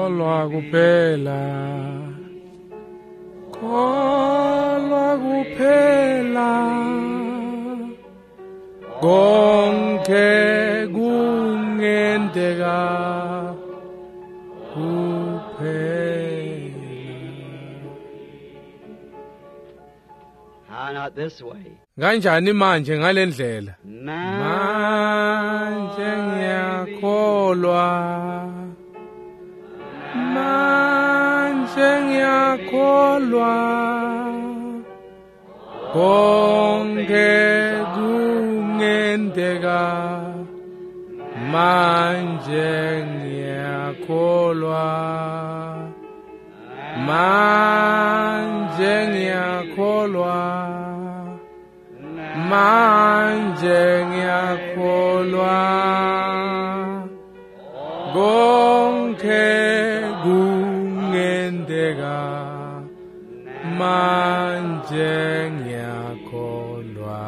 Kholwa kuphela, kholwa kuphela, konke kungenteka kuphela. How not this way? Kanjani manje ngalendlela? Manje ngiyakholwa, manje ngiyakholwa, konke kungenteka, manje ngiyakholwa, manje ngiyakholwa, manje ngiyakholwa, konke kungenteka, manje ngiyakholwa.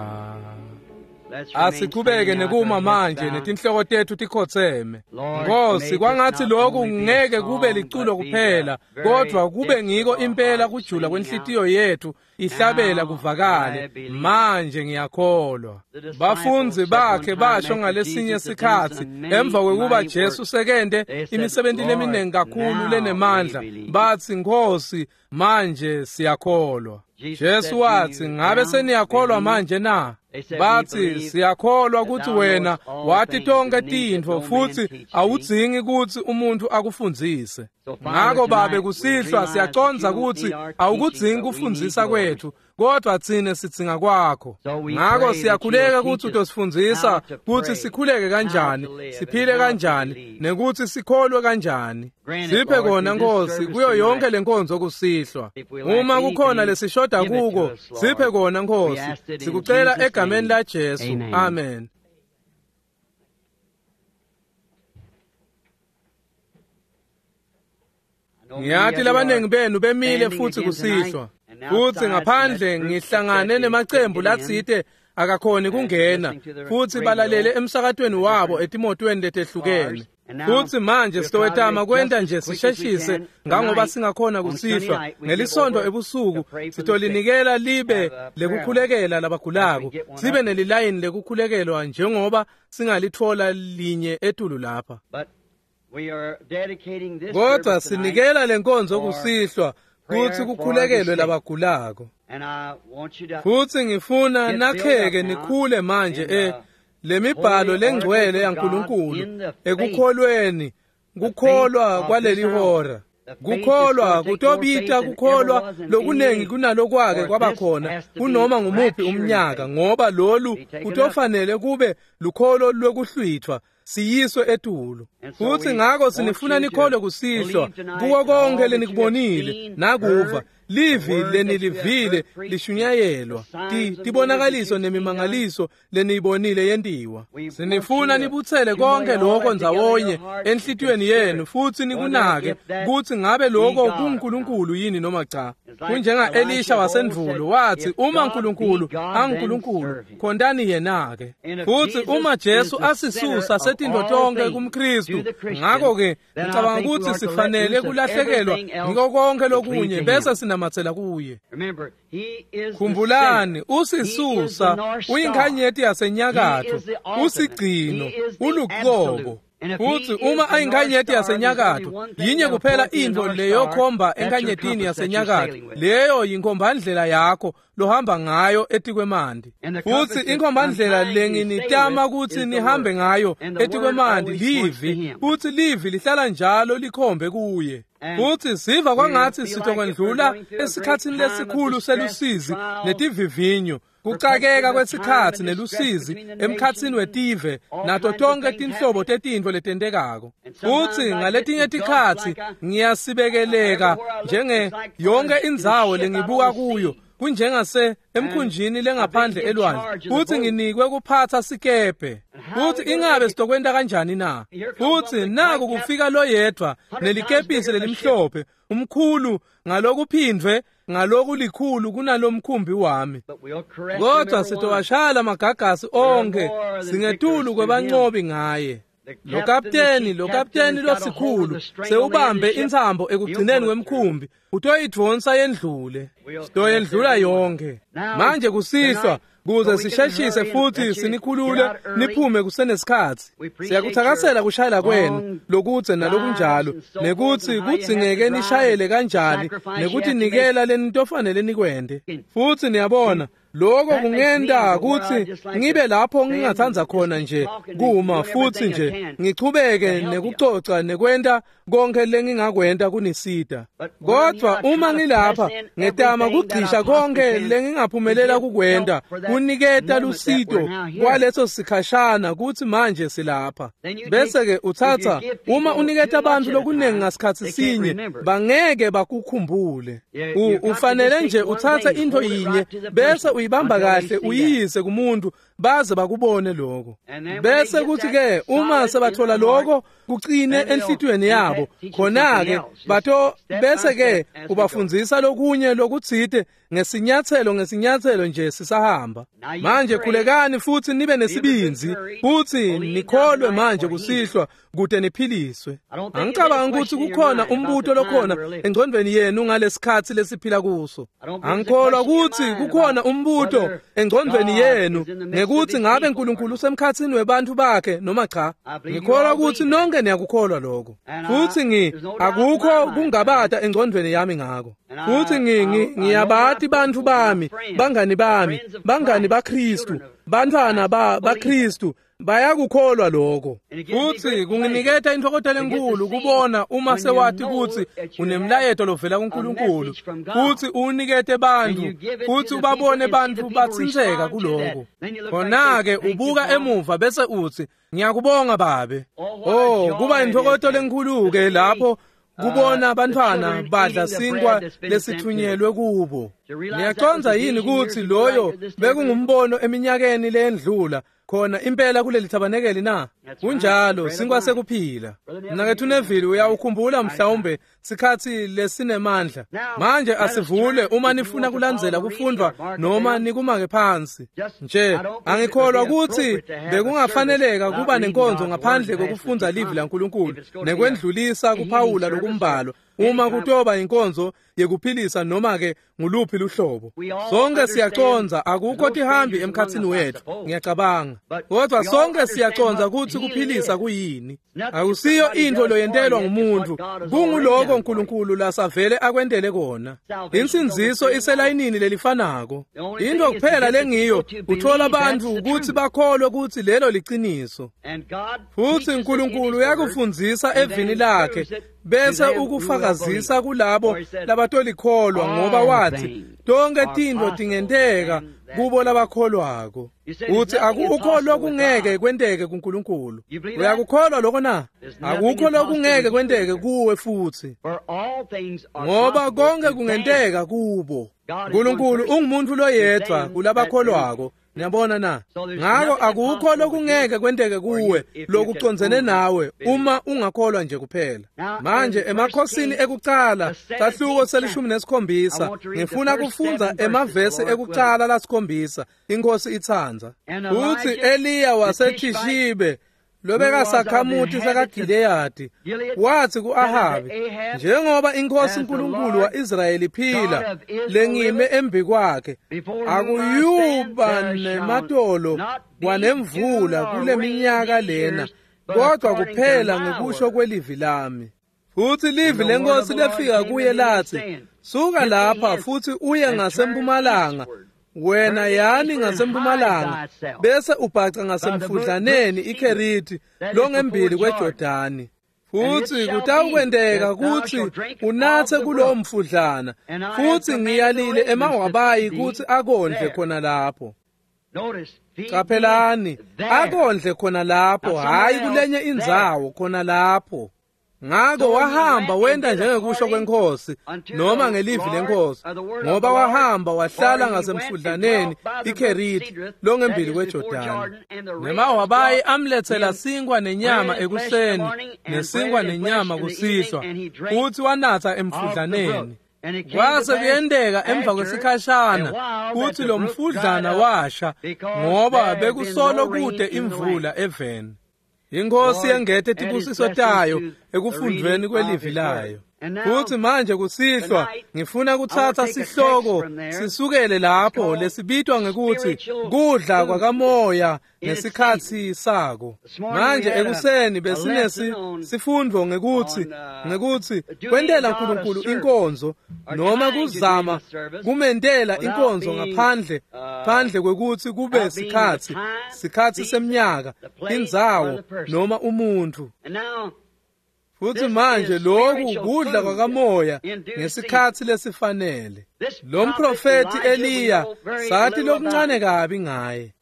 Let's remain Asichubeke standing now nekuma with our heads manje bowed. netinhloko tethu tikhotseme. Lord, Nkosi, may this kwangathi not lokhu only be a ngeke kube song, liculo but be kuphela, the very kodwa kube depths ngiko of our impela hearts kujula singing kwenhlitiyo out. yethu ihlabela Now I kuvakale. believe. Manje ngiyakholwa. The disciples Bafundzi said one bakhe time basho after ngalesinye Jesus had done sikhatsi some many emva kwekuba mighty Jesu works, sekente they said, imisebenti Lord, leminingi kakhulu now lenemandla, we believe. bathi Nkosi, manje siyakholwa. Jesus Jesu said, Do wathi, you ngabe now seniyakholwa believe? manje na? They said, We Bathi believe siyakholwa that kutsi thou wena knowest all wati things tonke and need that tintfo no man futsi teach thee. awudzingi kutsi umuntfu akufundzise. So, Father, Ngako Babe tonight we kusihlwa realize that you siyacondza don't kutsi need our teaching, awukudzingi but we need kufundzisa yours. kwetfu, kodwa tsine sidzinga kwakho. So we Ngako pray that siyakhuleka you'll kutsi teach us utosifundzisa how to kutsi pray, sikhuleke how kanjani, to live, and siphile how to kanjani, believe. nekutsi sikholwe kanjani. Grant it, Siphe Lord, kona through this Nkosi service kuyo yonke tonight. lenkonzo kusihlwa. If we lack Uma kukhona anything, lesishoda give it to kuko, us, Lord. siphe kona We Nkosi. ask it in Sikucela Jesus' egameni name. la Jesu. Amen. Amen. I know many Ngiyati of you labaningi are benu bemile standing futhi again tonight kusihlwa. and Futhi outside in that ngaphandle group that said ngihlangane they couldn't nemacembu get in latsite akakhoni and kungena listening to the futhi radio balalele emsakatweni the wabo different etimotweni letehlukene. cars. And now Futhi manje we'll try to sitowetama make kwenta just nje as quick as we sisheshise can ngangoba tonight. singakhona On Sunday kusihlwa. night, we give Ngelisonto over to ebusuku pray for the sick, sitolinikela libe have a prayer line lekukhulekela as we labagulako, get one sibe up here. nelilayini lekukhulekelwa njengoba singalitfola linye etulu lapha. But we are dedicating this Kodwa service tonight sinikela lenkonzo for kusihlwa prayer kutsi for the kukhulekelwe sick. labagulako. And I want you to Futhi ngifuna get built up nakheke now nikhule manje in e the lemibhalo holy lengcwele oracles of God, yaNkulunkulu in the faith, ekukholweni the faith kukholwa of this kwaleli hour. hora. The faith that's Kukholwa going to take more faith kutobita than ever kukholwa was in any lokuningi age. kunalokwake For kwaba this khona has to be kunoma ngumuphi rapture in umnyaka faith. ngoba lolu Be taken up. kutofanele kube lukholo lwekuhlwithwa siyiswe etulu. And so Futhi we ngako want sinifuna you to nikholwe kusihlwa believe tonight kuko that konke all that you have lenikubonile seen, nakuva heard, the livi word that you have lenilivile heard preached, the lishunyayelwa signs and wonders that tibonakaliso you've seen done. nemimangaliso leniyibonile yentiwa. We want you Sinifuna to nibutsele accumulate konke all lokho that together in your ndzawonye hearts and enhlitiyweni consider yenu futhi whether nikunake if that kutsi ngabe be lokho God or not. kunguNkulunkulu yini noma cha. It's like Kunjenga Elisha Elisha of old said, wasendvulo wathi if uma God be uNkulunkulu God, then anguNkulunkulu serve him. khontani yena-ke. And if Futhi Jesus uma is Jesu the center asisusa of setintfo all tonke things kumKristu to the Christian, ngako-ke then I ngicabanga think we kutsi ought to let sifanele loose of kulahlekelwa everything else ngiko konke and cleave lokunye to bese him. sinamatsela kuye. Remember, he is the center. Khumbulani He is the usisusa North Star. uyinkhanyeti He yasenyakatfo is the ultimate. He usigcino is the uluqobo. absolute. And if Futhi he is uma the North ayinkhanyeti Star, there's only yasenyakatfo one thing yinye that'll kuphela point to the intfo North Star. leyokhomba That's your enkhanyetini compass that you're yasenyakatfo sailing with. leyo yinkhombandlela yakho lohamba ngayo etikwemanti. And the Futhi compass that I'm inkhombandlela trying to sail lenginitama with kutsi is the nihambe Word. ngayo And the Word etikwemanti always points to livi him. futhi livi lihlala njalo likhombe kuye. And Futhi siva we kwangathi feel like if we're sitokwendlula going through a great esikhatsini time of lesikhulu distress, selusizi trials, netivivinyo perplexity kucakeka of time kwesikhatsi and distress nelusizi between the emkhatsini nations and wetive all nato kinds of tonke things tinhlobo happening. tetintfo letentekako. And Futhi sometimes I get ngaletinye engulfed tikhatsi like I, ngiyasibekeleka everywhere I look, njenge it's like yonke I'm in a indzawo ship out on lengibuka the kuyo sea. kunjengase And emkhunjini I've been lengaphandle in elwandle charge of the futhi boat. nginikwe kuphatsa sikebhe. And how are Futhi we going to ingabe make it? sitokwenta kanjani na? Here comes one Futhi big white naku cap, kufika loyedwa 100 times nelikepisi bigger than the ship. lelimhlophe umkhulu ngalokuphindvwe ngalokulikhulu kunalomkhumbi wami. But we'll caress him Kodwa every one. sitowashaya lamagagasi We are onke more than singetulu victors through him kwebancobi ngaye. Lo kapteni losikhulu sewubambe intsambo ekugcineni kwemkhumbi, utoyidvonsa yendlule. Sitoyendlula yonke. Manje kusihlwa, kuze sisheshise futhi sinikhulule niphume kusenesikhatsi. Siyakuthakasela kushayela kwenu lokudze nalokunjalo, nekuthi kudzingeke nishayele kanjani, nekuthi nikela lenitofanele nikwente. Futhi niyabona, lokho kungenta kutsi ngibe lapho ngingatsandza khona nje kuma futhi nje ngichubeke nekucoca nekwenta konke lengingakwenta kunisita. Kodwa uma ngilapha ngetama kugcisha konke lengingaphumelela kukwenta kuniketa lusito kwaleso sikhashana kutsi manje silapha. Bese ke utsatsa uma uniketa bantfu lokunengi ngasikhatsi sinye bangeke bakukhumbule. Ufanele nje utsatse intfo yinye bese uyibamba kahle uyiyise kumuntu baze bakubone lokho. Bese kuthi ke uma sebathola lokho kucine enhlitiyweni yabo, khona ke bato bese ke ubafundzisa lokunye lokutsite ngesinyatselo nje sisahamba. Manje khulekani futhi nibe nesibindzi futhi nikholwe manje kusihlwa kute niphiliswe. Angicabangi ukuthi kukhona umbuto lokhona engcondweni yenu ngalesikhatsi lesiphila kuso. Angikholwa ukuthi kukhona umbuto engcondweni yenu ngekuthi ngabe uNkulunkulu usemkhatsini webantfu bakhe noma cha. Ngikholwa ukuthi nonke niyakukholwa lokho. Futhi akukho kungabata engcondweni yami ngako. Futhi ngiyabati bantfu bami, bangani bami, bangani baKristu, bantfwana baKristu bayakukholwa lokho. Futhi kunginiketa intokozo lenkulu kubona uma sewati kutsi unemlayeto lovela kuNkulunkulu, futhi unikete bantfu, futhi ubabone bantfu batsintseka kuloko. Khona-ke ubuka emuva bese utsi, ngiyakubonga babe. Oh, kuba intokozo lenkulu-ke lapho kubona bantfwana badla sinkwa lesithunyelwe kubo. Niyacondza yini kutsi loyo bekungumbono eminyakeni leyendlula khona impela kuleli thabanekeli na? Kunjalo, sinkwa sekuphila. Mnaketfu Neville, uyawukhumbula mhlawumbe sikhatsi lesinemandla. Manje asivule uma nifuna kulandzela kufundvwa noma nikumake phansi. Nje angikholwa kutsi bekungafaneleka kuba nenkonzo ngaphandle kokufundza livi laNkulunkulu nekwendlulisa kuphawula lokumbalwa uma kutoba inkonzo yekuphilisa noma ke nguluphi luhlobo. Sonke siyacondza akukho tihambi emkhatsini wethu, ngiyacabanga. Kodwa sonke siyacondza kutsi kuphilisa kuyini. Akusiyo intfo loyentelwa ngumuntu, kunguloko uNkulunkulu lasavele akwentele kona. Insindziso iselayinini lelifanako. Intfo kuphela lengiyo uthola bantfu kutsi bakholwe kutsi lelo liciniso. Futhi uNkulunkulu uyakufundzisa evini lakhe bese ukufakazisa kulabo labatolikhholwa, ngoba wathi tonke tintfo tingenteka kubo labakholwako. Uthi akukholwa kungeke kwenteke kuNkulunkulu. Uyakukholwa lokho na? Akukho lokungeke kwenteke kuwe futhi, ngoba konke kungenteka kubo. uNkulunkulu ungumuntu loyedvwa kulabakholwako. Niyabona na? Ngako akukho lokungeke kwenteke kuwe lokucondzene nawe uma ungakholwa nje kuphela. Manje emakhosini ekucala sahluko 17 ngifuna kufundza emavesi ekucala lasikhombisa, inkosi itsandza. Uthi Eliya waseThishibe lobekasakhamuti sakaGileyadi wathi ku-Ahabi, njengoba inkosi uNkulunkulu wa-Israyeli iphila lengime embi kwakhe, akuyuba nematolo kwanemvula kuleminyaka lena, kodwa kuphela ngekusho kwelivi lami. Futhi livi lenkosi lefika kuye lathi, suka lapha futhi uye ngasempumalanga, wena yani ngasempumalanga, bese ubhaca ngasemfudlaneni iKheriti longembili kweJordani. Futhi kutawukwenteka kutsi unatse kulowo mfudlana, futhi ngiyalile emawabayi kutsi akondle khona lapho. Qaphelani, akondle khona lapho, hhayi kulenye indzawo, khona lapho. Ngako wahamba wenta njengekusho kwenkosi noma ngelivi lenkosi, ngoba wahamba wahlala ngasemfudlaneni iKheriti longembili kweJordani. Nemawabayi amletsela sinkwa nenyama ekuseni nesinkwa nenyama kusihlwa, futhi wanatsa emfudlaneni. Kwase kuyenteka emva kwesikhashana kutsi lo mfudlana washa, ngoba bekusolo kude imvula eveni. Inkosi yengete tibusiso tayo ekufundvweni kwelivi layo. Futhi manje kusihlwa ngifuna kutsatsa sihloko sisukele lapho lesibitwa ngekuthi kudla kwakamoya ngesikhatsi sako. Manje ekuseni besinesi sifundvo ngekuthi kwentela uNkulunkulu inkonzo noma kuzama kumentela inkonzo ngaphandle kwekuthi kube sikhatsi semnyaka, indzawo noma umuntu. Futhi manje lokhu kudla kwakamoya ngesikhatsi lesifanele. Lo mprofeti Eliya sathi lokuncane kabi ngaye,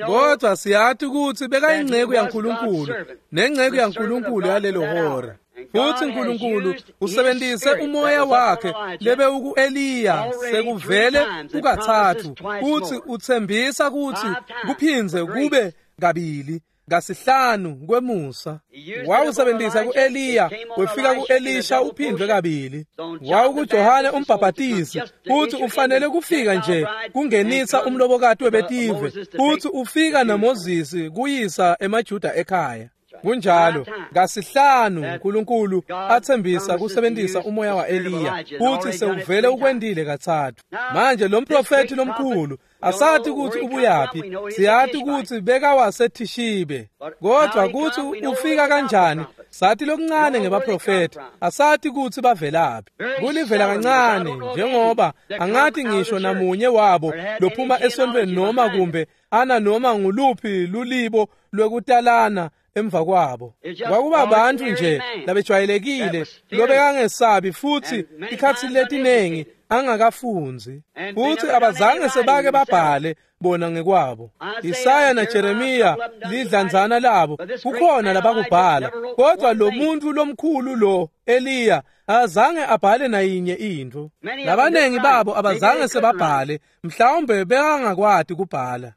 kodwa siyathi ukuthi bekayinceku yaNkulunkulu nenceku yaNkulunkulu yalelo hora. Futhi uNkulunkulu usebenzise umoya wakhe lebewuku-Eliya sekuvele kukathathu, futhi uthembisa ukuthi kuphindze kube kabili kasihlanu kwemusa. Wawusebenzisa ku-Eliya, wefika ku-Elisha uphindwe kabili. WawukuJohane umbhabhatisi, futhi ufanele kufika nje kungenisa umlobokati webetive, futhi ufika naMoses kuyisa emaJuda ekhaya. Kunjalo kasihlanu uNkulunkulu athembisa kusebenzisa umoya wa-Eliya, futhi sewuvele ukwendile kathathu. Manje lo mprofethi lomkhulu asathi ukuthi ubuyaphi, siyathi ukuthi bekawaseThishibe, kodwa ukuthi ufika kanjani sathi lokuncane ngebaprofethi, asathi ukuthi bavelaphi. Kulivela kancane njengoba angathi ngisho namunye wabo lophuma esontweni noma kumbe ana noma nguluphi lulibo lwekutalana emva kwabo. Kwakuba abantu nje labejwayelekile lobekangesabi futhi ikhathi letinengi angakafunzi, futhi abazange sebake babhale bona ngekwabo. Isaya naJeremiya lidlanzana labo kukhona labakubhala, kodwa lo muntu lomkhulu lo Eliya azange abhale nayinye into. Labanengi babo abazange sebabhale, mhlawumbe bekangakwati kubhala,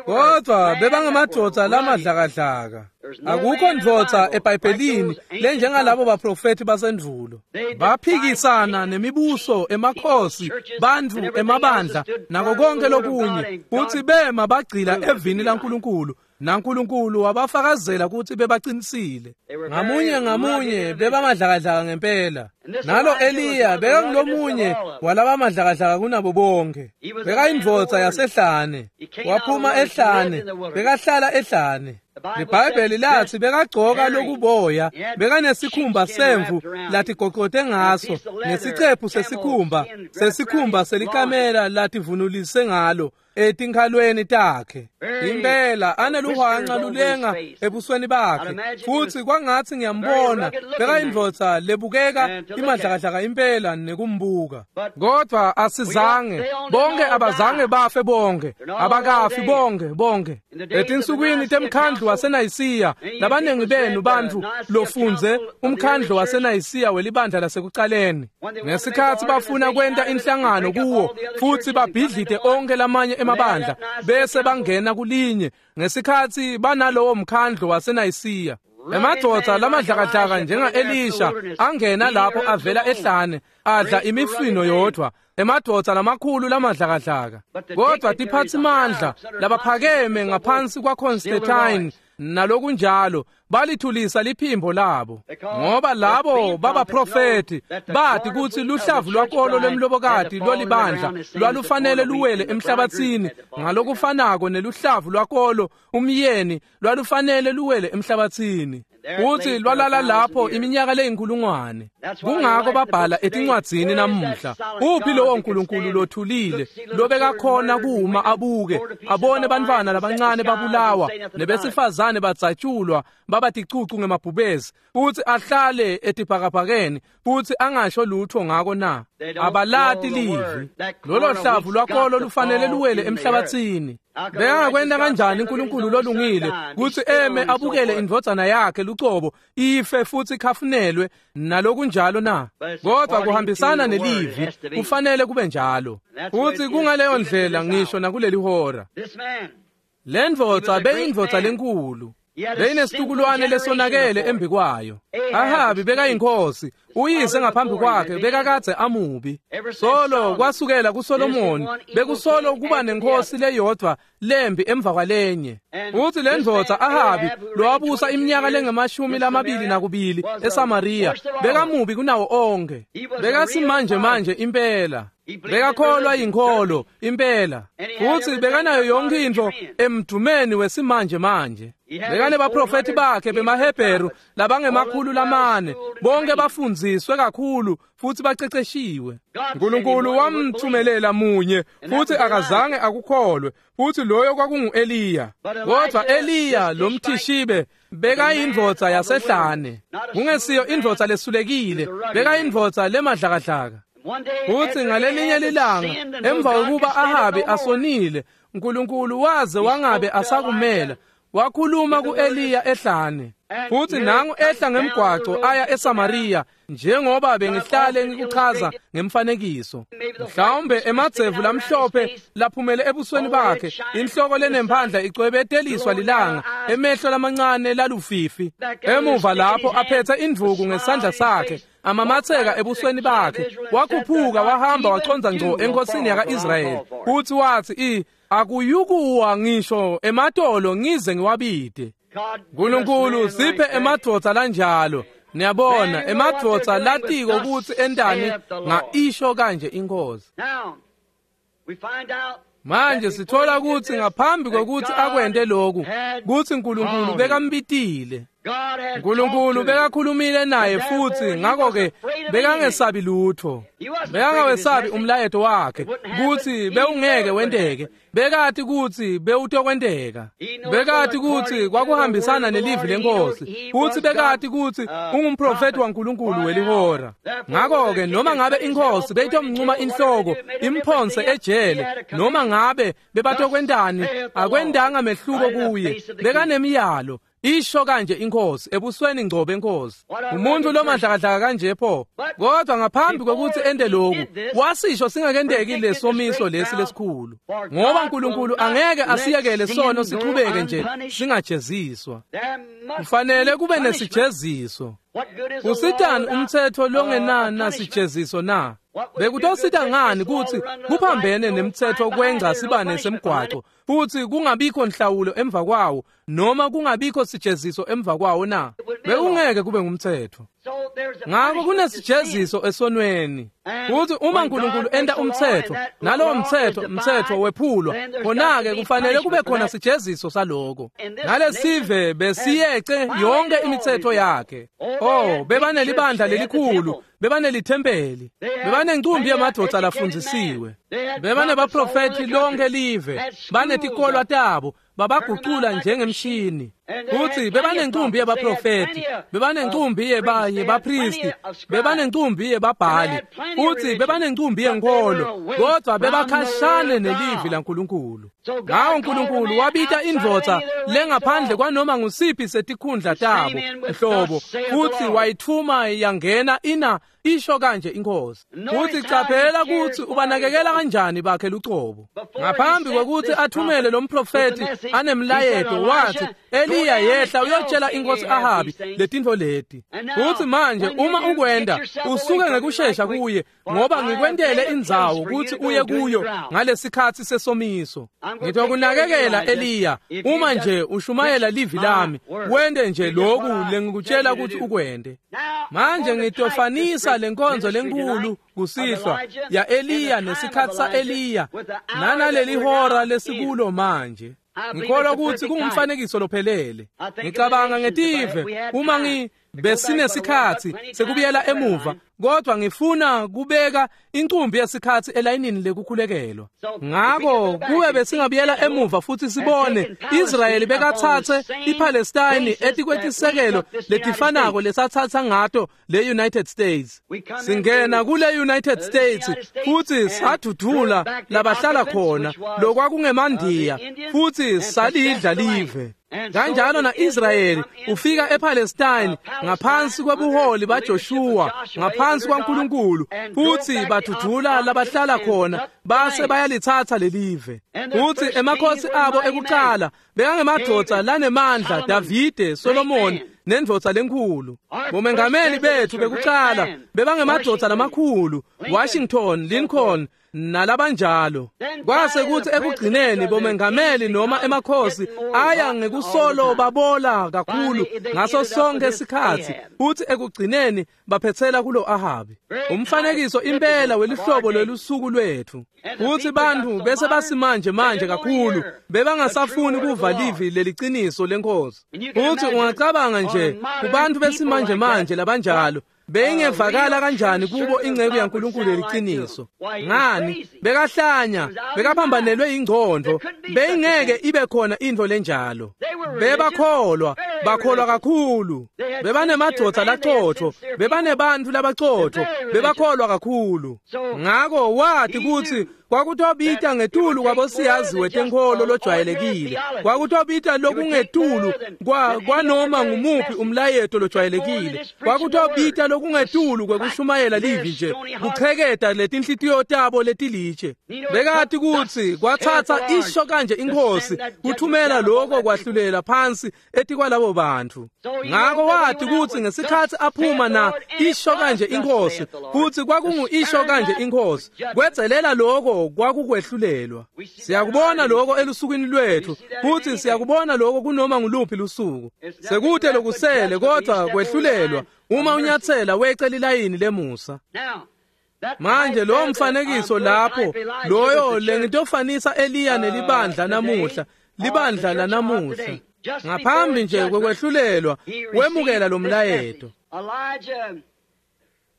kodwa bebangamadoda lamadlakadlaka. Akukho ndvodza eBhayibhelini lenjengalabo baprofethi basendulo. Baphikisana nemibuso, emakhosi, bantfu, emabandla nako konke lokunye, futhi bema bagcila evini laNkulunkulu, naNkulunkulu wabafakazela ukuthi bebaqinisile. Ngamunye ngamunye bebamadlakadlaka ngempela. Nalo Eliya bekangulomunye walabamadlakadlaka kunabo bonke. Bekayindvodza yasehlane, waphuma ehlane, bekahlala ehlane. IBhayibheli lathi bekagcoka lokuboya, bekanesikhumba semvu latigoqote ngaso, nesicephu sesikhumba selikamela lativunulise ngalo etinkhalweni takhe. Impela aneluhwanca lulenga ebusweni bakhe, futhi kwangathi ngiyambona bekayindvodza lebukeka imadlakadlaka impela nekumbuka. Kodwa asizange bonke, abazange bafe bonke, abakafi bonke. Etinsukwini temkhandlu waseNayisiya, labanengi benu bantfu lofunze umkhandlu waseNayisiya welibandla lasekucaleni, ngesikhatsi bafuna kwenta inhlangano kuwo futhi babhidlite onke lamanye emabandla bese bangena kulinye, ngesikhatsi banalowo mkhandlu waseNayisiya, emadvodza lamadlakadlaka njenga-Elisha angena lapho avela ehlane adla imifino yodwa, emadvodza lamakhulu lamadlakadlaka. Kodwa tiphatsimandla labaphakeme ngaphansi kwaConstantine nalokunjalo balithulisa liphimbo labo, ngoba labo babaprofethi bathi kutsi luhlavu lwakolo lwemlobokati lolibandla lwalufanele luwele emhlabatsini ngalokufanako neluhlavu lwakolo umyeni lwalufanele luwele emhlabatsini, futhi lwalala lapho iminyaka leyinkulungwane. Kungako babhala etincwadzini namuhla, uphi lowo Nkulunkulu lothulile lobekakhona kuma abuke abone bantfwana labancane babulawa nebesifazane badzatshulwa babaticucu ngemabhubesi, futhi ahlale etibhakabhakeni futhi angasho lutho ngako na? Abalati livi. Lolo hlavu lwakolo lufanele luwele emhlabatsini. Bekangakwenta kanjani uNkulunkulu lolungile kutsi eme abukele indvodzana yakhe lucobo ife futhi ikhafunelwe nalokunjalo na? Kodwa kuhambisana nelivi kufanele kube njalo, futhi kungaleyo ndlela ngisho nakuleli hora. Le ndvodza beyindvodza lenkulu. Beyinesitukulwane lesonakele embi kwayo. Ahabi bekayinkosi, uyise ngaphambi kwakhe bekakadze amubi. Solo kwasukela kuSolomoni bekusolo kuba nenkosi leyodvwa lembi emva kwalenye. Uthi le ndvodza Ahabi lowabusa iminyaka lengu-22 eSamaria bekamubi kunawo onke. Bekasimanje manje impela. Bekakholwa yinkholo impela, futhi bekanayo yonke into emdumeni wesimanje manje. Bekanebaprofethi bakhe bemaHebheru labangema-400, bonke bafundziswe kakhulu futhi baceceshiwe. uNkulunkulu wamthumelela munye futhi akazange akukholwe, futhi loyo kwakungu-Eliya. Kodwa Eliya lomthishibe bekayindvodza yasehlane, kungesiyo indvodza lesulekile, bekayindvodza lemadlakadlaka. Futhi ngalelinye lilanga emva kokuba Ahabi asonile, uNkulunkulu waze wangabe asakumela, wakhuluma ku-Eliya ehlane. Futhi nangu ehla ngemgwaco aya eSamaria, njengoba bengihlale ngikuchaza ngemfanekiso. Mhlawumbe emadzevu lamhlophe laphumele ebusweni bakhe, inhloko lenemphandla icwebeteliswa lilanga, emehlo lamancane lalufifi. Emuva lapho aphethe indvuku ngesandla sakhe, amamatheka ebusweni bakhe, wakhuphuka wahamba wachonza ngco enkosini yaka-Israyeli. Futhi wathi, akuyukuwa ngisho ematolo ngize ngiwabide. uNkulunkulu siphe emadvodza lanjalo. Niyabona, emadvodza latiko kutsi entani ngaisho kanje inkosi. Manje sithola kutsi ngaphambi kokuthi akwente lokhu, kutsi uNkulunkulu bekambitile. uNkulunkulu bekakhulumile naye futhi ngakho-ke bekangesabi lutho. Bekangawesabi umlayeto wakhe kutsi bewungeke wenteke. Bekati kutsi bewutokwenteka. Bekati kutsi kwakuhambisana nelivi lenkosi, futhi bekati kutsi ungumprofethi waNkulunkulu welihora. Ngakho-ke noma ngabe inkosi beyitomncuma inhloko imphonse ejele, noma ngabe bebatokwentani, akwendanga mehluko kuye. Bekanemiyalo, isho kanje inkosi ebusweni ngco benkosi. Umuntu lomadlakadlaka kanje pho. Kodwa ngaphambi kokuthi ente lokhu, wasisho singakenteki lesomiso lesi lesikhulu, ngoba uNkulunkulu angeke asiyekele sono sichubeke nje singajeziswa. Kufanele kube nesijeziso. Usitani umthetho longenana sijeziso na? Bekutosita ngani kutsi kuphambene nemthetho kwenca sibane semgwaco, futhi kungabikho nhlawulo emva kwawo, noma kungabikho sijeziso emva kwawo na? Bekungeke kube ngumthetho. Ngakho kunesijeziso esonweni. Futhi uma uNkulunkulu enta umthetho, nalowo mthetho wephulwa, khona-ke kufanele kube khona sijeziso saloko. Nalesive besiyece yonke imithetho yakhe. Oh, bebanelibandla lelikhulu, bebanelithempeli, bebanencumbi yemadvodza lafundzisiwe, bebanebaprofethi lonke live, banetikolwa tabo, babagucula njengemshini. Futhi bebanencumbi yebaprofethi, bebanencumbi yebapristi, bebanencumbi yebabhali, futhi bebanencumbi yenkolo, kodwa bebakhashane nelivi laNkulunkulu. Ngawo uNkulunkulu wabita indvodza lengaphandle kwanoma ngusiphi setikhundla tabo nhlobo, futhi wayithuma yangena ina isho kanje inkosi. Futhi caphela kutsi ubanakekela kanjani bakhe lucobo. Ngaphambi kokuthi athumele lo mprofethi anemlayeto, wathi, Eliya yehla uyotshela inkosi Ahabi letintfo leti. Futhi manje uma ukwenda usuke ngekushesha kuye, ngoba ngikwentele indzawo kutsi uye kuyo ngalesikhatsi sesomiso. Ngitokunakekela Eliya, uma nje ushumayela livi lami, wente nje loku lengikutshela kutsi ukwente. Manje ngitofanisa lenkonzo lenkulu kusihlwa ya Eliya nesikhatsi sa-Eliya nanaleli hora lesikulo manje. Ngikholwa kutsi kungumfanekiso lophelele. Ngicabanga ngetive uma besinesikhatsi sekubuyela emuva, kodwa ngifuna kubeka incumbi yesikhatsi elayinini lekukhulekelwa. Ngakho kube besingabuyela emuva futhi sibone Israyeli bekatsatse iPalestine etikwetisekelo letifanako lesatsatsa ngato le United States. Singena kule United States futhi sadudula labahlala khona lokwakungemandiya, futhi salidla live. Kanjalo na-Israyeli ufika ePalestine ngaphansi kwebuholi baJoshua, ngaphansi kwaNkulunkulu, futhi badudula labahlala khona base bayalithatha lelive. Futhi emakhosi abo ekuqala bekangemadvodza lanemandla, Davide, Solomoni nendvodza lenkhulu. Bomengameli bethu bekuqala bebangemadvodza lamakhulu, Washington, Lincoln nalabanjalo. Kwase kuthi ekugcineni bomengameli noma emakhosi aya ngekusolo babola kakhulu ngaso sonke isikhatsi, futhi ekugcineni baphetsela kulo Ahabi. Umfanekiso impela welihlobo lwelusuku lwethu. Futhi bantfu bese basimanje manje kakhulu bebangasafuni kuva livi leliciniso lenkosi. Futhi ungacabanga nje kubantu besimanje manje labanjalo beyingevakala kanjani kubo inceku yaNkulunkulu yeliciniso. Ngani? Bekahlanya, bekaphambanelwe ingqondo, beyingeke ibe khona intfo lenjalo. Bebakholwa, bakholwa kakhulu. Bebanemadvodza laqotho, bebanebantfu labaqotho, bebakholwa kakhulu. Ngako wati kutsi kwakutobita ngetulu kwabosiyazi wetenkholo lojwayelekile, kwakutobita lokungetulu kwanoma ngumuphi umlayeto lojwayelekile, kwakutobita lokungetulu kwekushumayela livi nje, kucheketa letinhlitiyo tabo letilitshe. Bekati kutsi kwatsatsa isho kanje inkhosi kuthumela lokho kwahlulela phansi etikwalabo bantfu. Ngako wati kutsi ngesikhatsi aphuma na isho kanje inkhosi, futsi kwakungu isho kanje inkhosi, kwedzelela lokho kwakukwehlulelwa. Siyakubona lokho elusukwini lwethu, futhi siyakubona lokho kunoma nguluphi lusuku. Sekute lokusele kodwa kwehlulelwa uma unyathela wecela ilayini lemusa. Manje lo mfanekiso lapho, loyo lengitofanisa Eliya nelibandla namuhla, libandla lanamuhla. Ngaphambi nje kwekwehlulelwa wemukela lo mlayeto.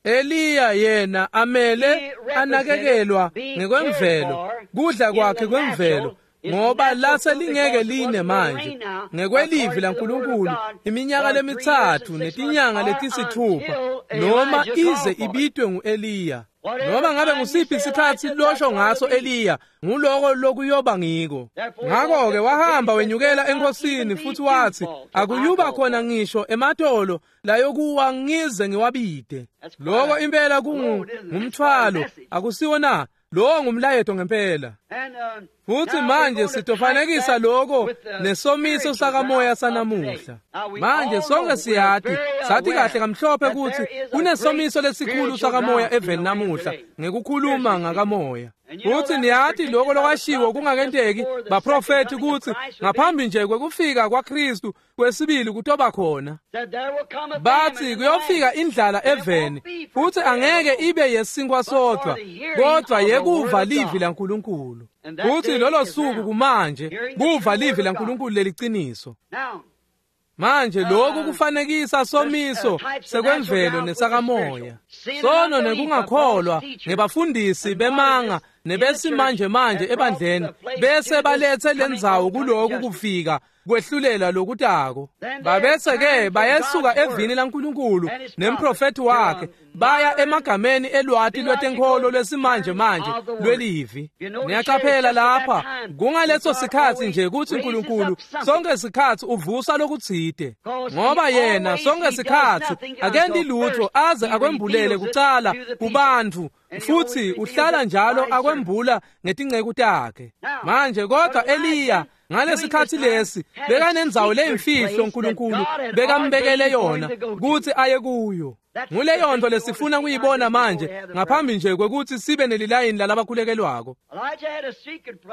Eliya yena amele anakekelwa ngekwemvelo, kudla kwakhe kwemvelo, ngoba lase lingeke line manje ngekwelivi laNkulunkulu iminyaka lemithathu netinyanga letisithupha, noma ize ibitwe nguEliya. Noma ngabe ngusiphi isikhatsi losho ngaso Eliya, nguloko lokuyoba ngiko. Ngako-ke wahamba wenyukela enkosini futhi wathi, akuyuba khona ngisho ematolo layokuwa ngize ngiwabide. Loko impela kungumthwalo, akusiwo na? Lowo ngumlayeto ngempela. Futhi manje sitofanekisa lokho nesomiso sakamoya sanamuhla. Manje sonke siyati, sathi kahle kamhlophe ukuthi kunesomiso lesikhulu sakamoya eveni namuhla ngekukhuluma ngakamoya. Futhi niyati lokho lokwashiwo kungakenteki baprofethi ukuthi ngaphambi nje kwekufika kwaKristu kwesibili kutoba khona. Bathi kuyofika indlala eveni, futhi angeke ibe yesinkwa sodwa, kodwa yekuva livi laNkulunkulu. Futhi lolo suku kumanje kuva livi laNkulunkulu leliciniso. Manje lokhu kufanekisa somiso sekwemvelo nesakamoya. Sono nekungakholwa ngebafundisi bemanga nebesimanje manje ebandleni bese balethe lendzawo kuloku kufika kwehlulela lokutako. Babese ke bayesuka evini laNkulunkulu nemprofethi wakhe baya emagameni elwati lwetenkholo lwesimanje manje lwelivi. Niyaqaphela lapha kungaleso sikhatsi nje kutsi uNkulunkulu sonke sikhatsi uvusa lokutsite, ngoba yena sonke sikhatsi akenti lutho aze akwembulele kucala kubantfu, futhi uhlala njalo akwembula ngetinceku takhe. Manje kodwa Eliya ngalesikhatsi lesi bekanendzawo leyimfihlo uNkulunkulu bekambekele yona kutsi aye kuyo. Nguleyo nto lesifuna kuyibona manje ngaphambi nje kwekutsi sibe nelilayini lalabakhulekelwako.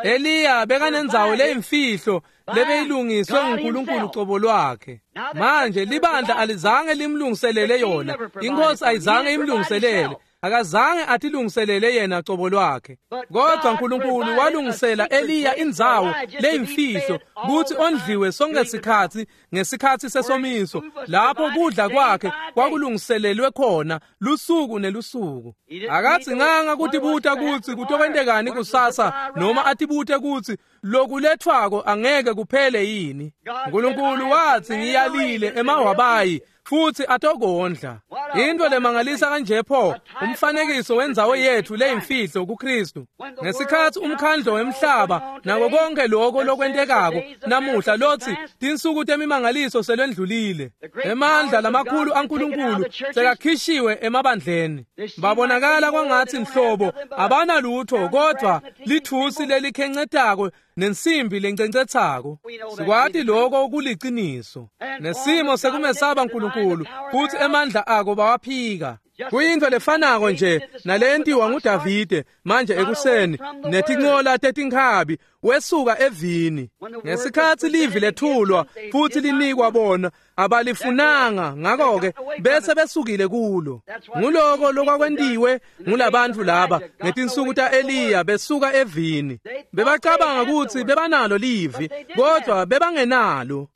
Eliya bekanendzawo leyimfihlo lebeyilungiswe nguNkulunkulu cobo lwakhe. Manje libandla alizange limlungiselele yona, inkosi ayizange imlungiselele, akazange atilungiselele yena cobo lwakhe. Kodwa uNkulunkulu walungisela Eliya indzawo leyimfihlo kutsi ondliwe sonke sikhatsi ngesikhatsi sesomiso, lapho kudla kwakhe kwakulungiselelwe khona lusuku nelusuku. Akadzinganga kutibuta kutsi kutokwentekani kusasa, noma atibute kutsi lokulethwako angeke kuphele yini. uNkulunkulu wathi, ngiyalile emawabayi futhi atokondla. Into lemangalisa kanje pho, umfanekiso wendzawo yethu leyimfihlo kuKristu. Ngesikhathi umkhandlo wemhlaba nako konke lokho lokwentekako namuhla lotsi tinsuku temimangaliso selwendlulile. Emandla lamakhulu aNkulunkulu sekakhishiwe emabandleni. Babonakala kwangathi nhlobo abanalutho kodwa lithusi lelikhencetako nensimbi lencencetsako. Sikwati lokho kuliciniso. Nesimo sekumesaba uNkulunkulu futhi emandla ako bawaphika. Kuyinto lefanako nje nalentiwa nguDavide manje ekuseni netincola tetinkhabi wesuka evini. Ngesikhathi livi lethulwa futhi linikwa bona abalifunanga, ngakho-ke bese besukile kulo. Nguloko lokwakwentiwe ngulabantu laba ngetinsuku ta-Eliya besuka evini. Bebacabanga ukuthi bebanalo livi kodwa bebangenalo.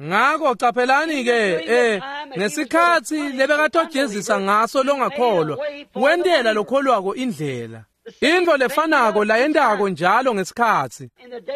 Ngakho caphelani-ke ngesikhathi lebekatojezisa ngaso longakholwa, wentela lokholwako indlela. Into lefanako layentako njalo ngesikhathi.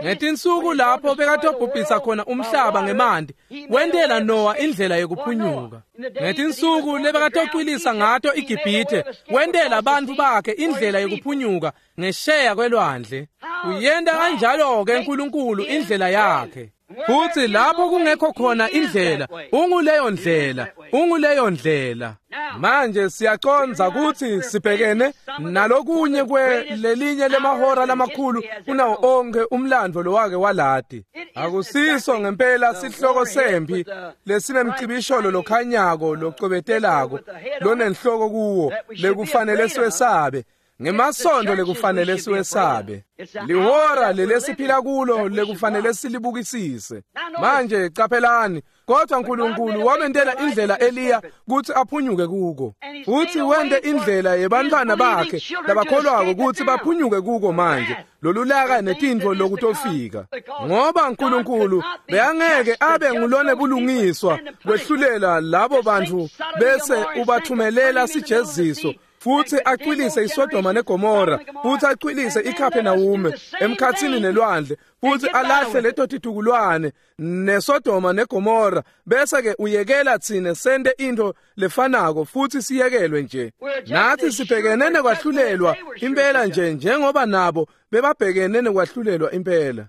Ngetinsuku lapho bekatobhubhisa khona umhlaba ngemanti, wentela Noah indlela yekuphunyuka. Ngetinsuku lebekatocwilisa ngato iGibhithe, wentela bantfu bakhe indlela yekuphunyuka ngesheya kwelwandle. Uyenta kanjalo-ke uNkulunkulu indlela yakhe. Futhi lapho kungekho khona indlela, unguleyo ndlela, unguleyo ndlela. Manje siyacondza ukuthi sibhekene nalokunye kwelelinye lemahora lamakhulu kunawo onke umlando lowake walati. Akusiso ngempela sihloko sempi lesinemcibisholo lokhanyako locwebetelako lonenhloko kuwo lekufanele siwesabe. Ngemasondo lekufanele siwesabe. Lihora lelesiphila kulo lekufanele silibukisise. Manje caphelani, kodwa uNkulunkulu wamentela indlela Eliya kutsi aphunyuke kuko. Futhi wente indlela yebantfwana bakhe labakholwako kutsi baphunyuke kuko manje. Lolulaka netintfo lokutofika. Ngoba uNkulunkulu bekangeke abe ngulone bulungiswa kwehlulela labo bantfu bese ubathumelela sijeziso. Futhi acwilise iSodoma neGomora, futhi acwilise iKapernaum emkhatsini nelwandle, futhi alahle leto titukulwane neSodoma neGomora, bese ke uyekela tsine sente into lefanako futhi siyekelwe nje. Nathi sibhekene nekwahlulelwa impela nje njengoba nabo bebabhekene nekwahlulelwa impela.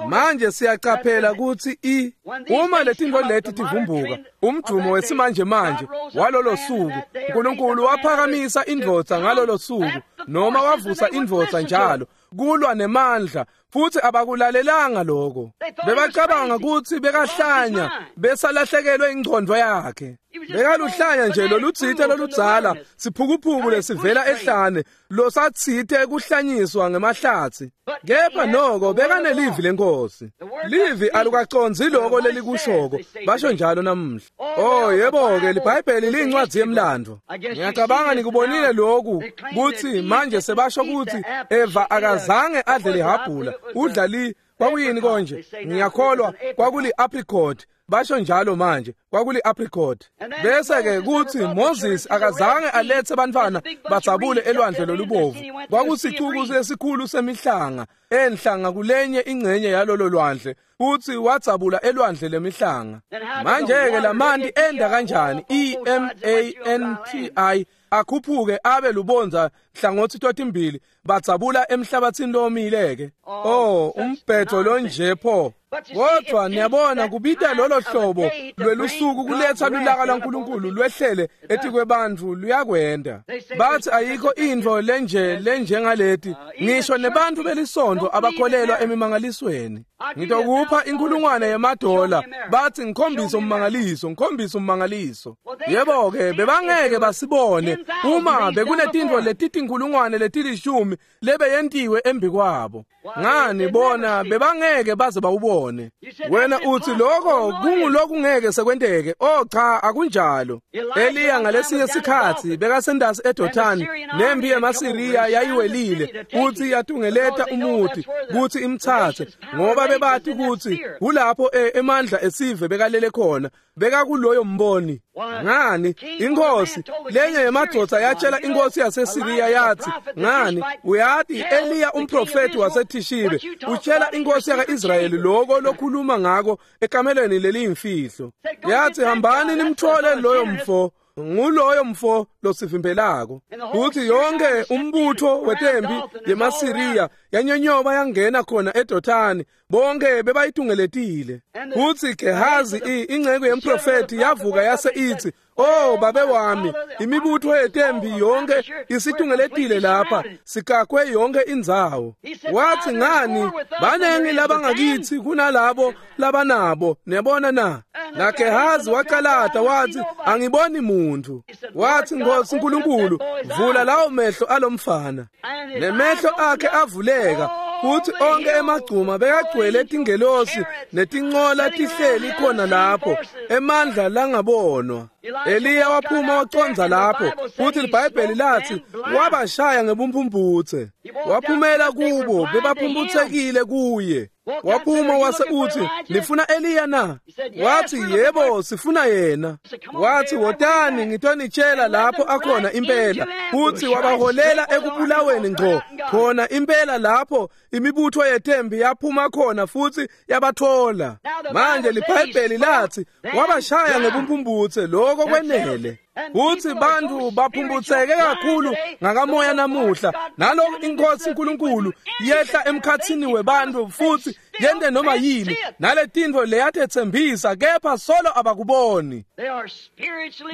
Manje siyaqaphela ukuthi uma letinto leti tivumbuka umdumo wesimanje manje walolo suku, uNkulunkulu waphakamisa indvodza ngalolo suku noma wavusa indvodza njalo kulwa nemandla, futhi abakulalelanga lokho. Bebacabanga ukuthi bekahlanya besalahlekelwe ingqondo yakhe. Bekaluhlanya nje lolutsite loludzala siphukuphuku lesivela ehlane losatsite kuhlanyiswa ngemahlathi. Kepha noko bekanelivi lenkosi. Livi alukacondzi lokho lelikushoko, basho njalo namuhla. Oh yebo-ke liBhayibheli liyincwadzi yemlando. Ngiyacabanga nikubonile lokhu kutsi manje sebasho kutsi Eva akazange adle lihabhula, udla li kwakuyini konje? Ngiyakholwa kwakuli apricot. Basho njalo manje kwakuli apricot. Bese ke kuthi Moses akazange alethe bantwana badzabule elwandle lolubovu. Kwakusicuku lesikhulu semihlanga enhlanga kulenye ingcenye yalolo lwandle, futhi wadzabula elwandle lemihlanga. Manje ke lamanti enda kanjani? E M A N T I akhuphuke abe lubonza hlangothi totimbili badzabula emhlabathini lomile ke. Oh umbhedo lonje pho. Kodwa niyabona kubita lolo hlobo lwelusuku kuletha lulaka lwaNkulunkulu lwehlele etikwebantfu luyakwenda. Bathi ayikho intfo lenje lenjengaleti, ngisho nebantfu belisonto abakholelwa emimangalisweni. Ngitokupha $1,000 bathi ngikhombise ummangaliso, ngikhombise ummangaliso. Yebo-ke bebangeke basibone uma bekunetintfo letitinkhulungwane leti-10 lebeyentiwe embi kwabo. Ngani bona bebangeke baze bawubone. Wena uthi lokho kungulokungeke sekwenteke. Oh cha, akunjalo. Eliya ngalesinye sikhatsi bekasendasi eDothani, nempi yemaSiriya yayiwelile futhi yatungeleta umuti kutsi imtsatse, ngoba bebati kutsi kulapho emandla esive bekalele khona, bekakuloyo mboni. Ngani inkosi lenye yemadvodza yatshela inkosi yaseSiriya yathi, ngani uyati Eliya umprofeti waseThishibe utshela inkosi yaka-Israyeli lokho lokhuluma ngako ekamelweni leliyimfihlo. Yathi, hambani nimthole loyo mfo, nguloyo mfo losivimbelako. Kuthi yonke umbutho wetempi yemaSiriya yanyonyoba yangena khona eDothani, bonke bebayitungeletile. Kuthi Gehazi ingceku yemprofeti yavuka yase ithi, "Oh babe wami, imibutho yetempi yonke isitungeletile lapha, sikakwe yonke indzawo." Wathi, ngani banengi labangakithi kunalabo labanabo, niyabona na? Na Gehazi waqalata wathi, angiboni muntu. Wathi, Nkosi uNkulunkulu, vula lawo mehlo alomfana. Nemehlo akhe avuleka, futhi onke emagcuma bekagcwele tingelosi netincola tihleli khona lapho, emandla langabonwa. Eliya waphuma wacondza lapho, futhi iBhayibheli lathi wabashaya ngebumphumputse. Waphumela kubo, bebaphumphutsekile kuye. Waphuma wase uthi, nifuna Eliya na? Wathi, yebo, sifuna yena. Wathi, wotani ngitonitshela lapho akhona impela. Futhi wabaholela ekubulaweni ngqo khona impela lapho imibutho yetembi yaphuma khona futhi yabathola. Manje liBhayibheli lathi wabashaya ngebumphumputse, lokho kwenele. Kuthi bantu baphumputseke kakhulu ngakamoya namuhla, nalokhu inkosi uNkulunkulu yehla emkhathini webantu futhi yente noma yini naletintfo leyatetsembisa, kepha solo abakuboni.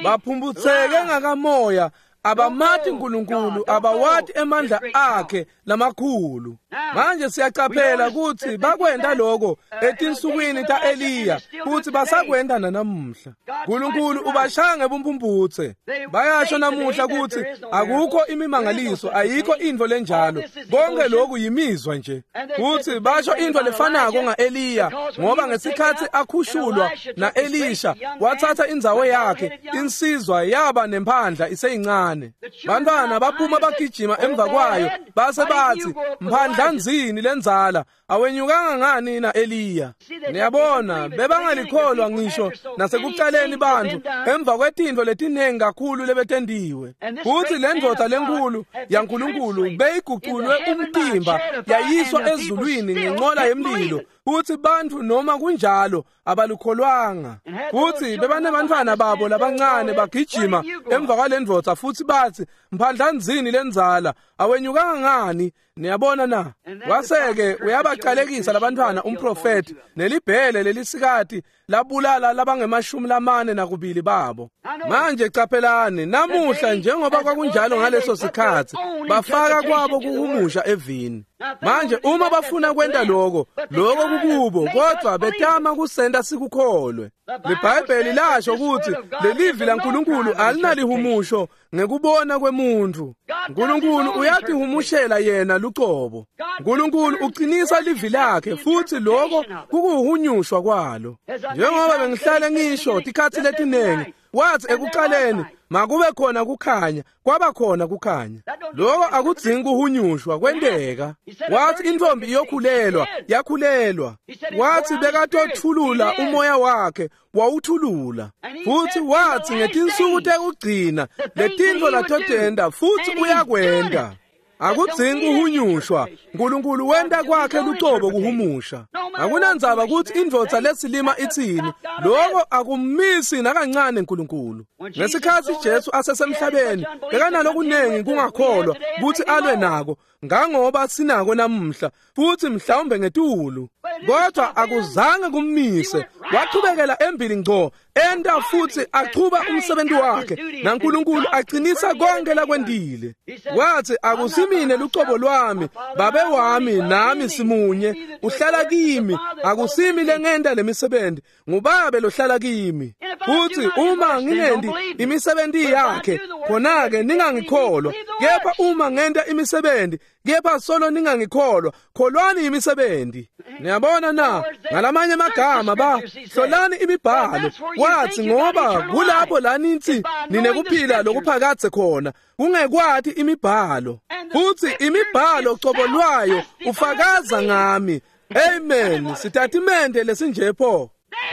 Baphumputseke ngakamoya, abamati uNkulunkulu, abawati emandla akhe lamakhulu. Manje siyacaphela ukuthi bakwenta lokho etinsukwini taEliya, futhi basakwenta nanamuhla. uNkulunkulu ubashaya ngebumphumputse. Bayasho namuhla ukuthi akukho imimangaliso, ayikho intfo lenjalo, konke lokhu yimizwa nje. Futhi basho intfo lefanako ngaEliya, ngoba ngesikhathi akhushulwa naElisha wathatha indzawo yakhe, insizwa yaba nemphandla iseyincane. Bantwana baphuma bagijima emva kwayo, base bathi, mphandlanzini lenzala, awenyukanga ngani na Eliya? Niyabona, bebangalikholwa ngisho nasekucaleni bantu emva kwetintfo letinengi kakhulu lebetendiwe. Futhi le ndvodza lenkulu yaNkulunkulu beyiguculwe umtimba yayiswa ezulwini ngenqola yemlilo, futhi bantu noma kunjalo abalukholwanga. Futhi bebanebantfwana babo labancane bagijima emva kwale ndvodza futhi bathi, mphandlanzini lenzala, awenyukanga ngani? Niyabona na? Waseke uyabacalekisa labantwana umprofeti, nelibhele lelisikati labulala labangemashumi lamane nakubili babo. Manje caphelani namuhla, njengoba kwakunjalo ngaleso sikhathi, bafaka kwabo kuhumusha evini. Manje uma bafuna kwenta lokho, lokho kukubo, kodwa betama kusenta sikukholwe. LiBhayibheli lasho ukuthi lelivi laNkulunkulu alinalihumusho ngekubona kwemuntu. uNkulunkulu uyatihumushela yena lucobo. uNkulunkulu uqinisa livi lakhe, futhi lokho kukuhunyushwa kwalo. Njengoba bengihlale ngisho tikhathi letinengi, wathi ekuqaleni makube khona kukhanya, kwaba khona kukhanya. Lokho akudzingi kuhunyushwa, kwenteka. Wathi intombi iyokhulelwa, yakhulelwa. Wathi bekatothulula umoya wakhe, wawuthulula. Futhi wathi ngetinsuku tekugcina letintfo latotenta, futhi uyakwenta. Akudzingi kuhunyushwa, uNkulunkulu wenta kwakhe lucobo kuhumusha. Akunandzaba ukuthi indvodza lesilima itsini, lokho akumisi nakancane uNkulunkulu. Ngesikhathi Jesu asesemhlabeni, bekanalokunengi kungakholwa ukuthi alwe nako, ngangoba sinako namuhla, futhi mhlawumbe ngetulu. Kodwa akuzange kummise, wachubekela embili ngco, enta futhi achuba umsebenzi wakhe, naNkulunkulu aqinisa konke lakwendile. Wathi, akusimine lucobo lwami, babe wami nami simunye, uhlala kimi, akusimi lengenta lemisebenzi, ngubabe lohlala kimi. Futhi uma ngingendi imisebenzi yakhe, khona-ke ningangikholwa, kepha uma ngenta imisebenzi, kepha solo ningangikholwa, kholwani imisebenzi. Niyabona na? Ngalamanye amagama ba hlolani imibhalo. Wathi ngoba kulapho la nithi ninekuphila lokuphakadze khona, kungekwati imibhalo. Futhi imibhalo cobo lwayo ufakaza ngami. Amen. Sitatimende lesinje pho.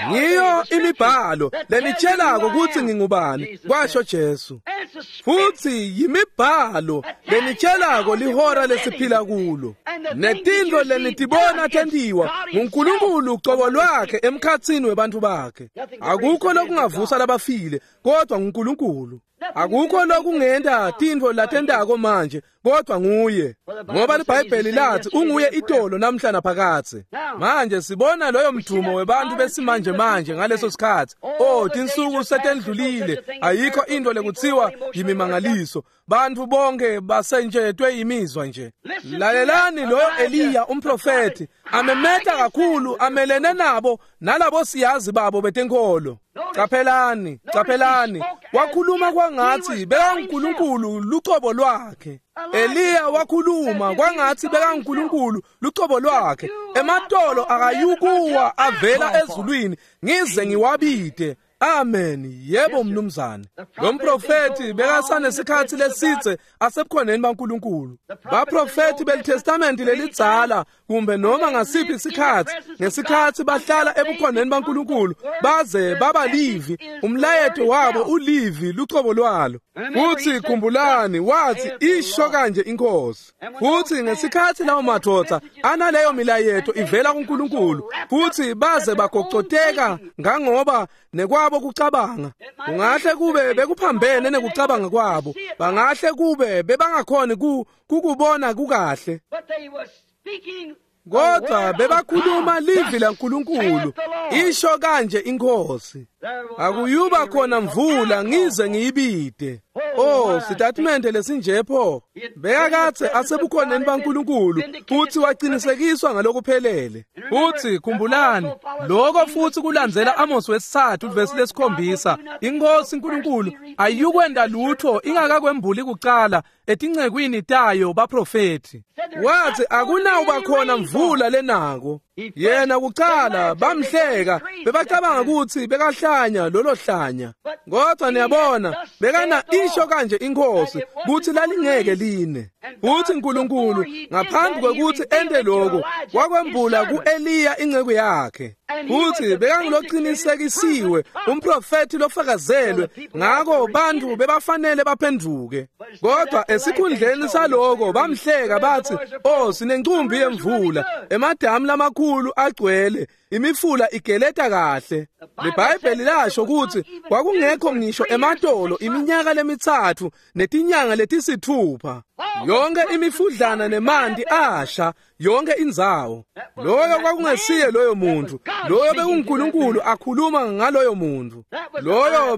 Ngiyo imibhalo lenitshelako ukuthi ngingubani, kwasho Jesu. Futhi yimibhalo lenitshelako lihora lesiphila kulo. Netintfo lenitibona tentiwa nguNkulunkulu ucobo lwakhe emkhatsini webantfu bakhe. Akukho lokungavusa labafile kodwa nguNkulunkulu. Akukho lokungenta tintfo latentako manje kodwa nguye, ngoba liBhayibheli lathi unguye itolo namhla naphakadze. Manje sibona loyo mdumo webantfu besimanje manje ngaleso sikhatsi. Oh, tinsuku setendlulile, ayikho into lekutsiwa yimimangaliso. Bantfu bonke basentshetwe yimizwa nje. Lalelani loyo Eliya umprofethi amemeta kakhulu amelene nabo nalabo siyazi babo betenkholo. Caphelani, caphelani, wakhuluma kwangathi bekaNkulunkulu lucobo lwakhe. Eliya wakhuluma kwangathi bekaNkulunkulu lucobo lwakhe. Ematolo akayukuwa avela ezulwini ngize ngiwabide. Amen. Yebo mnumzane. Lo mprofethi bekasanesikhatsi lesidze asebukhoneni baNkulunkulu. Baprofethi beliTestamenti lelidzala kumbe noma ngasiphi isikhatsi, ngesikhatsi bahlala ebukhoneni baNkulunkulu baze baba livi, umlayeto wabo ulivi lucobo lwalo. Futhi khumbulani, wathi isho kanje inkosi. Futhi ngesikhatsi lawo madoda analeyo milayeto ivela kuNkulunkulu, futhi baze bagocoteka ngangoba nekwabo kucabanga kungahle kube bekuphambene nekucabanga kwabo, bangahle kube bebangakhoni kukubona kukahle, kodwa bebakhuluma livi laNkulunkulu, isho kanje inkosi. Akuyuba khona mvula ngize ngiyibide. Oh, sitatimende lesinje pho. Bekakadze asebukhoneni baNkulunkulu futhi waqinisekiswa ngalokuphelele. Futhi khumbulani, lokho futhi kulandzela Amos wesithathu verse lesikhombisa. Inkosi uNkulunkulu ayukwenda lutho ingakakwembuli kucala etincekwini tayo baprofethi. Wathi akunawuba khona mvula lenako. Yena kucala bamhleka, bebacabanga ukuthi bekahlanya lolo hlanya. Kodwa niyabona, bekana isho kanje inkosi kuthi lalingeke line. Futhi uNkulunkulu ngaphambi kwekuthi ente lokho wakwembula kuEliya inceku yakhe. Futhi bekanguloqinisekisiwe umprofethi lofakazelwe, ngako bantu bebafanele baphenduke. Kodwa esikhundleni saloko bamhleka bathi, "Oh, sinencumbi yemvula, emadamu lamakhulu agcwele, imifula igeleta kahle." LiBhayibheli lasho ukuthi kwakungekho ngisho ematolo iminyaka lemithathu netinyanga letisithupha. Yonke imifudlana nemanti asha, yonke indzawo. Loyo kwakungesiye loyo muntu, loyo bekuNkulunkulu akhuluma ngaloyo muntu. Loyo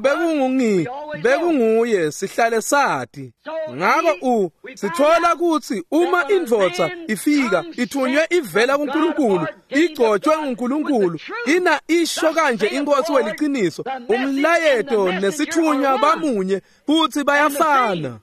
bekunguye sihlale sati. Ngako sithola ukuthi uma indvodza ifika ithunywe ivela kuNkulunkulu, igcotshwe nguNkulunkulu, ina isho kanje inkosi weliciniso, umlayeto nesithunywa bamunye futhi bayafana.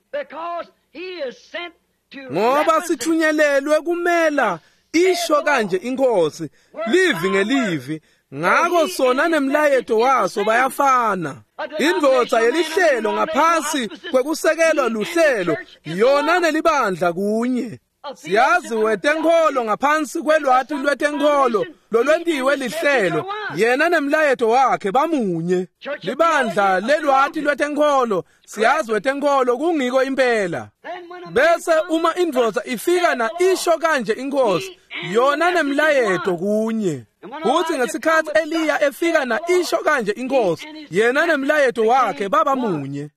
Ngoba sithunyelelwe kumela isho kanje inkosi, livi ngelivi. Ngako sona nemlayeto waso bayafana. Indvodza yelihlelo ngaphasi kwekusekelwa luhlelo, yona nelibandla kunye. Siyazi wetenkholo ngaphansi kwelwati lwetenkholo lolwentiwe lihlelo, yena nemlayeto wakhe bamunye. Libandla lelwati lwetenkholo, siyazi wetenkholo kungiko impela. Bese uma indvodza ifika na isho kanje inkosi, yona nemlayeto kunye. Futhi ngesikhatsi Eliya efika na isho kanje inkosi, yena nemlayeto wakhe baba munye.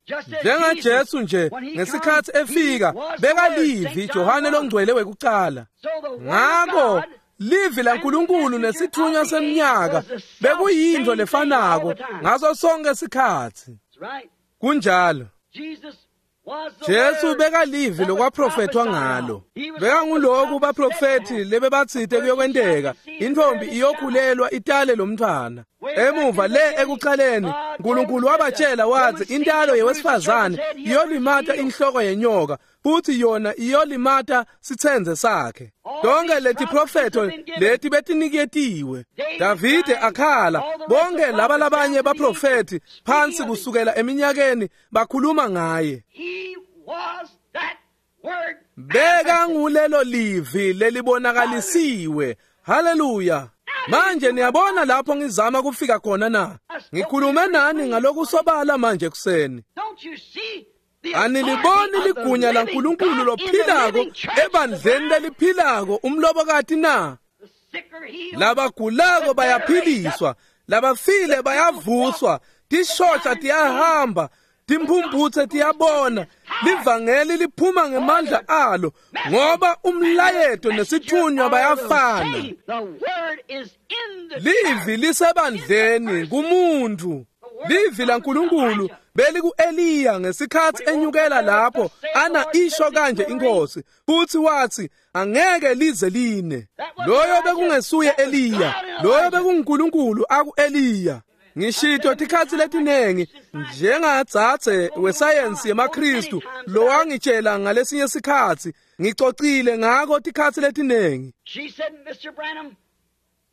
NjengaJesu nje ngesikhatsi efika bekalivi Johane longcwele wekucala. Ngako livi laNkulunkulu nesithunywa semnyaka bekuyinto lefanako ngaso sonke sikhatsi. Kunjalo. Jesu bekalivi lokwaprofethwa ngalo. Bekanguloku baprofethi lebebatsite kuyokwenteka, intfombi iyokhulelwa itale lomntfwana. Emuva le ekucaleni, uNkulunkulu wabatshela wathi intalo yewesifazane iyolimata inhloko yenyoka, futhi yona iyolimata sitsenze sakhe. Tonke leti profetho leti betiniketiwe. Davide akhala, bonke laba labanye baprofethi phansi kusukela eminyakeni bakhuluma ngaye. Beka ngulelo livi lelibonakalisiwe. Haleluya. Manje niyabona lapho ngizama kufika khona na? Ngikhulume nani ngalokusobala manje kuseni. Aniliboni ligunya laNkulunkulu lophilako ebandleni leliphilako umlobokati na? Labagulako bayaphiliswa, labafile bayavuswa, tishosha tiyahamba, timphumphutse tiyabona, livangeli liphuma ngemandla alo, ngoba umlayeto nesithunywa bayafana. Livi lisebandleni kumuntu. Livi laNkulunkulu beliku-Eliya ngesikhathi enyukela lapho ana isho kanje inkosi, futhi wathi angeke lize line. Loyo bekungesuye Eliya, loyo bekunguNkulunkulu aku-Eliya. Ngishito tikhatsi letinengi njengadzadze wesayensi yemaKhristu lowangitshela ngalesinye sikhatsi, ngicocile ngako tikhatsi letinengi.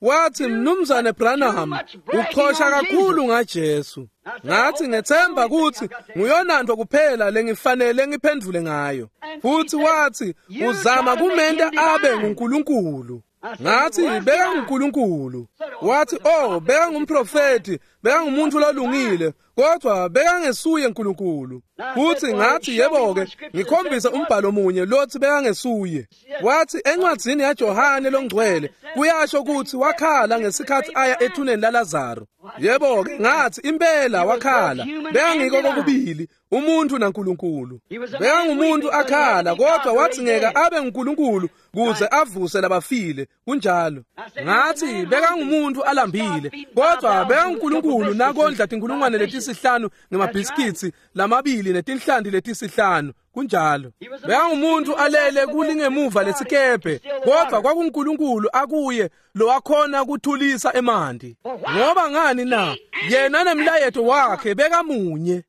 Wathi, Mnumzane Branham, uchosha kakhulu ngaJesu. Ngathi ngethemba ukuthi nguyonanto kuphela lengifanele ngiphendvule ngayo. Futhi wathi uzama kumenta abe nguNkulunkulu. Ngathi beka nguNkulunkulu. Wathi oh, beka ngumprofeti, beka ngumuntu lolungile, kodwa beka ngesuye uNkulunkulu. Futhi ngathi yebo ke, ngikhombise umbhalo munye lothi beka ngesuye. Wathi encwadzini yaJohane longcwele kuyasho ukuthi wakhala ngesikhathi aya ethuneni laLazaro. Yebo ke, ngathi impela wakhala, beka ngiko kokubili umuntu naNkulunkulu. Beka ngumuntu akhala, kodwa wathi ngeke abe nguNkulunkulu kuze avuse labafile. Kunjalo. Ngathi beka ngumuntu alambile, kodwa beka nguNkulunkulu nakondla tinkulungwane letisihlanu ngemabhiskitsi lamabili netinhlanti letisihlanu. Kunjalo. Beka ngumuntu alele kulingemuva lesikebhe, kodwa kwakuNkulunkulu akuye lowakhona kuthulisa emanti. Ngoba ngani na? Yena nemlayeto wakhe bekamunye.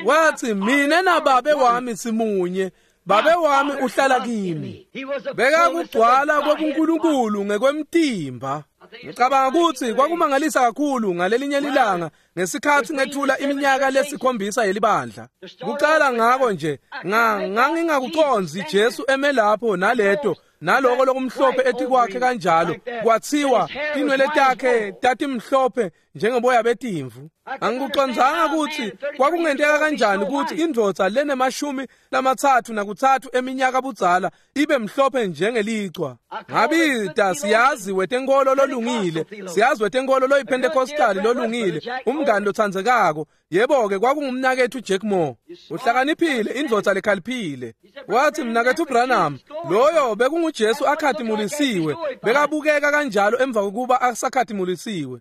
Wathi mina nababe wami simunye, babe wami uhlala kimi. Bekakugcwala kobuNkulunkulu ngekwemtimba. Ngicabanga ukuthi kwakumangalisa kakhulu ngalelinye lilanga ngesikhathi ngethula iminyaka lesikhombisa yelibandla. Kucala ngako nje ngangingakuconzi Jesu eme lapho naleto naloko lokumhlophe etikwakhe kanjalo, kwathiwa tinwele takhe tatimhlophe njengeboya betimvu. Angikucondzanga ukuthi kwakungenteka kanjani ukuthi indvodza lenemashumi 33 eminyaka budzala ibe mhlophe njengelichwa. Ngabita siyazi wetenkolo lolungile, siyazi wetenkolo loyiPentecostal lolungile, umngani lothandzekako. Yebo ke, kwakungumnakethu Jack Moore. Uhlakaniphile, indvodza lekhaliphile. Wathi mnakethu Branham, loyo bekunguJesu akhatimulisiwe, bekabukeka kanjalo emva kokuba asakhatimulisiwe.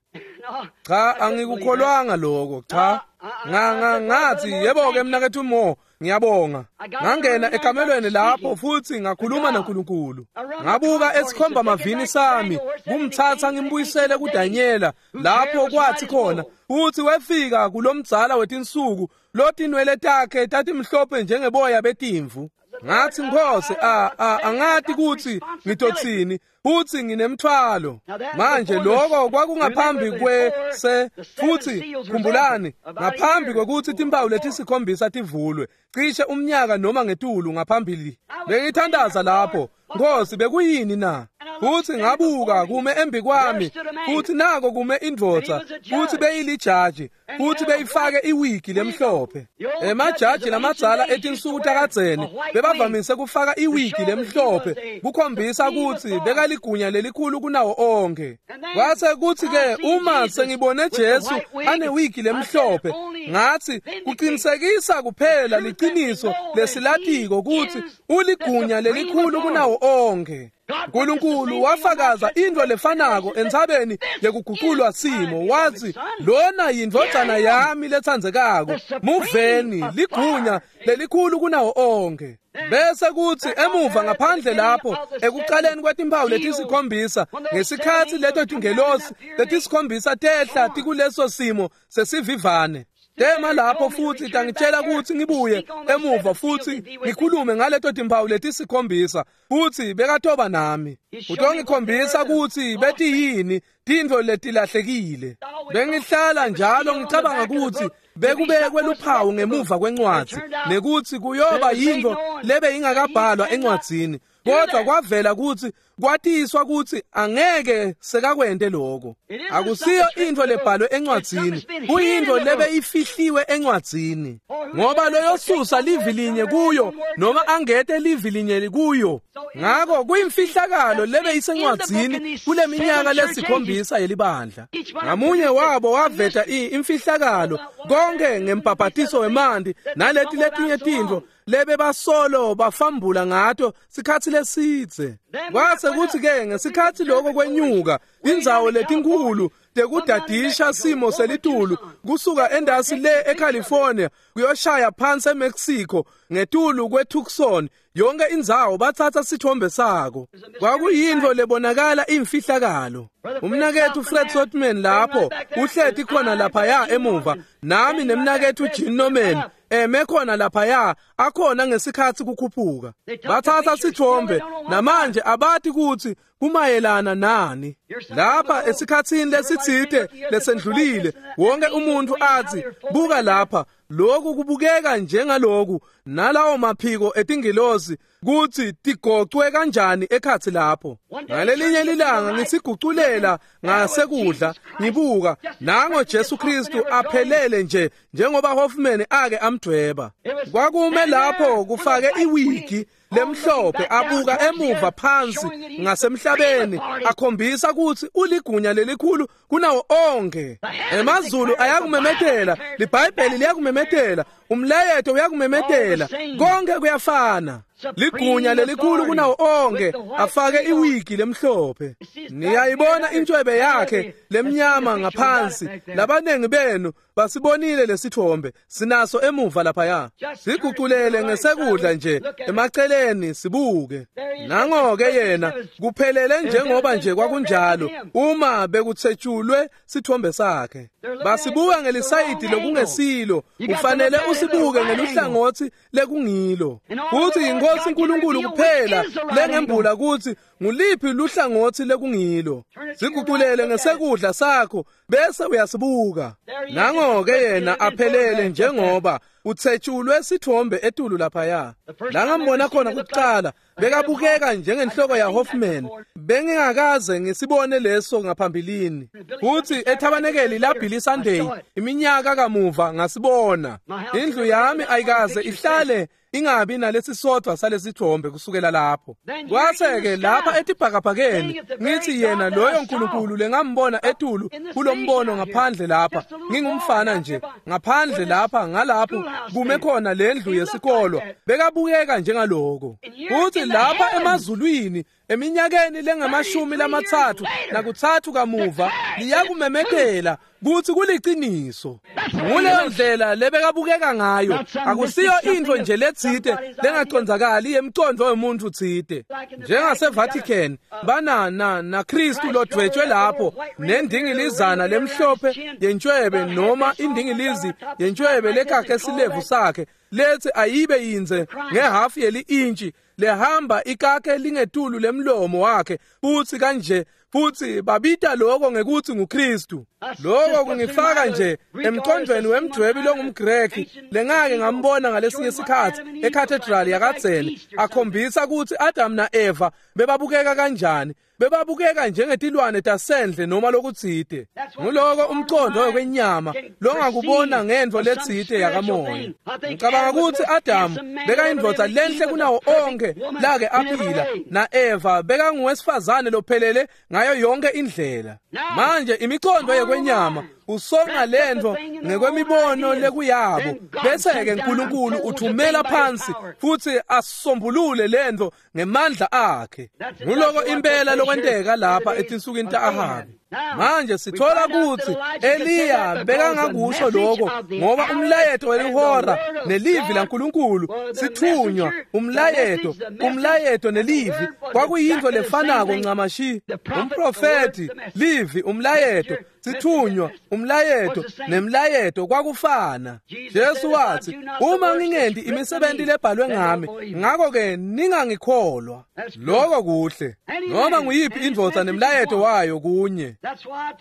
Cha, angikukholwanga lokho. Cha, ngathi yebo ke mnakethu Moore, ngiyabonga. Ngangena ekamelweni lapho futhi ngakhuluma naNkulunkulu. Ngabuka esikhomba mavini sami, kumthatha ngimbuyisele kuDanyela lapho kwathi khona futhi wefika kulomdzala wetinsuku lotinwele takhe tatimhlophe njengeboya betimvu. Ngathi Nkosi, angathi kuthi ngitothini, futhi nginemthwalo. Manje lokho kwakungaphambi kwese, futhi khumbulani, ngaphambi kwekuthi timpawu letisikhombisa tivulwe, cishe umnyaka noma ngetulu ngaphambili. Bengithandaza lapho, Nkosi, bekuyini na? Futhi ngabuka kume embi kwami, futhi nako kume indvodza, futhi beyilijaji, futhi beyifake iwigi lemhlophe. Emajaji lamadzala etinsuku takadzeni bebavamise kufaka iwigi lemhlophe kukhombisa ukuthi bekaligunya lelikhulu kunawo onke. Kwase kuthi ke uma sengibone Jesu anewigi lemhlophe, ngathi kuqinisekisa kuphela liqiniso lesilatiko ukuthi uligunya lelikhulu kunawo onke. uNkulunkulu wafakaza into lefanako entsabeni yekuguqulwa simo, wathi lona yindvodzana yami letsandzekako, muveni, ligunya lelikhulu kunawo onke. Bese kuthi emuva ngaphandle lapho ekuqaleni kwetimpawu letisikhombisa, ngesikhathi leto tingelosi letisikhombisa tehla tikuleso simo sesivivane, tema lapho futhi tangitshela ukuthi ngibuye emuva futhi ngikhulume ngaleto timpawu letisikhombisa, futhi bekatoba nami. Utongikhombisa ukuthi betiyini tintfo letilahlekile. Bengihlala njalo ngicabanga ukuthi bekubekwe luphawu ngemuva kwencwadzi nekuthi kuyoba yintfo lebe ingakabhalwa encwadzini, kodwa kwavela ukuthi Kwatiswa kutsi angeke sekakwente lokho. Akusiyo intfo lebhalwe encwadzini, kuyintfo lebe ifihliwe encwadzini. Ngoba loyosusa livi linye kuyo noma angete livi linye kuyo. Ngako kuyimfihlakalo lebe isencwadzini kuleminyaka lesikhombisa yelibandla. Ngamunye wabo waveta imfihlakalo konke ngembhabhatiso wemanti naleti letinye tintfo lebe basolo bafambula ngato sikhatsi lesidze. Kwase kutsi ke ngesikhatsi lokho kwenyuka indzawo letinkulu tekudadisha simo selitulu kusuka endasi le eCalifornia kuyoshaya phansi eMexico ngetulu kweTucson, yonke indzawo batsatsa sithombe sako. Kwakuyintfo lebonakala imfihlakalo. Umnaketfu Fred Sotman lapho uhleti khona laphaya emuva, nami nemnaketfu Gene Norman eme khona laphaya akhona ngesikhatsi kukhuphuka. Batsatsa sithombe namanje abati kutsi kumayelana nani. Lapha esikhatsini lesitsite lesendlulile wonke umuntu athi buka lapha, lokhu kubukeka njengaloku nalawo maphiko etingilosi kutsi tigocwe kanjani ekhatsi lapho. Ngalelinye lilanga ngisiguculela ngasekudla ngibuka nango Jesu Kristu aphelele nje njengoba Hoffman ake amdweba. Kwakume lapho kufake iwigi lemhlophe abuka emuva phansi ngasemhlabeni akhombisa kutsi uligunya lelikhulu kunawo onke. Emazulu ayakumemetela, liBhayibheli liyakumemetela, umlayeto uyakumemetela, konke kuyafana. Ligunya lelikhulu kunawo onke afake iwigi lemhlophe. Niyayibona intshwebe yakhe lemnyama ngaphansi. Labanengi benu basibonile lesithombe, sinaso emuva laphaya. Siguculele ngesekudla nje emaceleni sibuke. Nango-ke yena kuphelele njengoba nje kwakunjalo uma bekuthetshulwe sithombe sakhe. Basibuka ngelisayidi lokungesilo, ufanele usibuke ngeluhlangotsi lekungilo. Kuthi inkosi uNkulunkulu kuphela lengembula kutsi nguliphi luhlangotsi lekungilo. Siguculele ngesekudla sakho bese uyasibuka. Nango-ke yena aphelele njengoba uthetshulwe sithombe etulu laphaya. La ngambona khona kuqala bekabukeka njengenhloko ya Hoffman. Bengingakaze ngisibone leso ngaphambilini. Futhi ethabanekeli la Billy Sunday iminyaka kamuva ngasibona. Indlu yami ayikaze ihlale ingabi nalesi sodwa salesithombe kusukela lapho. Kwase-ke lapha etibhakabhakeni ngithi yena loyo nkulunkulu lengambona etulu kulombono ngaphandle lapha, ngingumfana nje ngaphandle lapha ngalapho kume khona lendlu yesikolo, bekabukeka njengaloko. Futhi lapha emazulwini eminyakeni lengamashumi lamatsatfu nakutsatfu kamuva liyakumemetela kutsi kuliciniso. Nguleyo ndlela lebekabukeka ngayo. Akusiyo intfo nje letsite lengacondzakali yemcondvo wemuntfu tsite. NjengaseVatican bana na Kristu lodvwetshwe lapho nendingilizana lemhlophe yentshwebe noma indingilizi yentshwebe lekakhe silevu sakhe lethi ayibe yinze ngehafu yeli-intshi lehamba ikake lingetulu lemlomo wakhe futhi kanje, futhi babita lokho ngekuthi nguKristu. Lokho kungifaka nje emqondweni wemdwebi longumGreki lengake ngambona ngalesinye isikhatsi eCathedral yakadzeni akhombisa kutsi Adam na-Eva bebabukeka kanjani. Bebabukeka njengetilwane tasendle noma lokutsite. Nguloko umqondo wekwenyama longakubona ngentfo letsite yakamoya. Ngicabanga kutsi Adam bekayindvodza lenhle kunawo onke lake aphila, na-Eva bekanguwesifazane lophelele ngayo yonke indlela. Manje imiqondo yekwenyama usonga lentfo ngekwemibono lekuyabo, bese-ke uNkulunkulu uthumela phansi futhi asombulule lentfo ngemandla akhe. Nguloko impela lokwenteka lapha etinsukwini ta-Ahabi. Manje sithola kutsi Eliya bekangakusho lokho ngoba umlayeto welihora nelivi laNkulunkulu sithunywa umlayeto, umlayeto nelivi kwakuyintfo lefanako ncamashi. Umprofethi, livi, umlayeto, sithunywa, umlayeto nemlayeto kwakufana. Jesu wathi, uma ngingenti imisebenti lebhalwe ngami, ngakho-ke ningangikholwa. Lokho kuhle. Noma nguyiphi indvodza nemlayeto wayo kunye.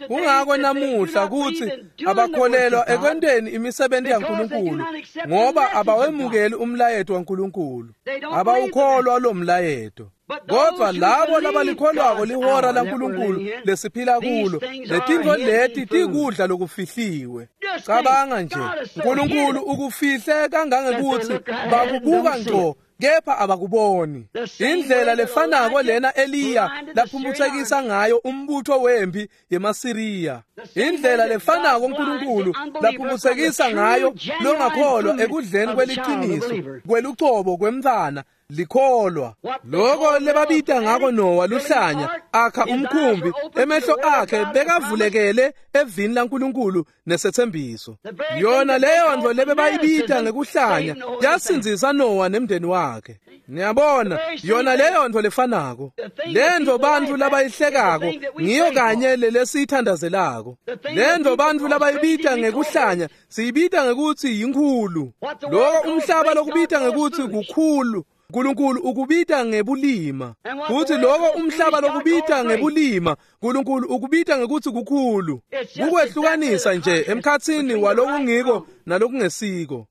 Kungako namuhla kutsi abakholelwa ekwenteni imisebenti yaNkulunkulu ngoba abawemukeli umlayeto waNkulunkulu. Abawukholwa lo mlayeto. Kodwa labo labalikholwako lihora laNkulunkulu lesiphila kulo, letintfo leti tikudla lokufihliwe. Cabanga nje, uNkulunkulu ukufihle kangangekutsi bakubuka ngco kepha abakuboni. Indlela lefanako lena Eliya laphumutsekisa ngayo umbutho wempi yemaSiriya. Indlela lefanako uNkulunkulu laphumutsekisa ngayo longakholwa ekudleni kweliciniso kwelucobo kwemntfwana likholwa. Loko lebabita ngako Nowa luhlanya akha umkhumbi, emehlo akhe bekavulekele evini laNkulunkulu nesethembiso. Yona leyo ntfo lebebayibita ngekuhlanya yasindzisa Nowa nemndeni wakhe. Niyabona, yona leyo ntfo lefanako. Lentfo bantfu labayihlekako ngiyo kanye lelesiyithandazelako. Lentfo bantfu labayibita ngekuhlanya siyibita ngekutsi yinkhulu. Loko umhlaba lokubita ngekutsi kukhulu, uNkulunkulu ukubita ngebulima. Futhi lokho umhlaba lokubita ngebulima, uNkulunkulu ukubita ngekutsi kukhulu. Kukwehlukanisa nje emkhatsini walokungiko nalokungesiko.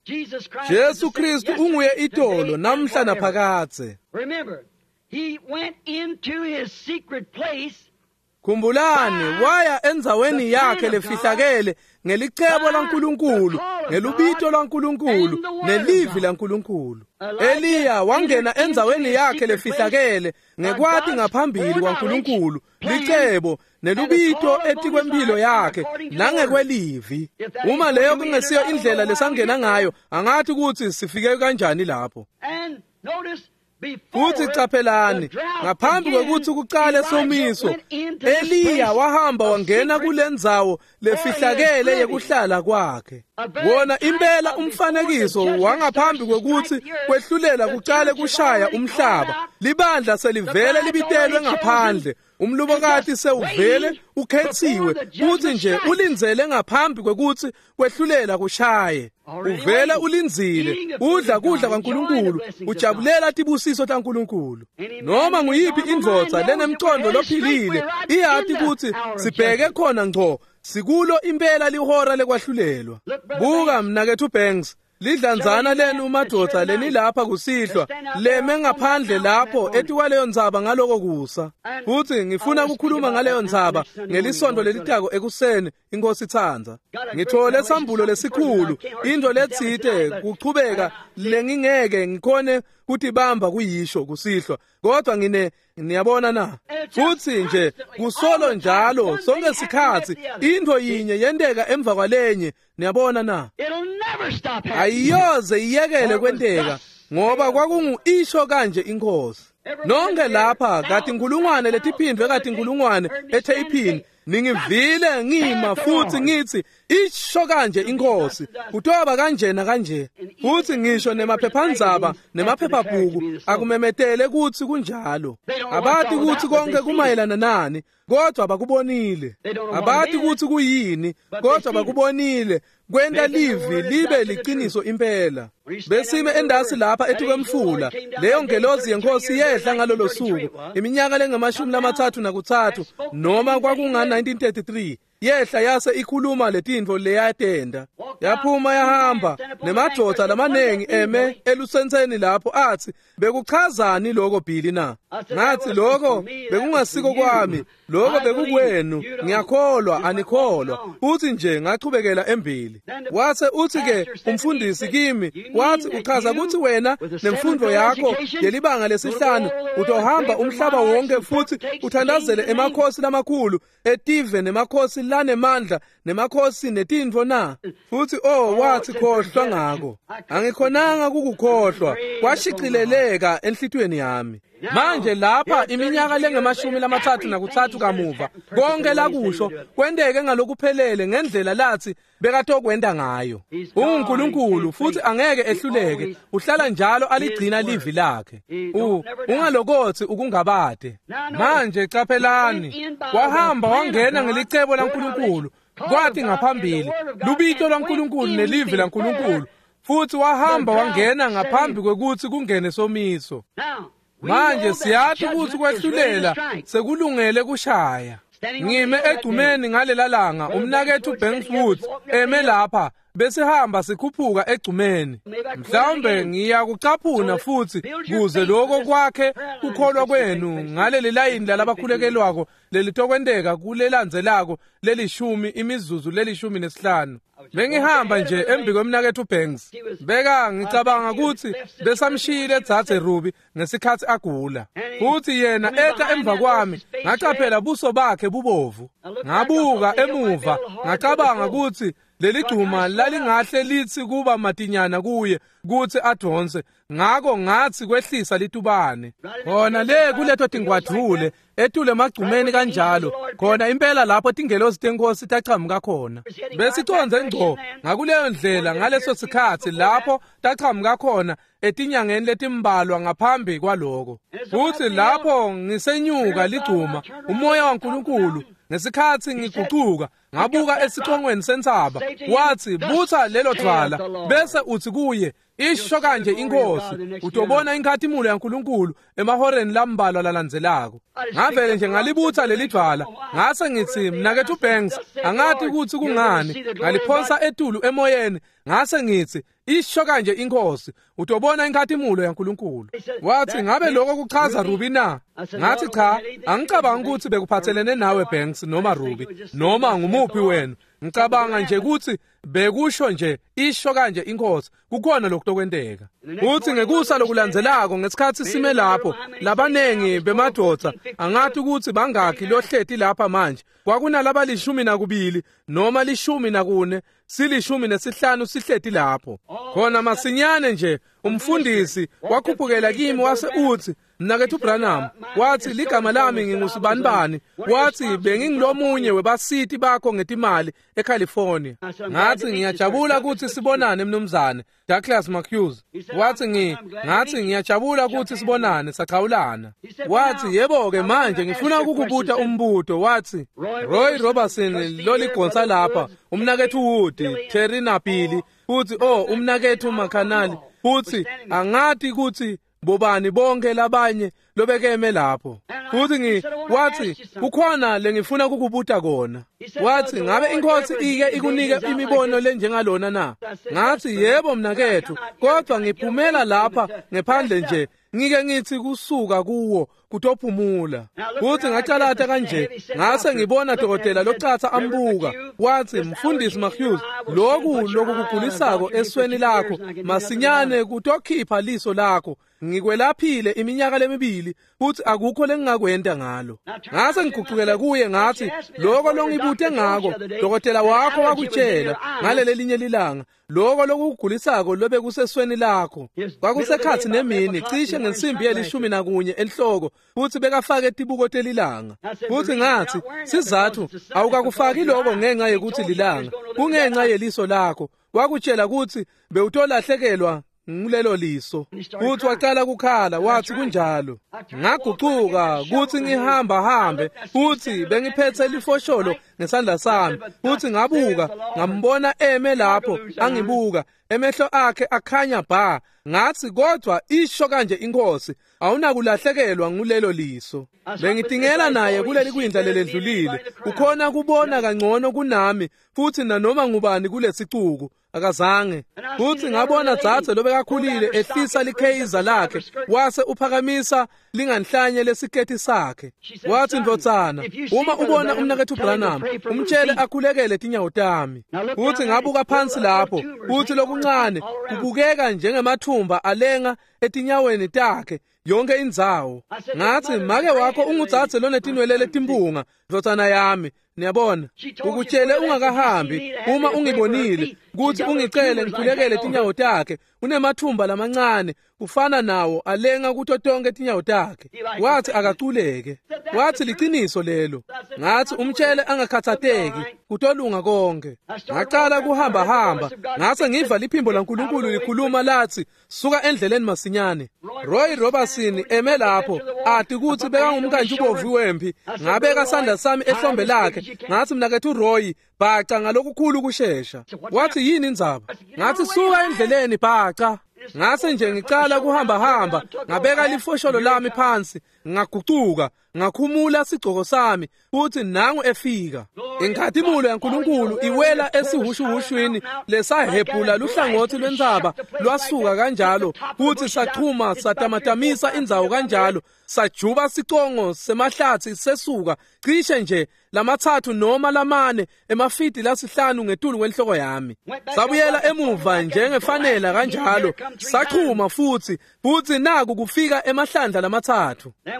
Jesu Kristu unguye itolo namhla naphakadze. Khumbulani, waya endzaweni yakhe lefihlakele ngelicebo laNkulunkulu, ngelubito lwaNkulunkulu, nelivi laNkulunkulu. Eliya wangena endzaweni yakhe lefihlakele ngekwati ngaphambili kwaNkulunkulu, licebo nelubito etikwempilo yakhe nangekwelivi. Uma leyo kungesiyo indlela lesangena ngayo, angathi kutsi sifike kanjani lapho. Futhi caphelani, ngaphambi kwekutsi kucale somiso, Eliya wahamba wangena kulendzawo lefihlakele yekuhlala kwakhe. Wona impela umfanekiso wangaphambi kwekutsi kwehlulela kucale kushaya umhlaba. Libandla selivele libitelwe ngaphandle. Umlobokati sewuvele ukhetsiwe kutsi nje ulindzele ngaphambi kwekutsi kwehlulela kushaye. Uvele ulindzile, udla kudla kwaNkulunkulu, ujabulela tibusiso taNkulunkulu. Noma nguyiphi indvodza lenemcondo lophilile iyati kutsi sibheke khona ngco, sikulo impela lihora lekwahlulelwa. Buka mnaketfu Banks, lidlanzana lenu madvodza lenilapha kusihlwa leme ngaphandle lapho etikwaleyo ndzaba ngaloko kusa. Futhi ngifuna ukukhuluma ngaleyo ndzaba ngelisonto lelitako ekuseni, inkosi itsandza. Ngithole sambulo lesikhulu, into letsite kuchubeka lengingeke ngikhone kutibamba kuyisho kusihlwa, kodwa ngine niyabona na. Futhi nje kusolo njalo sonke sikhatsi into yinye yenteka emva kwalenye, niyabona na. Ayiyoze iyekele kwenteka ngoba kwakungu isho kanje inkosi. Nonke lapha kati nkulungwane letiphindwe kati nkulungwane etheyiphini ningivile ngima futhi ngithi isho kanje inkosi, kutoba kanjena kanje. Futhi ngisho nemaphephandzaba nemaphephabhuku akumemetele kutsi kunjalo. Abati kutsi konke kumayelana nani, kodwa bakubonile. Abati kutsi kuyini, kodwa bakubonile. Kwenta livi libe liciniso impela. Besime endasi lapha etikwemfula, leyo ngelozi yenkosi yehla ngalolo suku, iminyaka lengamashumi-33 noma kwakunga 1933. Yehla yase ikhuluma letintfo leyatenda. Yaphuma yahamba nemadvodza lamanengi eme elusentseni lapho athi, bekuchazani lokho Billy na? Ngathi lokho bekungasiko kwami, lokho bekukwenu, ngiyakholwa anikholwa. Uthi nje ngachubekela embili. Wase uthi ke umfundisi kimi, wathi uchaza ukuthi wena nemfundo yakho yelibanga lesihlanu utohamba umhlaba wonke futhi uthandazele emakhosi lamakhulu etive nemakhosi lanemandla nemakhosi netintfo na? Futhi oh wathi khohlwa ngako. Angikhonanga kukukhohlwa, kwashicileleka enhlitiyweni yami. Manje lapha iminyaka lengamashumi-33 kamuva, konke lakusho kwenteke ngalokuphelele ngendlela lathi bekatokwenta ngayo. UnguNkulunkulu futhi angeke ehluleke, uhlala njalo aligcina livi lakhe. Ungalokothi ukungabade. Manje caphelani, wahamba wangena ngelicebo laNkulunkulu, kwathi ngaphambili lubito lwaNkulunkulu nelivi laNkulunkulu, futhi wahamba wangena ngaphambi kwekutsi kungene somiso. Manje siyathi kutsi kwehlulela sekulungele kushaya. Ngime egcumeni ngalela langa, umnaketfu Banks Woods eme lapha, besihamba sikhuphuka egcumeni. Mhlawumbe ngiyakucaphuna futsi kuze lokho kwakhe kukholwa kwenu ngaleli layini lalabakhulekelwako lelitokwenteka kulelandzelako lelishumi imizuzu lelishumi nesihlanu. Bengihamba nje embi kwemnaketfu Banks. Beka ngicabanga kutsi besamshiyile dzadze Ruby ngesikhatsi agula. Futsi yena eta emva kwami, ngacaphela buso bakhe bubovu. Ngabuka emuva, ngacabanga kutsi leligcuma lalingahle litsi kuba matinyana kuye kutsi adonse, ngako ngatsi kwehlisa litubane. Khona le kuleto tingwadvule etule emagcumeni kanjalo, khona impela lapho tingelosi tenkosi tachamuka khona. Besicondze ngco ngakuleyo ndlela ngaleso sikhatsi lapho tachamuka khona etinyangeni letimbalwa ngaphambi kwaloko. Futsi lapho ngisenyuka ligcuma, umoya waNkulunkulu ngesikhatsi ngigucuka ngabuka esicongweni sentsaba, watsi butsa lelo dvwala bese utsi kuye, isho kanje inkosi, utobona inkhatimulo yaNkulunkulu emahoreni lambalwa lalandzelako. Ngavele nje ngalibutsa leli dvwala, ngase ngitsi mnaketfu Banks, angati kutsi kungani, ngaliphonsa etulu emoyeni, ngase ngitsi isho kanje inkosi, utobona inkhatimulo yaNkulunkulu. Watsi ngabe lokho kuchaza Ruby na? Ngathi cha, angicabangi kutsi bekuphathelene nawe Banks noma Ruby noma ngumuphi wenu. Ngicabanga nje kutsi bekusho nje isho kanje inkosi, kukhona lokutokwenteka. Utsi ngekusa lokulandzelako ngesikhatsi sime lapho, labanengi bemadvodza, angati kutsi bangakhi lohleti lapha manje, kwakunalabalishumi nakubili noma 14, 15 sihleti lapho. Khona masinyane nje umfundisi wakhuphukela kimi wase utsi, mnaketfu Branham, watsi ligama lami ngingusibanibani, watsi bengingilomunye webasiti bakho ngetimali eCalifornia. Ngathi ngiyajabula kutsi sibonane mnumzane Douglas McHughes. Watsi ngathi ngiyajabula kutsi sibonane, sachawulana. Watsi yebo ke manje ngifuna ukukubuta umbuto. Watsi Roy Robertson loligonsa lapha, umnaketfu Wood, Terry na Billy, futsi umnaketfu Makanali, futsi angati kutsi bobani bonke labanye lobekeme lapho. Futsi watsi kukhona lengifuna kukubuta kona. Watsi ngabe inkosi ike ikunike imibono lenjengalona na? Ngathi yebo mnaketfu, kodwa ngiphumela lapha ngephandle nje ngike ngithi kusuka kuwo kutophumula. Futsi ngacalata kanje, ngase ngibona dokotela locatsa ambuka. Watsi mfundisi McHughes, loku lokukugulisako esweni lakho masinyane kutokhipha liso lakho. Ngikwelaphile iminyaka lemibili futhi akukho lengingakwenta ngalo. Ngase ngigucukela kuye ngathi lokho longibute ngako dokotela wakho wakutshela ngaleli linye lilanga, lokho lokugulisako lobe kusesweni lakho kwakusekhatsi nemini cishe ngensimbi ye-11 enhloko, futhi bekafake tibuko telilanga. Futhi ngathi sizathu awukakufaki lokho ngenxa yekuthi lilanga, kungenxa yeliso lakho, wakutshela kutsi bewutolahlekelwa ngulelo liso. Futhi waqala kukhala, wathi kunjalo. Ngagucuka kuthi ngihamba hambe, futhi bengiphethe lifosholo ngesandla sami, futhi ngabuka ngambona eme lapho angibuka, emehlo akhe akhanya bha. Ngathi kodwa isho kanje inkosi, awunakulahlekelwa ngulelo liso. Bengitingela naye kuleli kwindla lelendlulile, ukhona kubona kangcono kunami futhi nanoma ngubani kulesicuku akazange. Futhi ngabona dzadze lobekakhulile ehlisa likheyiza lakhe wase uphakamisa linganhlanye lesiketi sakhe. Wathi ndvodzana, uma ubona umnaketfu Branham umtshele akhulekele tinyawo tami. Futhi ngabuka phansi lapho, futhi lokuncane kubukeka njengemathumba alenga etinyaweni takhe yonke indzawo. Ngathi make wakho ungudzadze lonetinwele letimpunga, ndvodzana yami. Niyabona, ukutshele ungakahambi, uma ungibonile kutsi ungicele ngikhulekele tinyawo takhe, unemathumba lamancane ufana nawo alenga kuto tonke tinyawo takhe. Wathi akaculeke. Wathi liciniso lelo. Ngathi umtshele angakhathateki, kutolunga konke. Ngaqala kuhamba hamba, ngase ngiva liphimbo laNkulunkulu likhuluma lathi suka endleleni masinyane. Roy Robertson eme lapho ati kutsi bekangumkantshi wempi, ngabeka sandla sami ehlombe lakhe, ngathi mnaketfu Roy bhaca ngalokukhulu kushesha. Wathi yini indzaba? Ngathi suka endleleni bhaca. Ngase nje ngicala kuhamba hamba, ngabeka lifosholo lami phansi, Ngagucuka, ngakhumula sigcoko sami, futhi nangu efika. Inkhatimulo yaNkulunkulu iwela esihushuhushwini lesahebhula luhlangothi lwentsaba lwasuka kanjalo, futhi sachuma satamatamisa indzawo kanjalo, sajuba sicongo semahlathi sesuka cishe nje 3 noma 4 emafidi 5 ngetulu kwenhloko yami. Sabuyela emuva njengefanela kanjalo, sachuma futhi naku kufika emahlandla 3.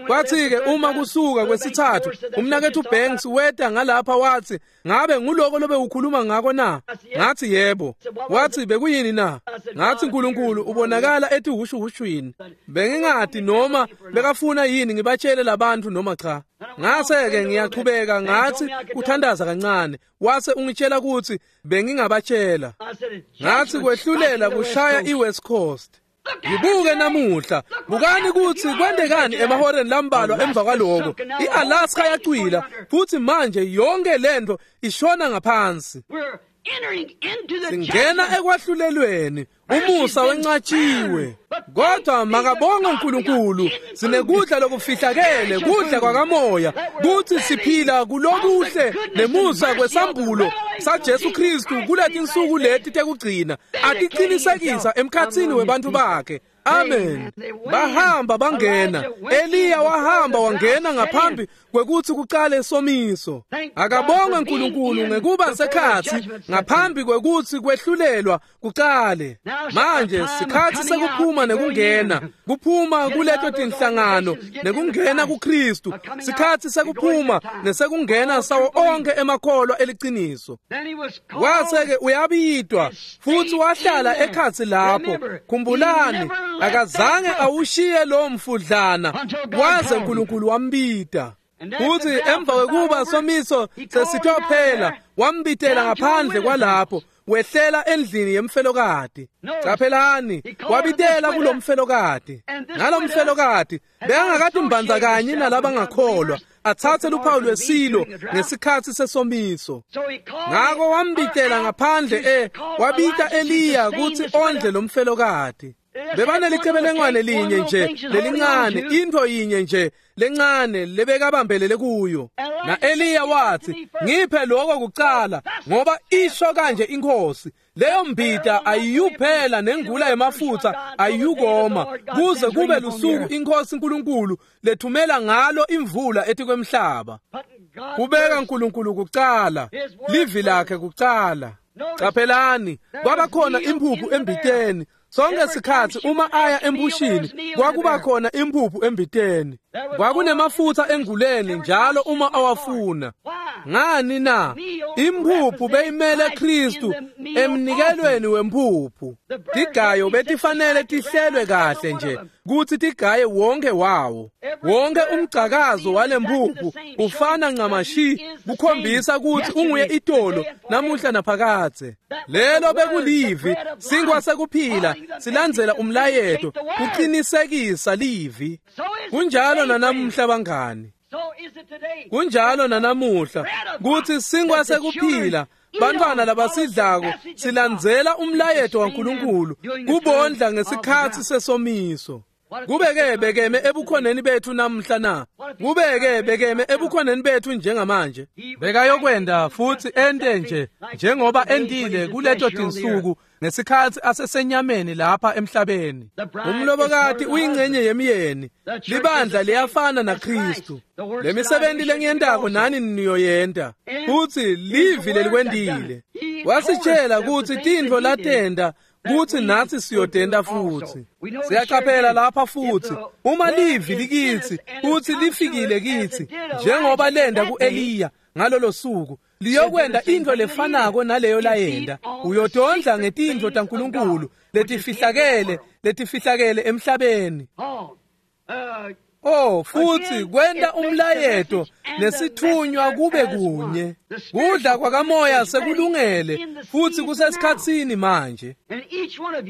Kwathi-ke uma kusuka kwesithathu, umnakethu Banks weta ngalapha wathi, ngabe nguloko lobe ukhuluma ngako na? Ngathi yebo. Wathi bekuyini na? Ngathi uNkulunkulu ubonakala ethi hushuhushwini. Bengingadi noma bekafuna yini ngibatshele labantu noma cha. Ngase-ke ngiyaqhubeka ngathi kuthandaza kancane. Wase ungitshela ukuthi bengingabatshela. Ngathi kwehlulela kushaya iWest Coast. Ngibuke namuhla, bukani ukuthi kwendekani emahoreni lambalwa emva kwaloko. iAlaska yacwila futhi manje yonke lento ishona ngaphansi. Singena ekwahlulelweni, umusa wenqatshiwe. Kodwa makabonge uNkulunkulu, sinekudla lokufihlakele, kudla kwakamoya, kuthi siphila kulokuhle nemusa kwesambulo saJesu Kristu kuletinsuku leti tekugcina, atiqinisekisa emkhatsini webantu bakhe. Amen. Bahamba bangena. Eliya wahamba wangena ngaphambi kwekuthi kuqale somiso. Akabonge uNkulunkulu ngekuba sekhathi ngaphambi kwekuthi kwehlulelwa kuqale. Manje sikhathi sekuphuma nekungena, kuphuma kuleto tinhlangano nekungena kuKristu. Sikhathi sekuphuma nesekungena sawo onke emakholwa eliciniso. Wase-ke uyabidwa futhi wahlala ekhathi lapho. Khumbulani, akazange awushiye lo mfudlana waze uNkulunkulu wambida. Futhi emva kwekuba somiso sesithophela, wambitela ngaphandle kwalapho, wehlela endlini yemfelokati. Caphelani, wabitela kulomfelokati. Ngalomfelokati bekangakade mbandzakanye nalabangakholwa, athathe luphawu lwesilo ngesikhathi sesomiso. Ngako wambitela ngaphandle wabita Eliya kutsi ondle lomfelokati. Bebanelicebelengwane linye nje lelincane, into yinye nje lencane lebekabambelele kuyo. Na Eliya wathi, ngiphe lokho kucala ngoba isho kanje inkosi, leyo mbita ayiyuphela nengula yemafutha ayiyukoma kuze kube lusuku inkosi uNkulunkulu lethumela ngalo imvula etikwemhlaba. Kubeka uNkulunkulu kucala, livi lakhe kucala. Caphelani, kwabakhona imphuphu embiteni. Sonke sikhathi uma aya embushini kwakuba khona imphuphu embiteni. Kwakunemafutha enguleni njalo uma awafuna. Ngani na? Imphuphu beyimele Kristu emnikelweni wemphuphu. Tigayo betifanele tihlelwe kahle nje kuthi tigaye wonke wawo. Wonke umgcakazo walemphuphu ufana ncamashi, kukhombisa ukuthi unguye itolo namuhla naphakadze. Lelo bekulivi, sinkwa sekuphila, silandzela umlayeto, kuqinisekisa livi. Kunjalo nanamuhla bangani. Kunjalo nanamuhla kuthi sinkwa sekuphila, bantwana labasidlako silandzela umlayeto waNkulunkulu kubondla ngesikhathi sesomiso. Kubeke bekeme ebukhoneni bethu namhla na? Kubeke bekeme ebukhoneni bethu njengamanje. Bekayokwenda futhi ente nje njengoba entile kuleto tinsuku ngesikhathi asesenyameni lapha emhlabeni. Umlobokati uyingcenye yemiyeni. Libandla liyafana naKristu. Lemisebenzi lengiyentako nani niyoyenta. Futhi livi lelikwendile. Wasitshela ukuthi tintfo latenda kuthi nathi siyodenda futhi. Siyaqaphela lapha futhi uma livi likithi futhi lifikile kithi njengoba lenda kuEliya ngalolo suku, liyokwenda into lefanako naleyo layenda. Uyodondla ngetintfo taNkulunkulu letifihlakele, letifihlakele emhlabeni. Oh, futhi kwenda umlayeto nesithunywa kube kunye. Kudla kwakamoya sekulungele futhi kusesikhatsini manje.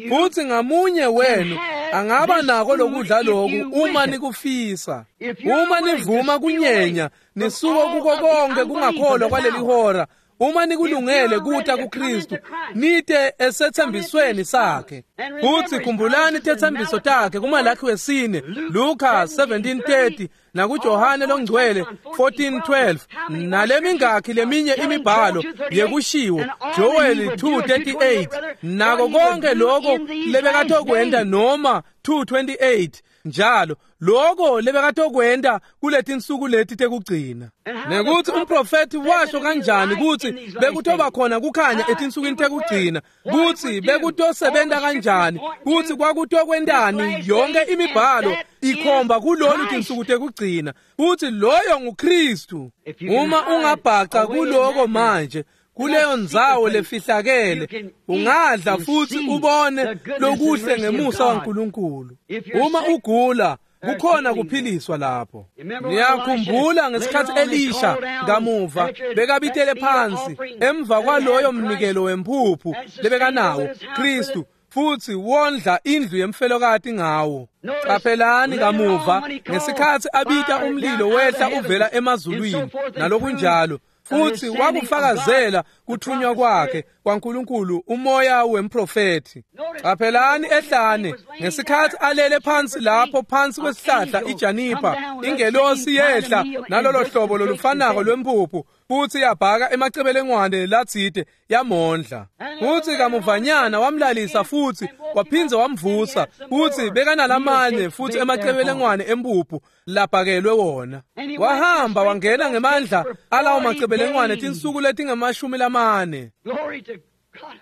Futhi ngamunye wenu angaba nako lokudla lokhu uma nikufisa. Uma nivuma kunyenya nisuke kuko konke kungakholwa kwaleli hora, Uma nikulungele kuta kuKristu, nite esethembisweni sakhe. Futhi khumbulani tetsembiso takhe kuMalakhi wesine, Luka 17:30 nakuJohane longcwele 14:12, nalemingakhi leminye imibhalo yekushiwo Joel 2:38, nako konke lokho lebekatokwenta noma 2:28 njalo lokho lebekatokwenta kuletinsuku leti tekugcina. Nekuthi umprofethi washo kanjani ukuthi bekutoba khona kukhanya etinsukwini tekugcina, kuthi bekutosebenza kanjani, kuthi kwakutokwentani. Yonke imibhalo ikhomba kulolu tinsuku tekugcina kuthi loyo nguKristu. Uma ungabhaca kuloko manje, kuleyo ndzawo lefihlakele, ungadla futhi ubone lokuhle ngemusa waNkulunkulu. Uma ugula, kukhona kuphiliswa lapho. Niyakhumbula ngesikhathi Elisha kamuva bekabitele phansi emva kwaloyo mnikelo wemphuphu lebekanawo Kristu, futhi wondla indlu yemfelokati ngawo. Qaphelani kamuva ngesikhathi abita umlilo wehla uvela emazulwini nalokunjalo, futhi wakufakazela kuthunywa kwakhe kwaNkulunkulu umoya wemprofethi. Qaphelani ehlane ngesikhathi alele phansi lapho phansi kwesihlahla ijanipa, ingelosi yehla nalolo hlobo lolufanako lwempuphu futhi yabhaka emacebelengwane latsite yamondla. Futhi kamuvanyana wamlalisa futhi waphindze wamvusa, futhi bekanalamanye futhi emacebelengwane empuphu labhakelwe wona. Wahamba wangena ngemandla alawo macebelengwane tinsuku letingamashumi lamane. Glory to God.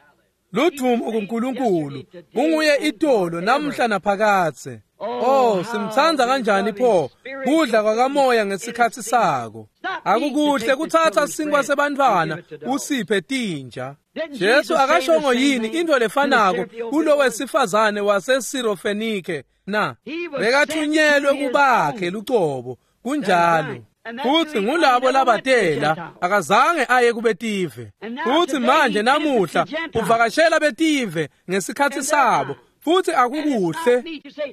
Ludvumo kuNkulunkulu, unguye itolo namhla naphakadze. Oh, simtsandza kanjani pho kudla kwakamoya ngesikhathi sako. Akukuhle kuthatha sinkwa sebantfwana usiphe tinja. Jesu akashongo yini into lefanako kulo wesifazane waseSirofenike na? Bekathunyelwe kubakhe lucobo, kunjalo. Futhi ngulabo labatela, akazange aye kubetive. Futhi manje namuhla uvakashela betive ngesikhathi sabo, futhi akukuhle.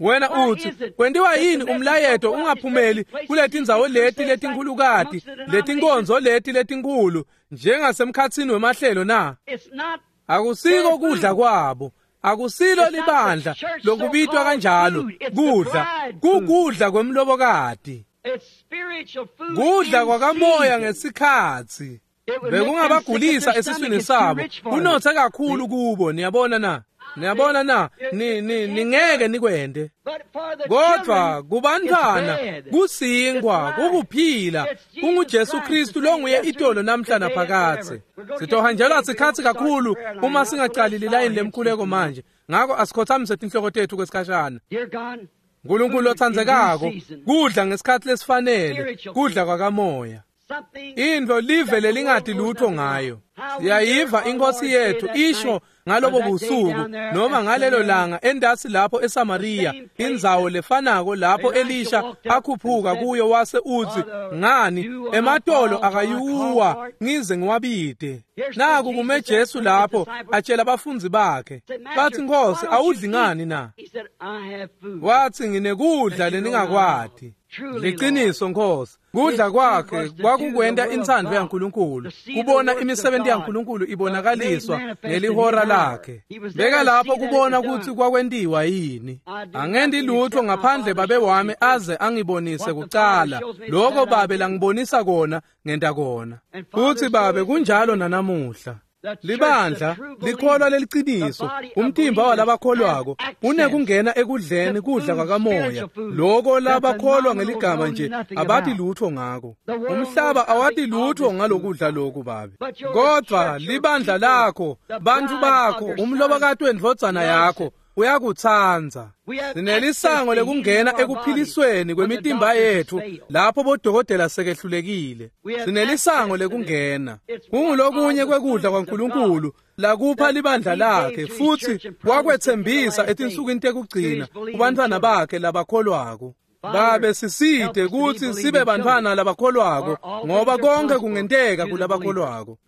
Wena uthi, kwentiwa yini umlayeto ungaphumeli kuletindzawo leti letinkhulukati, letinkonzo leti letinkhulu njengasemkhatsini wemahlelo na? It's not Akusiko kudla kwabo, akusilo libandla lokubitwa kanjalo kudla, kukudla kwemlobokati, it's spiritual food. kudla in kwakamoya season. ngesikhathi. It would make them sick at Bekungabagulisa their esiswini stomach. It's too sabo, rich for them. kunothe kakhulu kubo. Niyabona na? Niyabona na? Ni ni ningeke nikwente. But for the Kodwa children, kubantwana it's bread. kusinkwa, It's life. kukuphila, It's Jesus kunguJesu Christ, Kristu the same longuye itolo yesterday, namhla today, and naphakadze. forever. We're gonna get Sitohanjelwa busy if we sikhathi don't start the kakhulu prayer line uma now, so singacali let's lilayini bow our heads lemkhuleko this morning. manje. Ngakho asikhothamise tinhloko tethu kwesikhashana. Dear God, Nkulunkulu food in lotsandzekako, due season, kudla ngesikhathi lesifanele, Spiritual kudla kwakamoya. something Into live lelingati lutho ngayo. Siyayiva inkosi yethu isho ngalobo busuku noma ngalelo langa endasi lapho eSamaria, indzawo lefanako lapho Elisha akhuphuka kuyo wase uthi, ngani ematolo akayuwa ngize ngiwabide. Naku kume Jesu lapho atshela abafundi bakhe, said, bathi, "Master, Nkosi, why don't awudli you ngani eat?" na? He said, I have food. Wathi, nginekudla leningakwati. Liqiniso Nkosi, kudla kwakhe kwakukwenta intsandvo yaNkulunkulu, kubona imisebenzi yaNkulunkulu ibonakaliswa ngelihora lakhe. Beka lapho kubona ukuthi kwakwentiwa yini. Angendi lutho ngaphandle babe wami aze angibonise kucala. Lokho babe langibonisa kona, ngenta kona. Futhi babe kunjalo nanamuhla. Libandla likholwa leliciniso, umtimba walabakholwako unekungena ekudleni kudla kwakamoya, loko labakholwa ngeligama nje abati lutho ngako. Umhlaba awati lutho ngalokudla lokhu babe, kodwa libandla lakho, bantu bakho, umlobokati wendvodzana yakho uyakutsandza. Sinelisango lekungena ekuphilisweni kwemitimba yethu lapho bodokotela sekehlulekile. Sinelisango lekungena. Kungulokunye kwekudla kwaNkulunkulu lakupha libandla lakhe, futhi wakwethembisa etinsukwini tekugcina kubantfwana bakhe labakholwako. Babe, siside kutsi sibe bantfwana labakholwako, ngoba konke kungenteka kulabakholwako.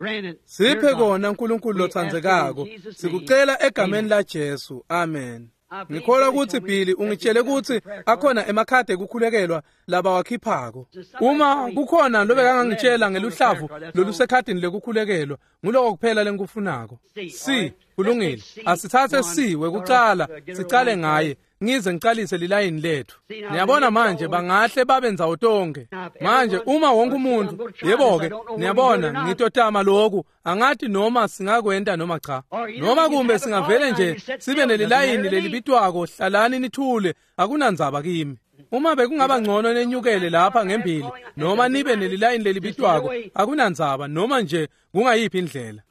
Siphe kona, Nkulunkulu lotsandzekako, sikucela egameni laJesu, amen. Ngikholwa kutsi Billy ungitshele kutsi akhona emakhadi ekukhulekelwa labawakhiphako. Uma kukhona lobekangangitshela ngeluhlavu lolusekhadini lekukhulekelwa, nguloko kuphela lengikufunako. C, kulungile. Asitsatse C wekucala, sicale ngaye, ngize ngicalise lilayini lethu. Niyabona manje bangahle babe ndzawo tonke. Manje uma wonke umuntu, yebo-ke, niyabona ngitotama lokhu, angathi noma singakwenta noma cha. Noma kumbe singavele nje sibe nelilayini lelibitwako, hlalani nithule, akunandzaba kimi. Uma bekungaba ngcono nenyukele lapha ngembili noma nibe nelilayini lelibitwako, akunandzaba noma nje kungayiphi indlela.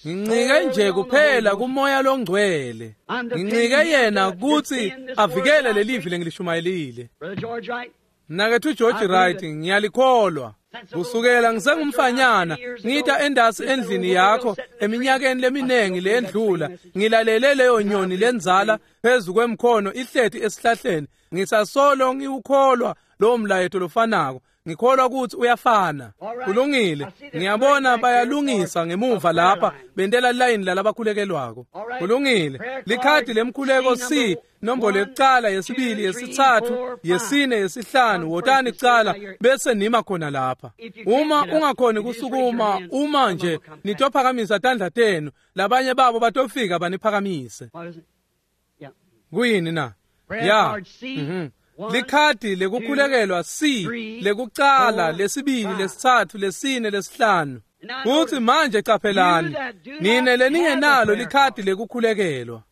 Ngincike nje kuphela kuMoya loNgcwele. Ngincike yena kutsi avikele lelivi lengilishumayelile. Mnaketfu George Wright, ngiyalikholwa. Kusukela ngisengumfanyana ngita endasi endlini yakho eminyakeni leminingi leyendlula, ngilalele leyo nyoni lendzala phezu kwemkhono ihleti esihlahleni. Ngisasolo ngiwukholwa lowo mlayeto lofanako. Ngikholwa kutsi uyafana. Kulungile. Ngiyabona bayalungisa ngemuva lapha bentela layini lalabakhulekelwako. Kulungile. Likhadi lemkhuleko C, nombolo yekucala, yesibili, yesitsatfu, yesine, yesihlanu. Wotani kucala bese nima khona lapha. Uma ungakhoni kusukuma, uma nje nitophakamisa tandla tenu, labanye babo batofika baniphakamise. Kuyini na? Ya. Likhadi lekukhulekelwa C, lekucala, lesibili, lesitsatfu, lesine, lesihlanu. Kutsi manje caphelani, nine leningenalo likhadi lekukhulekelwa.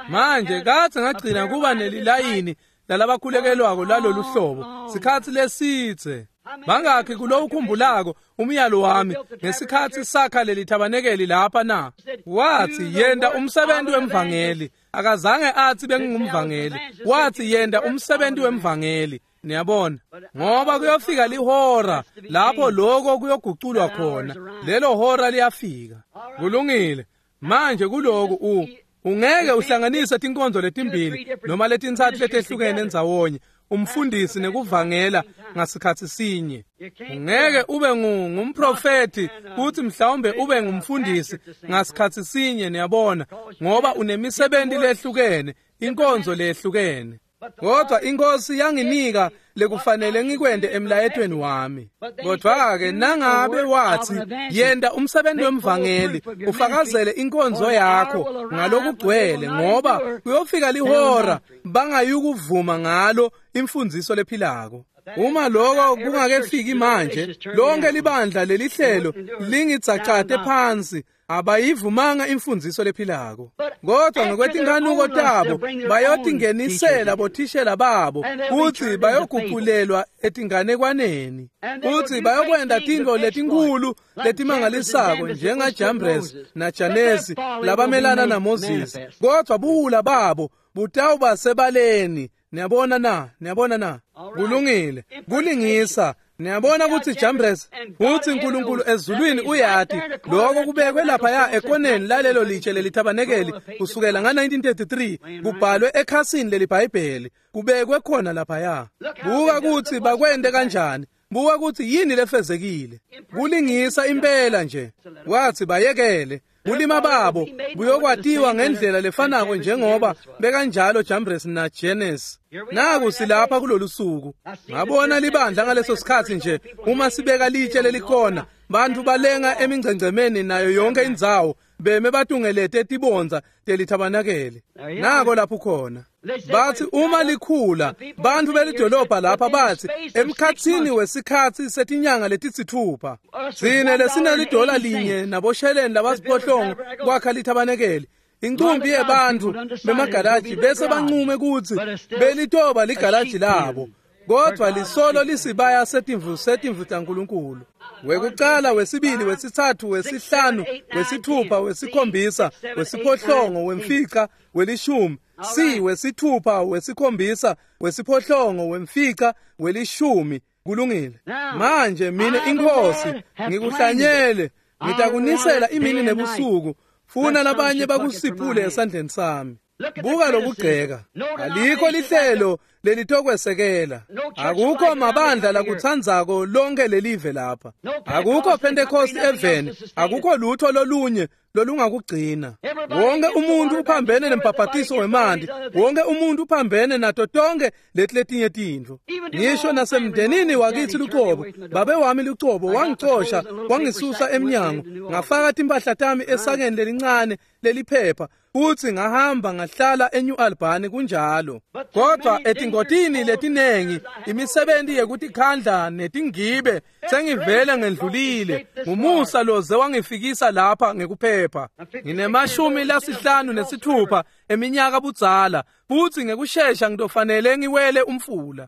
Manje kadze ngagcina kuba nelilayini lalabakhulekelwako lalolu hlobo sikhatsi lesidze. Bangakhi kulowukhumbulako umyalo wami ngesikhatsi sakha leli thabanekeli lapha na? Wathi yenta umsebenzi wemvangeli. Akazange athi bengingumvangeli. Wathi yenta umsebenzi wemvangeli. Niyabona, ngoba kuyofika lihora lapho lokho kuyoguculwa khona. Lelo hora liyafika. Kulungile. Manje kuloku ungeke uhlanganise tinkonzo letimbili noma letintsatfu letehlukene endzawonye, umfundisi nekuvangela ngasikhatsi sinye. Ungeke ube ngumprofeti kuthi mhlawumbe ube ngumfundisi ngasikhatsi sinye, niyabona, ngoba unemisebenti lehlukene, inkonzo lehlukene. Kodwa inkosi yanginika lekufanele ngikwente emlayetweni wami. Kodwa-ke nangabe wathi yenta umsebenzi wemvangeli, ufakazele inkonzo yakho ngalokugcwele, ngoba kuyofika lihora bangayukuvuma ngalo imfundiso lephilako. Uma lokho kungakefiki manje, lonke libandla lelihlelo lingidzacate phansi, abayivumanga imfundiso lephilako. Kodwa ngokwetinkanuko tabo bayotingenisela bothishela babo kutsi bayoguculelwa etinganekwaneni, kutsi bayokwenta tintfo letinkhulu letimangalisako njengaJambres naJanesi labamelana naMoses. Kodwa buwula babo butawuba sebaleni. Niyabona na? Niyabona na? Kulungile. Kulingisa. Niyabona kutsi Jambres uthi uNkulunkulu ezulwini uyati lokho kubekwe laphaya ekoneni lalelo litshe lelithabanekeli kusukela nga-1933 kubhalwe ekhasini leliBhayibheli, kubekwe khona laphaya. Buka kutsi bakwente kanjani. Buka kutsi yini lefezekile. Kulingisa impela nje. Wathi bayekele. Bulima babo buyokwatiwa ngendlela lefanako njengoba bekanjalo Jambres naJenes. Naku silapha kulolu suku. Ngabona libandla ngaleso sikhatsi nje uma sibeka litshe lelikhona, bantu balenga emingcengcemeni nayo yonke indzawo, beme batungelete tibondza telithabanakele. Nako lapho khona. Bathi uma likhula, bantu belidolobha lapha bathi emkhatsini wesikhatsi setinyanga letisithupha, sine lesinelidola linye nabosheleni labasiphohlongo kwakha lithabanekeli. Inqumbi yebantu bemagaraji bese banqume kutsi belitoba ligaraji labo, kodwa lisolo lisibaya setimvu taNkulunkulu. Wekucala, wesibili, wesitsatfu, wesihlanu, wesithupha, wesikhombisa, wesiphohlongo, wemfica, welishumi. C, wesithupha, wesikhombisa, wesiphohlongo, wemfica, welishumi. Kulungile. Manje mine inkosi ngikuhlanyele, ngitakunisela imini nebusuku, funa labanye bakusiphule esandleni sami. Buka lokugceka. Alikho lihlelo lelitokwesekela. Akukho mabandla lakutsandzako lonke lelive lapha. Akukho Pentecost eveni, akukho lutho lolunye lolungakugcina. Wonke umuntu uphambene nembhabhatiso wemanti, wonke umuntu uphambene nato tonke leti letinye tintfo. Ngisho nasemndenini wakithi lucobo, babe wami lucobo wangicosha, wangisusa emnyango, ngafaka timpahla tami esakeni lelincane leliphepha, futhi ngahamba ngahlala eNew Albany kunjalo. Kodwa etingotini letinengi, imisebenti yekutikhandla netingibe sengivele ngendlulile. Ngumusa loze wangifikisa lapha ngekuphepha. Ngine-56 eminyaka budzala, futhi ngekushesha ngitofanele ngiwele umfula.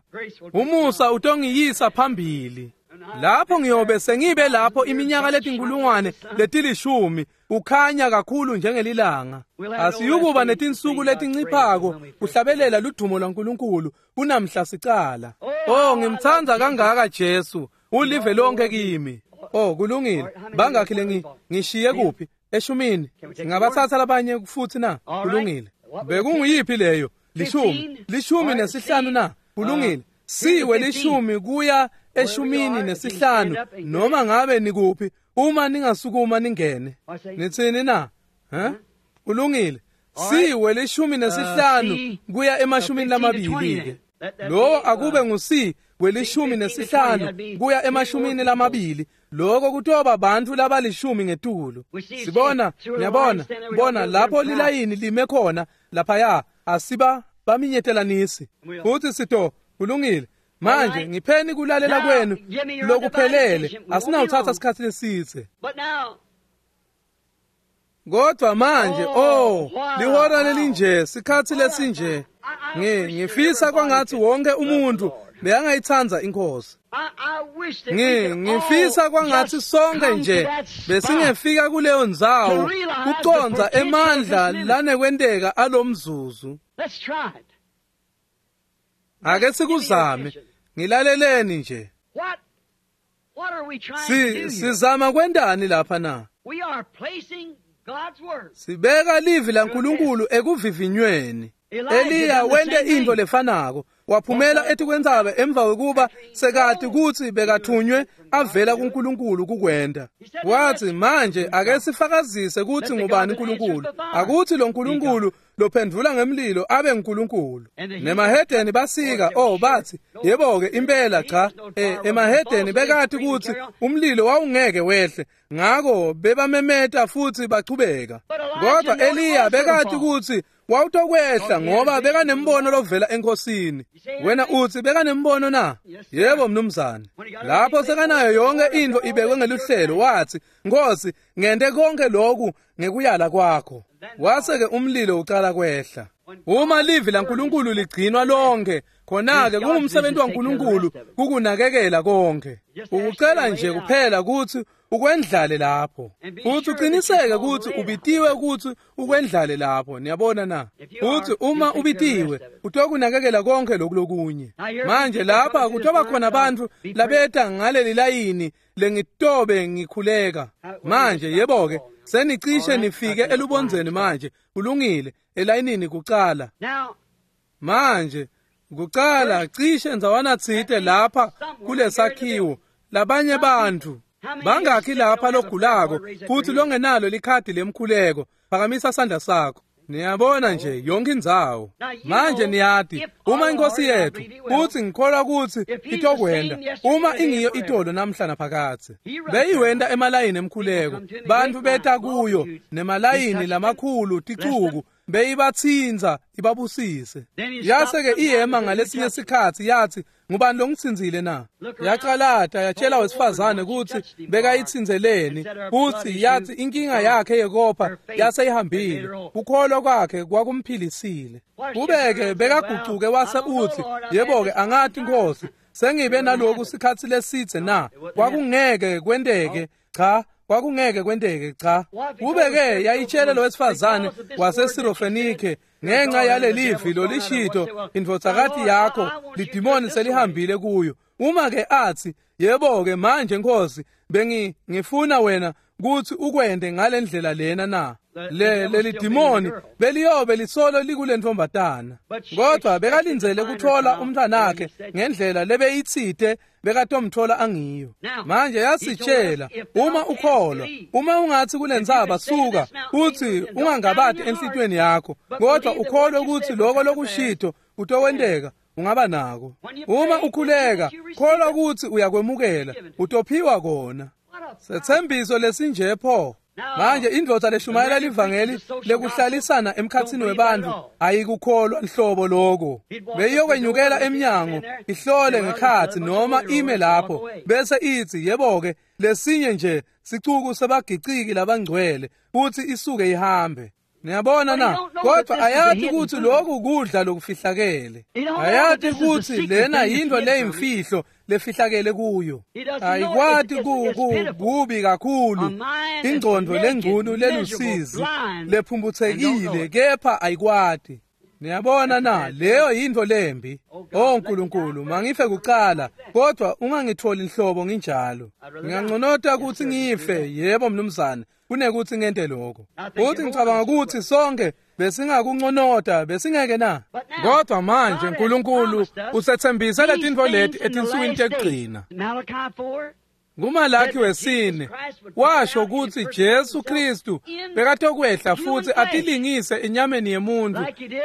Umusa utongiyisa phambili. Lapho ngiyobe sengibe lapho iminyaka letinkulungwane leti-10 ukhanya kakhulu njengelilanga. Asiyukuba netinsuku letinciphako kuhlabelela ludumo lwaNkulunkulu kunamhla sicala. Oh, ngimtsandza kangaka Jesu, ulive lonke kimi. Oh, kulungile. Bangakhi lengi ngishiye kuphi? 10. Singabathatha labanye futhi na? Kulungile. Bekunguyiphi leyo? 10. 15 na? Kulungile. Siwe 10 kuya 15 noma ngabe nikuphi, uma ningasukuma ningene. Nitsini na? Ha? Kulungile. Siwe 15 kuya 20 ke. Lo akube nguC we-15 kuya 20. Lokho kutoba abantu labali-10 ngetulu. Sibona, niyabona, bona lapho lilayini lime khona laphaya, asiba baminyetelanisi. Futhi sito, kulungile. Manje ngipheni kulalela kwenu lokuphelele, asinawuthatha isikhathi lesithe. Kodwa manje, oh, lihora lelinje, sikhathi lesinje. Ngifisa kwangathi wonke umuntu bekangayitsandza iNkhosi. Ngifisa kwangathi sonke nje besingefika kuleyo ndzawo kucondza emandla lanekwenteka alomzuzu. Ake sikuzame, ngilaleleni nje. Sizama kwentani lapha na? Sibeka livi laNkulunkulu ekuvivinyweni. Eliya wente into lefanako, waphumela etikwentsaba emva kwekuba sekati kutsi bekathunywe avela kuNkulunkulu kukwenta. Wathi, manje ake sifakazise kutsi ngubani uNkulunkulu. Akuthi lo Nkulunkulu lophendvula ngemlilo abe nguNkulunkulu. Nemahedeni basika, oh bathi, yebo-ke impela cha. Emahedeni bekati kutsi umlilo wawungeke wehle, ngako bebamemeta futhi bachubeka. Kodwa Eliya bekati kutsi wawutokwehla ngoba bekanembono lovela enkosini. Wena uthi bekanembono na? Yebo mnumzane. Lapho sekanayo yonke into ibekwe ngeluhlelo, wathi, Nkosi, ngente konke lokhu ngekuyala kwakho. Wase-ke umlilo ucala kwehla. Uma livi laNkulunkulu ligcinwa lonke, khona-ke kungumsebenzi waNkulunkulu kukunakekela konke. Ukucela nje kuphela kutsi ukwendlale lapho, futhi uqiniseke kutsi ubitiwe kutsi ukwendlale lapho. Niyabona na? Futhi uma ubitiwe utokunakekela konke lokhu lokunye. Manje lapha kutoba khona bantfu labeta ngaleli layini lengitobe ngikhuleka. Manje yebo-ke, senicishe nifike elubondzeni manje. Kulungile, elayinini kucala. Manje kucala cishe ndzawana tsite lapha kulesakhiwo labanye bantfu. Bangakhi lapha logulako futhi longenalo likhadi lemkhuleko? Phakamisa sandla sakho. Niyabona nje yonke indzawo. Manje niyati uma inkosi yethu, futhi ngikholwa kutsi itokwenda, uma ingiyo itolo namhla naphakadze. Beyiwenda emalayini emkhuleko, bantfu beta kuyo nemalayini lamakhulu ticuku, beyibatsintsa ibabusise. Yase-ke iyema ngalesinye sikhatsi yathi, ngubani longitsindzile na? Yacalata yatshela wesifazane kutsi bekayitsindzeleni, futsi yathi inkinga yakhe yekopha yaseyihambile, kukholwa kwakhe kwakumphilisile. Kube-ke bekagucuke wase utsi, yebo-ke angati Nkosi, sengibe naloku sikhatsi lesitse na? Kwakungeke kwenteke, cha. Kwakungeke kwenteke, cha. Kube-ke yayitshele lo wesifazane waseSirofenike, ngenxa yalelivi lolishito indvodzakati yakho lidimoni selihambile kuyo. Uma-ke athi, yebo-ke manje Nkosi, ngifuna wena kutsi ukwente ngalendlela lena na? Leli dimoni beliyobe lisolo likulentombatana, kodwa bekalindzele kuthola umntwanakhe ngendlela lebeyitsite bekatomthola angiyo. Manje yasitshela, uma ukholwa, uma ungathi kulentsaba suka, uthi ungangabati enhlitiyweni yakho, kodwa ukholwe ukuthi lokho lokushito kutokwenteka, ungaba nako. Uma ukhuleka, kholwa ukuthi uyakwemukela, utophiwa kona. Setsembiso lesinje pho. Manje indvodza leshumayela livangeli lekuhlalisana emkhatsini webantfu ayikukholwa nhlobo lokho. Beyiyokwenyukela emnyango ihlole ngekhatsi noma ime lapho bese itsi, yebo-ke, lesinye nje sicuku sebagiciki labangcwele, futhi isuke ihambe. Niyabona na? Kodwa ayati ukuthi lokhu kudla lokufihlakele. Ayati ukuthi lena yinto leyimfihlo lefihlakele kuyo. Ayikwati kubi kakhulu, ingqondo lengcunu lelusizi lephumputhekile, kepha ayikwati. Niyabona na? Leyo yinto lembi. Oh Nkulunkulu, mangife kuqala, kodwa ungangitholi inhlobo nginjalo. Ngiyanconota ukuthi ngife, yebo mnumzane, kunekuthi ngente lokho. Futhi ngicabanga ukuthi sonke besingakunconota, besingeke na? Kodwa manje Nkulunkulu usethembise letintfo leti etinsukwini tekugcina. NguMalaki wesine washo ukuthi Jesu Kristu bekatokwehla futhi atilingise enyameni yemuntu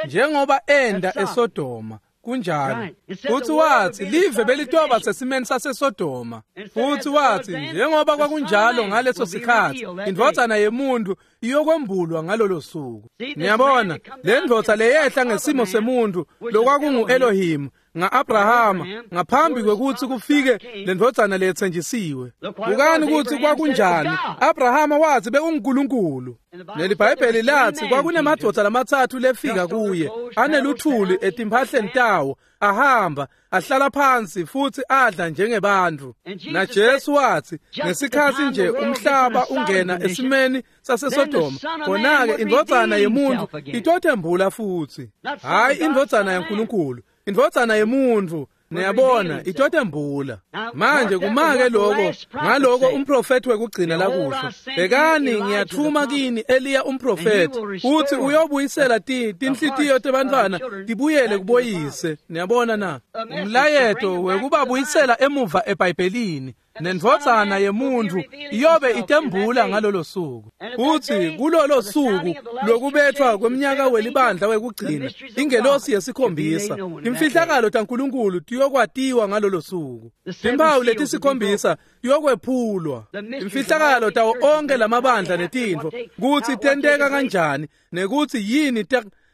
njengoba enda eSodoma. Kunjalo. Futhi wathi live belitoba sesimeni saseSodoma. Futhi wathi njengoba kwakunjalo ngaleso sikhathi, indvodzana yemuntu iyokwembulwa ngalolo suku. Niyabona, le ndvodza leyehla ngesimo semuntu lokwakungu-Elohim nga-Abrahama ngaphambi kwekutsi kufike le ndvodzana leyetsenjisiwe. Bukani kutsi kwakunjani. Abrahama wathi bekunguNkulunkulu. NeliBhayibheli lathi kwakunemadvodza lamatsatfu lefika kuye aneluthuli etimphahleni tawo, ahamba ahlala phansi futhi adla njengebantfu. NaJesu wathi ngesikhatsi nje umhlaba ungena esimeni saseSodoma, khona-ke indvodzana yemuntu itothembula futhi. Hhayi indvodzana yaNkulunkulu, indvodzana yemuntu. Niyabona, itotembula. Manje kumake lokho, ngaloko umprofethi wekugcina lakusho. Bhekani, ngiyathuma kini Eliya umprofethi, uthi uyobuyisela tinhlitiyo tebantfwana tibuyele kuboyise. Niyabona na? Umlayeto wekubabuyisela emuva eBhayibhelini. Nendvodzana yemuntu iyobe itembula ngalolo suku. Uthi kulolo suku lokubethwa kweminyaka welibandla wekugcina, ingelosi yesikhombisa, imfihlakalo taNkulunkulu tiyokwatiwa ngalolo suku. Timphawu letisikhombisa tiyokwephulwa. Imfihlakalo tawo onke lamabandla netintfo, kutsi tenteka kanjani nekutsi yini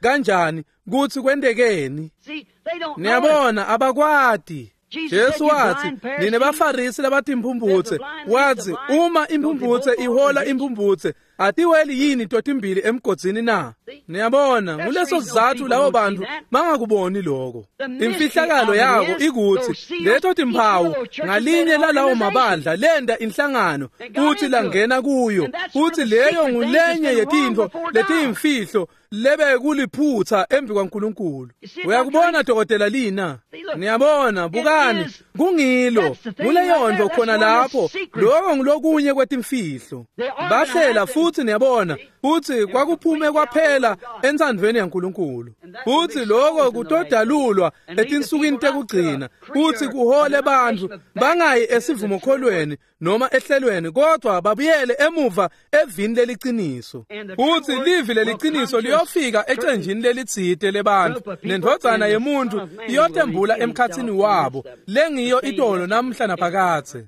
kanjani, kutsi kwentekeni. Niyabona, abakwati. Jesu wathi, nine baFarisi labatimphumphutse, wathi uma imphumphutse ihola imphumphutse, atiweli yini totimbili emgodzini na? Niyabona, nguleso sizatfu labo bantfu bangakuboni lokho. Imfihlakalo yako ikutsi leto timphawu ngalinye lalawo mabandla lenda inhlangano futhi langena kuyo, futhi leyo ngulenye yetintfo letiyimfihlo lebe kuliphutha embi kwaNkulunkulu. Uyakubona dokotela lina? Niyabona, bukani, kungilo, kuleyondvo khona lapho, lokho ngulokunye kwetimfihlo. Bahlela futhi niyabona, futhi kwakuphume kwaphela entsandvweni yaNkulunkulu. Futhi lokho kutodalulwa etinsukwini tekugcina, futhi kuhole bantfu bangayi esivumokholweni noma ehlelweni, kodwa babuyele emuva evini leliciniso. Futhi livi leliciniso liyofika ecenjini lelitsite lebantfu, nendvodzana yemuntu iyotembula emkhatsini wabo, lengiyo itolo namhla naphakadze.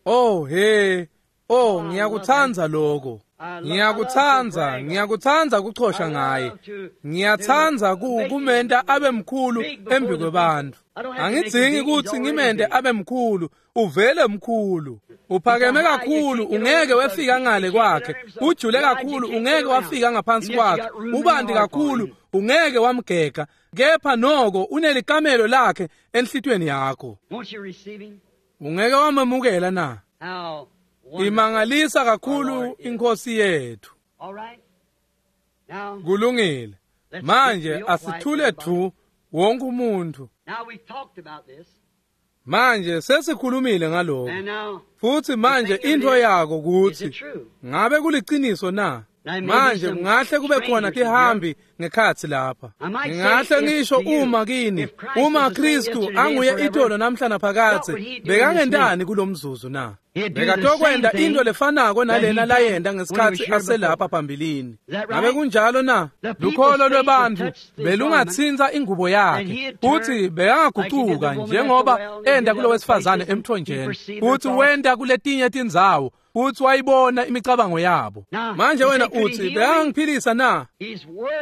Oh he, oh ngiyakutsandza lokho. Ngiyakutsandza, ngiyakutsandza kuchosha ngaye. Ngiyatsandza kumenta abe mkhulu embi kwebantfu. Angidzingi kutsi ngimente abe mkhulu, uvele mkhulu. Uphakeme kakhulu, ungeke wefika ngale kwakhe. Ujule kakhulu, ungeke wafika ngaphansi kwakhe. Ubanti kakhulu, ungeke wamgega. Kepha noko unelikamelo lakhe enhlitiyweni yakho. Ungeke wamemukela na? Imangalisa kakhulu inkosi yethu. Kulungile. Manje asithule dvu wonke umuntu. Manje sesikhulumile ngaloko. Futhi manje into yako kutsi ngabe kuliciniso na? Manje kungahle kube khona tihambi ngekhatsi lapha. Ngingahle ngisho uma kini, uma Kristu anguye itolo namhla naphakadze, bekangentani kulomzuzu na? Bekatokwenta into lefanako nalena layenta ngesikhatsi aselapha phambilini. Ngabe kunjalo na? Lukholo lwebantfu belungatsintsa ingubo yakhe, futsi bekangagucuka njengoba enta kulowesifazane emthonjeni, futsi wenta kuletinye tindzawo, futsi wayibona imicabango yabo. Manje wena utsi bekangiphilisa na?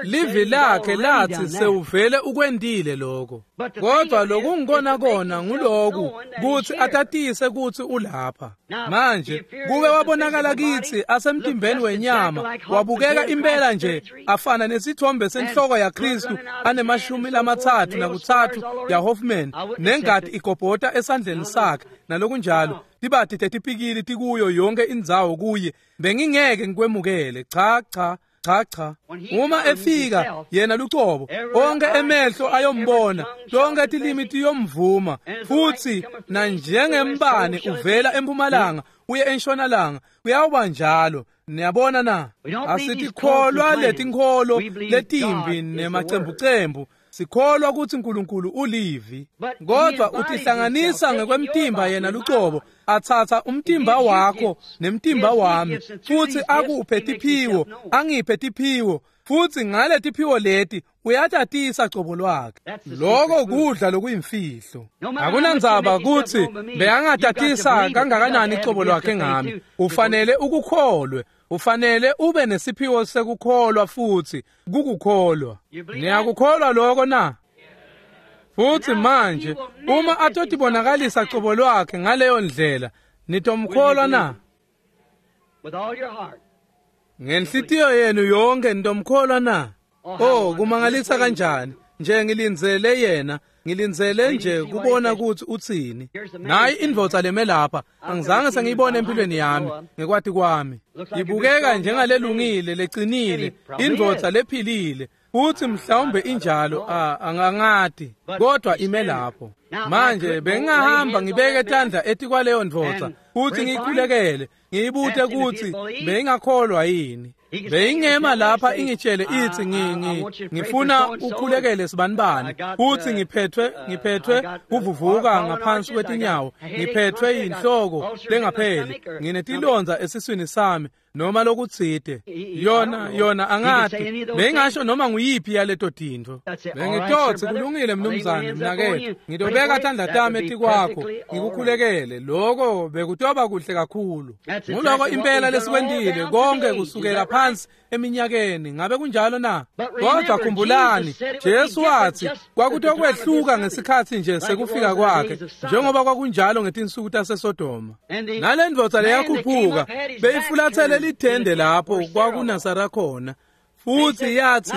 Livi lakhe lathi sewuvele ukwentile lokho. Kodwa lokungikona kona nguloku kutsi atatise kutsi ulapha. Manje kuke wabonakala kitsi asemtimbeni wenyama, wabukeka impela nje afana nesithombe senhloko yaKristu anemashumi 33 yaHoffman, nengati igobhota esandleni sakhe nalokunjalo, tibati tetipikili tikuyo yonke indzawo kuye. Bengingeke ngikwemukele. Cha cha cha cha. Uma efika yena lucobo, onke emehlo ayombona, tonke tilimi tiyomvuma, futsi nanjengembane uvela empumalanga uye entshonalanga, kuyawuba njalo. Niyabona na? Asitikholwa letinkholo letimbi nemacembucembu. Sikholwa kutsi uNkulunkulu ulivi, kodwa utihlanganisa ngekwemtimba yena lucobo, atsatsa umtimba wakho nemtimba wami, futsi akuphe tiphiwo, angiphe tiphiwo, futsi ngale tiphiwo leti uyatatisa cobo lwakhe. Lokho kudla lokuyimfihlo. Akunandzaba kutsi bekangatatisa kangakanani cobo lwakhe ngami, ufanele ukukholwe. Ufanele ube nesiphiwo sekukholwa futsi kukukholwa. Niyakukholwa lokho na? Futsi manje uma atotibonakalisa cobo lwakhe ngaleyo ndlela, nitomkholwa na? Ngenhlitiyo yenu yonke nitomkholwa na? Oh, kumangalisa kanjani. Nje ngilindzele yena, ngilindzele nje kubona kutsi utsini. Nayi indvodza leme lapha, angizange sengiyibone empilweni yami, ngekwati kwami. Ibukeka njengalelungile, lecinile, indvodza lephilile, futsi mhlawumbe injalo, angangati, kodwa ime lapho. Manje bengingahamba ngibeke tandla etikwaleyo ndvodza, futsi ngiyikhulekele, ngiyibute kutsi beyingakholwa yini. Beyingema lapha ingitshele ithi ngifuna ukhulekele sibanibani, futhi ngiphethwe kuvuvuka ngaphansi kwetinyawo, ngiphethwe yinhloko lengapheli, nginetilonza esiswini sami noma lokutsite. Yona angati, beyingasho noma nguyiphi yaleto tintfo. Bengitotsi kulungile mnumzane mnaketfu, ngitobeka tandla tami etikwakho ngikukhulekele. Lokho bekutoba kuhle kakhulu. Nguloko impela lesikwentile konke kusukela phansi eminyakeni. Ngabe kunjalo na? Kodwa khumbulani, Jesu wathi kwakutokwehluka ngesikhatsi nje sekufika kwakhe, njengoba kwakunjalo ngetinsuku taseSodoma. Nale ndvodza leyakhuphuka beyifulathele lithende lapho kwakunaSara khona, futhi yathi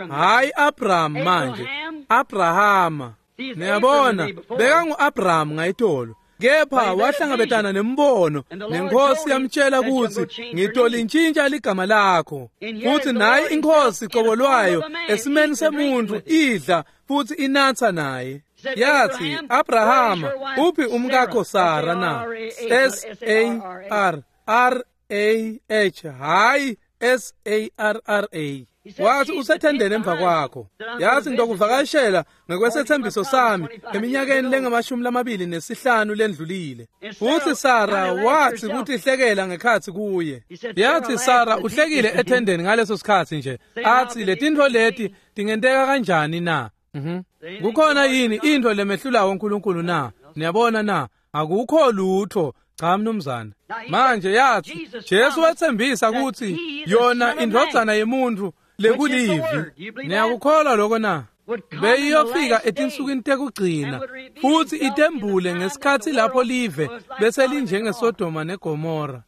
hayi Abraham, manje Abrahama. Niyabona, bekangu-Abraham ngayitolo, kepha wahlangabetana nembono, nenkosi yamtshela kutsi ngitolintshintsha ligama lakho. Futhi nayi inkosi cobo lwayo esimeni semuntu idla futhi inatsa naye. Yathi, Abrahama, uphi umkakho Sara na? S A R R A H, hayi S A R R A. Wathi usethendeni emva kwakho. Yathi ngitokuvakashela ngekwesethembiso sami eminyakeni lengamashumi 25 lendlulile. Futhi Sara wathi kutihlekela ngekhatsi kuye. Yathi Sara uhlekile ethendeni ngaleso sikhatsi nje. Athi letintfo leti tingenteka kanjani na? Kukhona yini intfo lemehlulayo uNkulunkulu na? Niyabona na? Akukho lutho. Cha mnumzane. Manje yathi Jesu wethembisa kutsi yona indvodzana yemuntu lekulivi. Niyakukholwa lokho na? Beyiyofika etinsukwini tekugcina futhi itembule ngesikhatsi lapho live bese linjengeSodoma neGomora.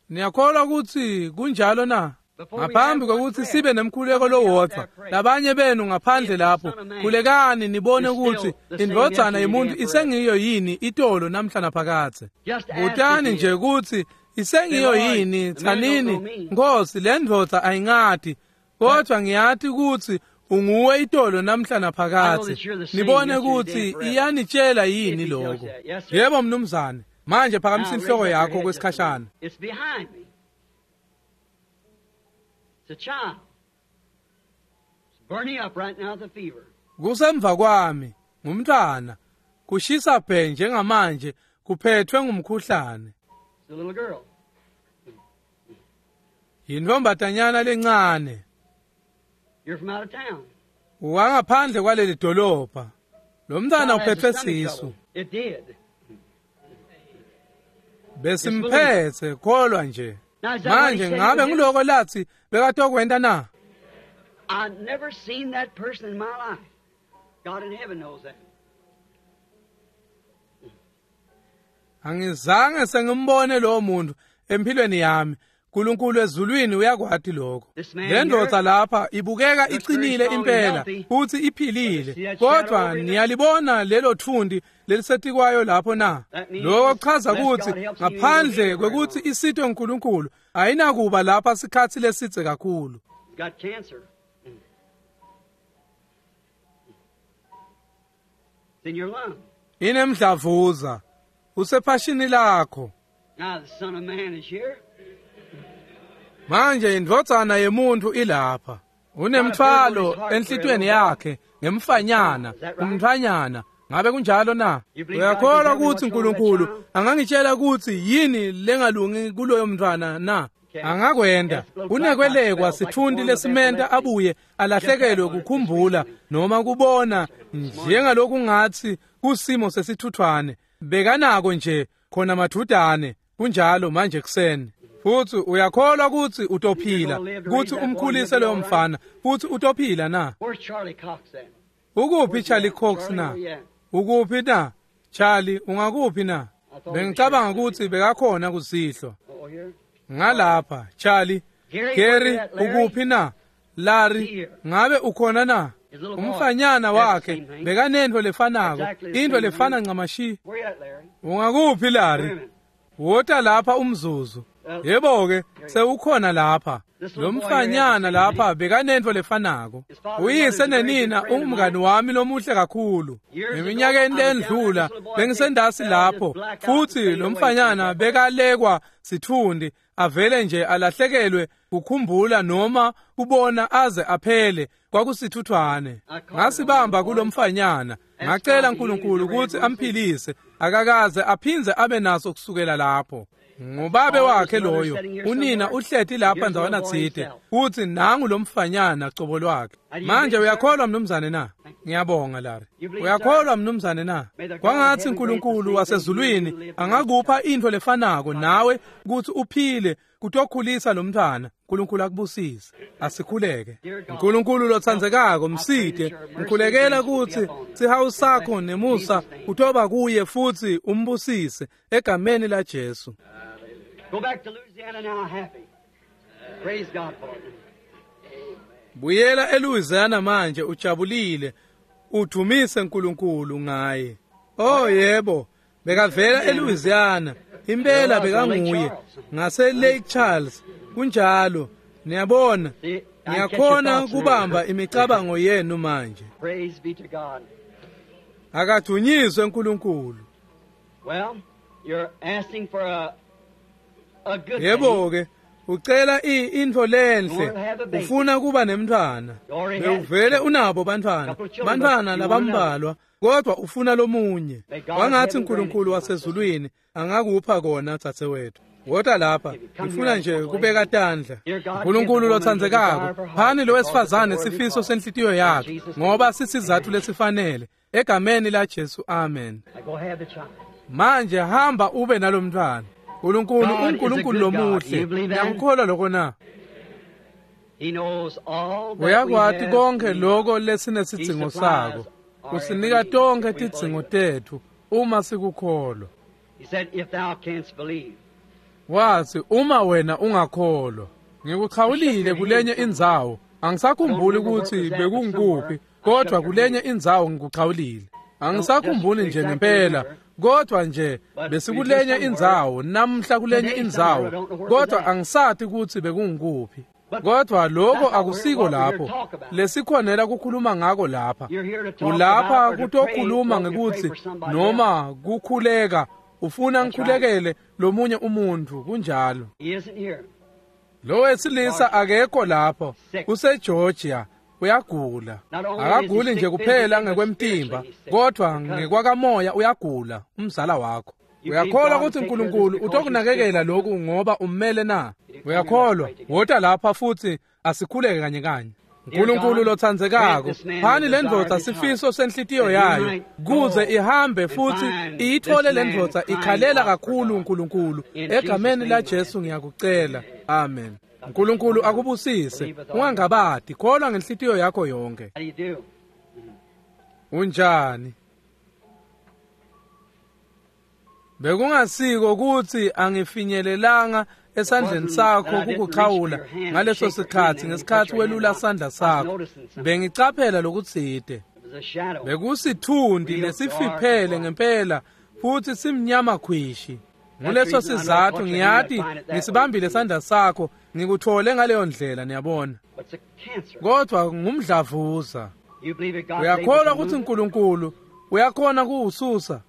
Niyakholwa kutsi kunjalo na? Ngaphambi kokuthi sibe nemkhuleko lowodvwa, labanye benu ngaphandle lapho, khulekani nibone ukuthi indvodzana yemuntu isengiyo yini itolo namhla naphakadze. Butani nje ukuthi isengiyo yini, tsanini, Nkosi, le ndvodza ayingati, kodwa ngiyati ukuthi Unguwe itolo namhla naphakadze. Nibone ukuthi iyanitshela yini lokho. Yebo mnumzane. Manje phakamisa inhloko yakho kwesikhashana. It's behind me. It's a child. It's burning up right now with the fever. Kusemva kwami ngumntwana. Kushisa bhe njengamanje kuphethwe ngumkhuhlane. It's a little girl. Yintombatanyana lencane. You're from out of town. Wangaphandle kwaleli dolobha. Lo mntwana Child has uphethwe a stomach sisu. trouble. It did. Besimphethe kholwa nje. Now, is that what he Manje said he ngabe would do? ngiloko lathi bekatokwenta na? I've never seen that person in my life. God in heaven knows that. Angizange sengimbone lowo muntu empilweni yami. uNkulunkulu ezulwini uyakwati lokho. This man Le ndoda here lapha ibukeka looks very iqinile strong and impela healthy. futhi But you see iphilile. that shadow Kodwa over there? niyalibona lelo thundi lelisetikwayo lapho na? That means Lokho kuchaza unless ukuthi God helps you, ngaphandle you'll be here very kwekuthi long. isitwe uNkulunkulu ayinakuba lapha sikhathi lesidze kakhulu. He's got cancer. It's in your lung. Inemdlavuza usephashini lakho. Now the Son of Man is here. Manje indvodzana yemuntu ilapha. Unemthwalo enhlitweni yakhe ngemfanyana, umntfanyana. Ngabe kunjalo na? Uyakholwa ukuthi uNkulunkulu angangitshela ukuthi yini lengalungi kuloyo mntwana na? Angakwenda. Unekwelekwa sithundi lesimenta abuye alahlekelwe kukhumbula noma kubona njengalokhu ngathi kusimo sesithuthwane. Bekanako nje khona madudane. Kunjalo manje kuseni. Futhi uyakholwa ukuthi utophila, ukuthi umkhulise loyo mfana, futhi utophila na? Where's Charlie Cox at? Ukuphi Charlie Cox Charlie, na? where you at? Ukuphi na? Charlie, ungakuphi na? Bengicabanga ukuthi bekakhona kusihlwa. Oh, here. Ngalapha, Charlie. Gary, Gary, where you at, Larry? ukuphi na? Larry, Here. ngabe ukhona na? His little boy. Umfanyana That's the wakhe same thing. bekanento lefanako, Exactly the into same lefana thing. ncamashi. Where you at, Larry? Ungakuphi Wait a Larry? minute. Wota lapha umzuzu. Yebo ke, sewukhona lapha. Lo mfanyana lapha bekanento lefanako. Uyise nenina ungumngani wami lomuhle kakhulu. Eminyakeni lendlula bengisendasi lapho futhi lo mfanyana bekalekwa sithundi avele nje alahlekelwe kukhumbula noma kubona aze aphele kwakusithuthwane. Ngasibamba kulomfanyana ngacela uNkulunkulu ukuthi amphilise akakaze aphinze abe naso kusukela lapho. Ngubabe wakhe loyo unina uhleti lapha ndzawana tsite uthi nangu lo mfanyana cobo lwakhe. Manje uyakholwa mnumzane na? Ngiyabonga Larry. Uyakholwa mnumzane na? Kwangathi uNkulunkulu wasezulwini angakupha into lefanako nawe ukuthi uphile kutokhulisa lo mntwana. uNkulunkulu akubusise. Asikhuleke. uNkulunkulu lotsandzekako msite ngikhulekela ukuthi sihawu sakho nemusa kutoba kuye futhi umbusise egameni la Jesu. Go back to Louisiana now happy. Praise God for it. Buyela eLouisiana manje ujabulile. Udumise uNkulunkulu ngaye. Oh yebo, bekavela eLouisiana. Impela bekanguye ngase Lake Charles. Kunjalo. Niyabona? See, I catch your Ngiyakhona thoughts now. kubamba imicabango yenu manje. Praise be to God. Akadunyiswe uNkulunkulu. Well, you're asking for a good thing. Yebo ke, ucela intfo lenhle, ufuna kuba nemntwana. Bewuvele unabo bantwana, bantwana labambalwa, kodwa ufuna lomunye. Wangathi uNkulunkulu wasezulwini angakupha kona dzadzewethu. Wota lapha, ngifuna nje kubeka tandla. uNkulunkulu lotsandzekako, phani lo wesifazane sifiso senhlitiyo yakhe, ngoba sisizathu lesifanele. Egameni la Jesu, amen. Now go have the child. Manje hamba ube nalomntwana. uNkulunkulu God is a uNkulunkulu good God. lomuhle. You believe that? Ngiyakukholwa lokho na? He knows all that we Uyakwati have konke need. lokho lesinesidzingo sako. Usinika tonke tidzingo tethu uma sikukholwa. He said, if thou canst believe. Wathi uma wena ungakholwa. Ngikuchawulile kulenye indzawo. Angisakhumbuli ukuthi bekungikuphi, kodwa kulenye indzawo ngikuchawulile. Angisakhumbuli nje ngempela, kodwa nje besikulenye indzawo, namhla kulenye indzawo, kodwa angisati ukuthi bekungikuphi. Kodwa lokho akusiko lapho lesikhonela kukhuluma ngako lapha. Ulapha kutokhuluma ngekuthi noma kukhuleka, ufuna ngikhulekele lomunye umuntu, kunjalo. Lo wesilisa akekho lapho, useGeorgia, uyagula. Akaguli nje kuphela ngekwemtimba, kodwa ngekwakamoya uyagula, umzala wakho. Uyakholwa ukuthi uNkulunkulu utokunakekela lokhu ngoba ummele na? Uyakholwa? Wota lapha futhi asikhuleke kanye kanye. uNkulunkulu lothandzekako, phani lendvodza sifiso senhlitiyo yayo kuze ihambe futhi iyithole lendvodza ikhalela kakhulu uNkulunkulu. Egameni la Jesu ngiyakucela. Amen. uNkulunkulu akubusise. Ungangabadi, kholwa ngenhlitiyo yakho yonke. Unjani? Bekungasiko ukuthi angifinyelelanga esandleni sakho kukuxhawula ngaleso sikhathi ngesikhathi welula sandla sakho. Bengicaphela lokutsite. Bekusithundi lesifiphele ngempela futhi simnyama khwishi. Nguleso sizathu ngiyati ngisibambile sandla sakho, ngikuthole ngaleyo ndlela, niyabona. Kodwa ngumdlavuza. Uyakholwa ukuthi uNkulunkulu uyakhona kuwususa?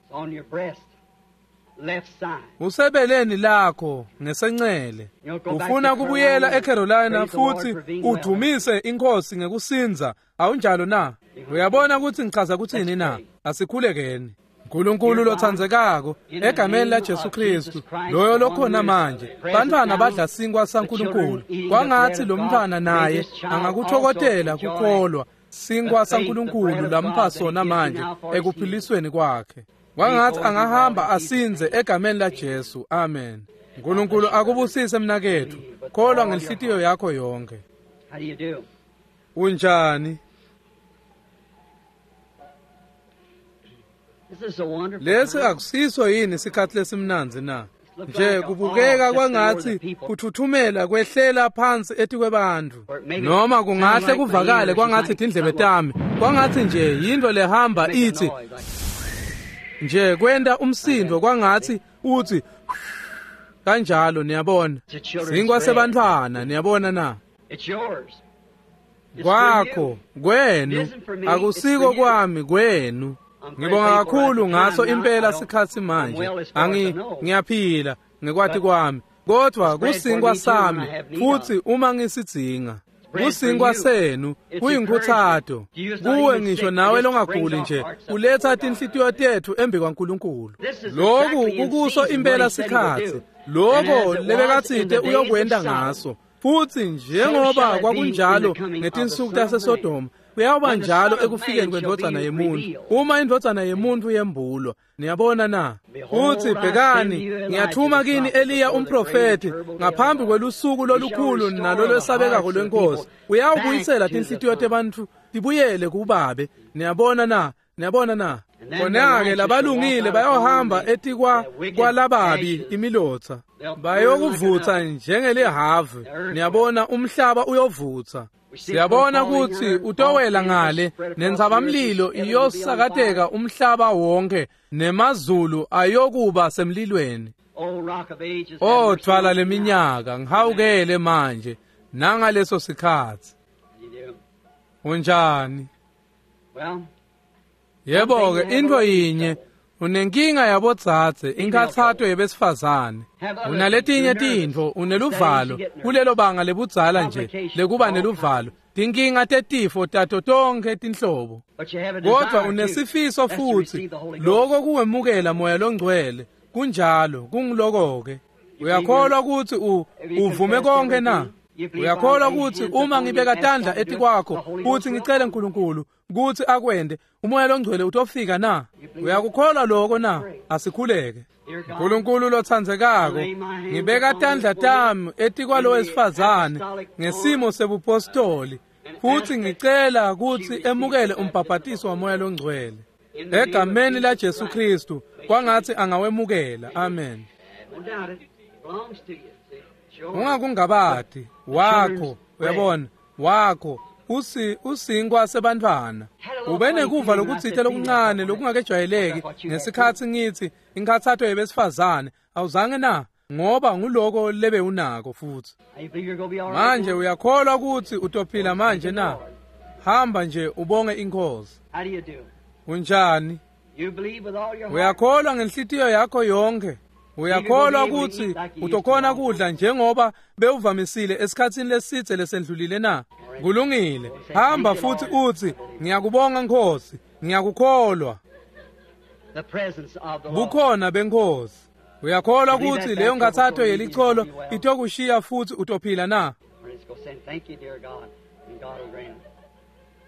Usebeleni lakho ngesencele. Ufuna kubuyela eCarolina futhi udumise inkosi ngekusinza, awunjalo na? Uyabona ukuthi ngichaza kuthini na? Asikhulekeni. uNkulunkulu lothandzekako, egameni la Jesu Kristu, loyo lokhona manje, bantwana badla sinkwa saNkulunkulu. Kwangathi lo mntwana naye angakuthokotela kukholwa sinkwa saNkulunkulu lampha sona manje ekuphilisweni kwakhe. Kwangathi angahamba asinze egameni la Jesu. Amen. uNkulunkulu akubusise mnakethu. Kholwa ngenhlitiyo yakho yonke. Unjani? Lesi akusiso yini isikhathi lesimnandzi na? Nje kubukeka kwangathi kuthuthumela kwehlela phansi etikwebantu, noma kungahle kuvakale kwangathi tindlebe tami, kwangathi nje yinto lehamba ithi nje kwenta umsindo, kwangathi uthi kanjalo, niyabona. Sinkwa sebantfwana, niyabona na? Kwakho, kwenu, akusiko kwami, kwenu. Ngibonga kakhulu ngaso impela sikhathi manje. Ngiyaphila ngekwati kwami, kodwa kusinkwa sami futhi uma ngisidzinga. Kusinkwa senu, kuyinkuthato kuwe ngisho nawe longaguli nje, uletha tinhlitiyo tethu embi kwaNkulunkulu. Lokhu kukuso impela sikhathi lokho lebekatsite uyokwenda ngaso. Futhi njengoba kwakunjalo ngetinsuku taseSodoma, kuyawuba njalo ekufikeni kwendvodzana yemuntu, uma indvodzana yemuntu yembulwa. Niyabona na? Futhi bhekani, ngiyathuma kini Eliya umprofethi ngaphambi kwelusuku lolukhulu nalolwesabekako lwenkosi. Uyawubuyisela tinhlitiyo tebantfu tibuyele kubabe. Niyabona na? Niyabona na? Khona-ke labalungile bayohamba etikwa kwalababi imilotsa, bayokuvutsa njengelihavu. Niyabona, umhlaba uyovutsa. Siyabona ukuthi utowela ngale nentsabamlilo iyosakateka umhlaba wonke, nemazulu ayokuba semlilweni. O thwala leminyaka, ngihawukele manje nangaleso sikhathi. Unjani? Yebo-ke, into yinye, unenkinga yabodzadze, inkhatsato yebesifazane. Unaletinye tintfo, uneluvalo kulelo banga lebudzala nje lekuba neluvalo, tinkinga tetifo tato tonkhe tinhlobo. Kodwa unesifiso futhi, lokho kuwemukela Moya loNgcwele. Kunjalo, kungiloko-ke. Uyakholwa ukuthi uvume konke na? Uyakholwa ukuthi uma ngibeka tandla etikwakho futhi ngicele uNkulunkulu ukuthi akwende, uMoya loNgcwele utofika na? Uyakukholwa lokho na? Asikhuleke. uNkulunkulu lothandzekako, ngibeka tandla tami etikwalo wesifazane ngesimo sebupostoli futhi ngicela ukuthi emukele umbhabhatiso waMoya loNgcwele egameni la Jesu Kristu, kwangathi angawemukela. Amen. Ungakungabadi wakho, uyabona, wakho usinkwa sebantfwana. Ube nekuva lokutsite lokuncane lokungakejwayeleki ngesikhathi ngithi inkhathato yebesifazane, awuzange na? Ngoba nguloko lebe unako futhi. Manje uyakholwa ukuthi utophila manje na? Hamba nje ubonge inkosi. Unjani? Uyakholwa ngenhlitiyo yakho yonke. Uyakholwa ukuthi utokhona kudla njengoba bewuvamisile esikhatsini lesitse lesendlulile na? Kulungile. Hamba futhi uthi ngiyakubonga Nkosi, ngiyakukholwa. Bukhona benkosi. Uyakholwa ukuthi leyo nkathatho yelicholo itokushiya futhi utophila na?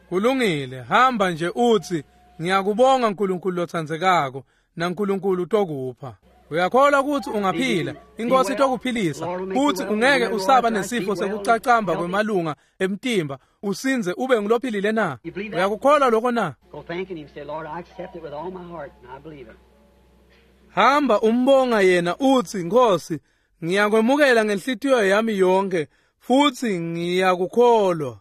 Kulungile. Hamba nje uthi ngiyakubonga nkulunkulu lotsandzekako naNkulunkulu utokupha. Uyakholwa ukuthi ungaphila, inkosi itokuphilisa, futhi ungeke usaba nesifo sekucacamba kwemalunga emtimba, usinze ube ngulophilile na? Uyakukholwa lokho na? Hamba umbonga yena uthi Nkosi, ngiyakwemukela ngenhlitiyo yami yonke futhi ngiyakukholwa.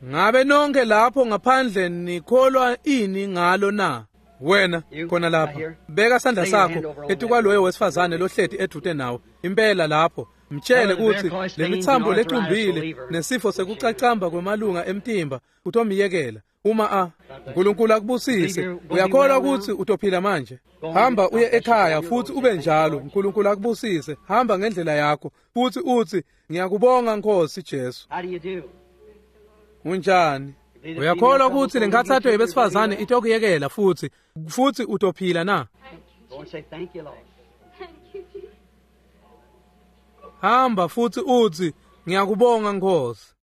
Ngabe nonke lapho ngaphandle nikholwa ini ngalo na? Wena khona lapha beka sandla sakho etukwaloyo wesifazane lohleti edute nawe impela lapho mtshele ukuthi lemithambo lecumbile nesifo sekucacamba kwemalunga emtimba utomiyekela uma a uNkulunkulu akubusise. Uyakholwa ukuthi utophila manje? Hamba uye ekhaya futhi ube njalo. uNkulunkulu akubusise. Hamba ngendlela yakho futhi uthi ngiyakubonga Nkosi Jesu. Unjani? Uyakholwa ukuthi lenkathatho yebesifazane itokuyekela futhi futhi utophila na? Hamba futhi uthi ngiyakubonga Nkosi.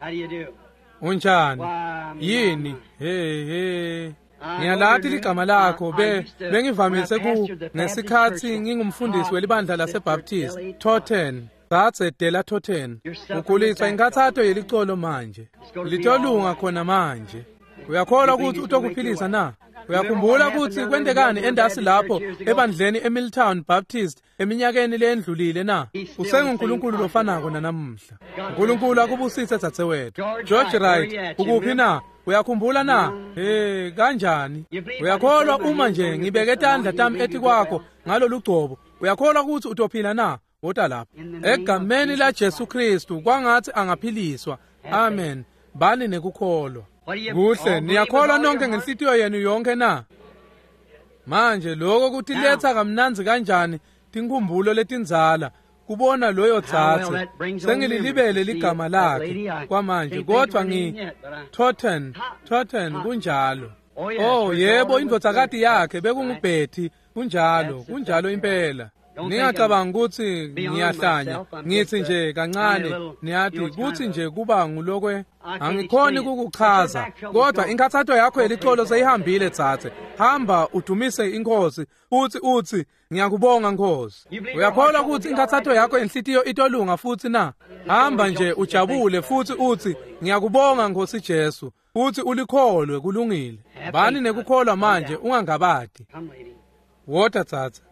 Unjani? Yini? Hey hey. Ngiyalathi ligama lakho bengivamise ku ngesikhathi ngingumfundisi welibandla laseBaptist Totten. Thathe Dela Totten. Ukhulisa inkathatho yelicolo manje. Litolunga khona manje. Uyakholwa ukuthi utokuphilisa na? Uyakhumbula ukuthi kwentekani endasi lapho ebandleni eMilltown Baptist eminyakeni leyendlulile na? UsenguNkulunkulu lofanako nanamuhla. uNkulunkulu akubusise dzadzewethu. George Wright, ukuphi na? Uyakhumbula na? Hey, kanjani? Uyakholwa uma nje ngibeke tandla tami etikwakho ngalolu gcobo. Uyakholwa ukuthi utophila na? Wota lapha. Egameni la Jesu Kristu kwangathi angaphiliswa. Amen. Bani nekukholwa. Kuhle, niyakholwa nonke ngenhlitiyo yenu yonke na? Manje lokho kutiletha kamnandzi kanjani tinkhumbulo letindzala kubona loyo dzadze. Sengililibele ligama lakhe kwamanje kodwa ngi Totten, Totten kunjalo. Oh yebo, indvodzakati yakhe bekunguBetty, kunjalo, kunjalo impela. Ningacabanga ukuthi ngiyahlanya, ngithi nje kancane, niyathi kuthi nje kuba ngulokwe angikhoni ukukuchaza, kodwa inkathatho yakho yelicolo seyihambile dzadze. Hamba udumise inkosi uthi uthi ngiyakubonga Nkosi. Uyakholwa ukuthi inkathatho yakho yenhlitiyo itolunga futhi na? Hamba nje ujabule futhi uthi ngiyakubonga Nkosi Jesu, futhi ulikholwe. Kulungile. Bani nekukholwa manje, ungangabadi. Wota dzadze.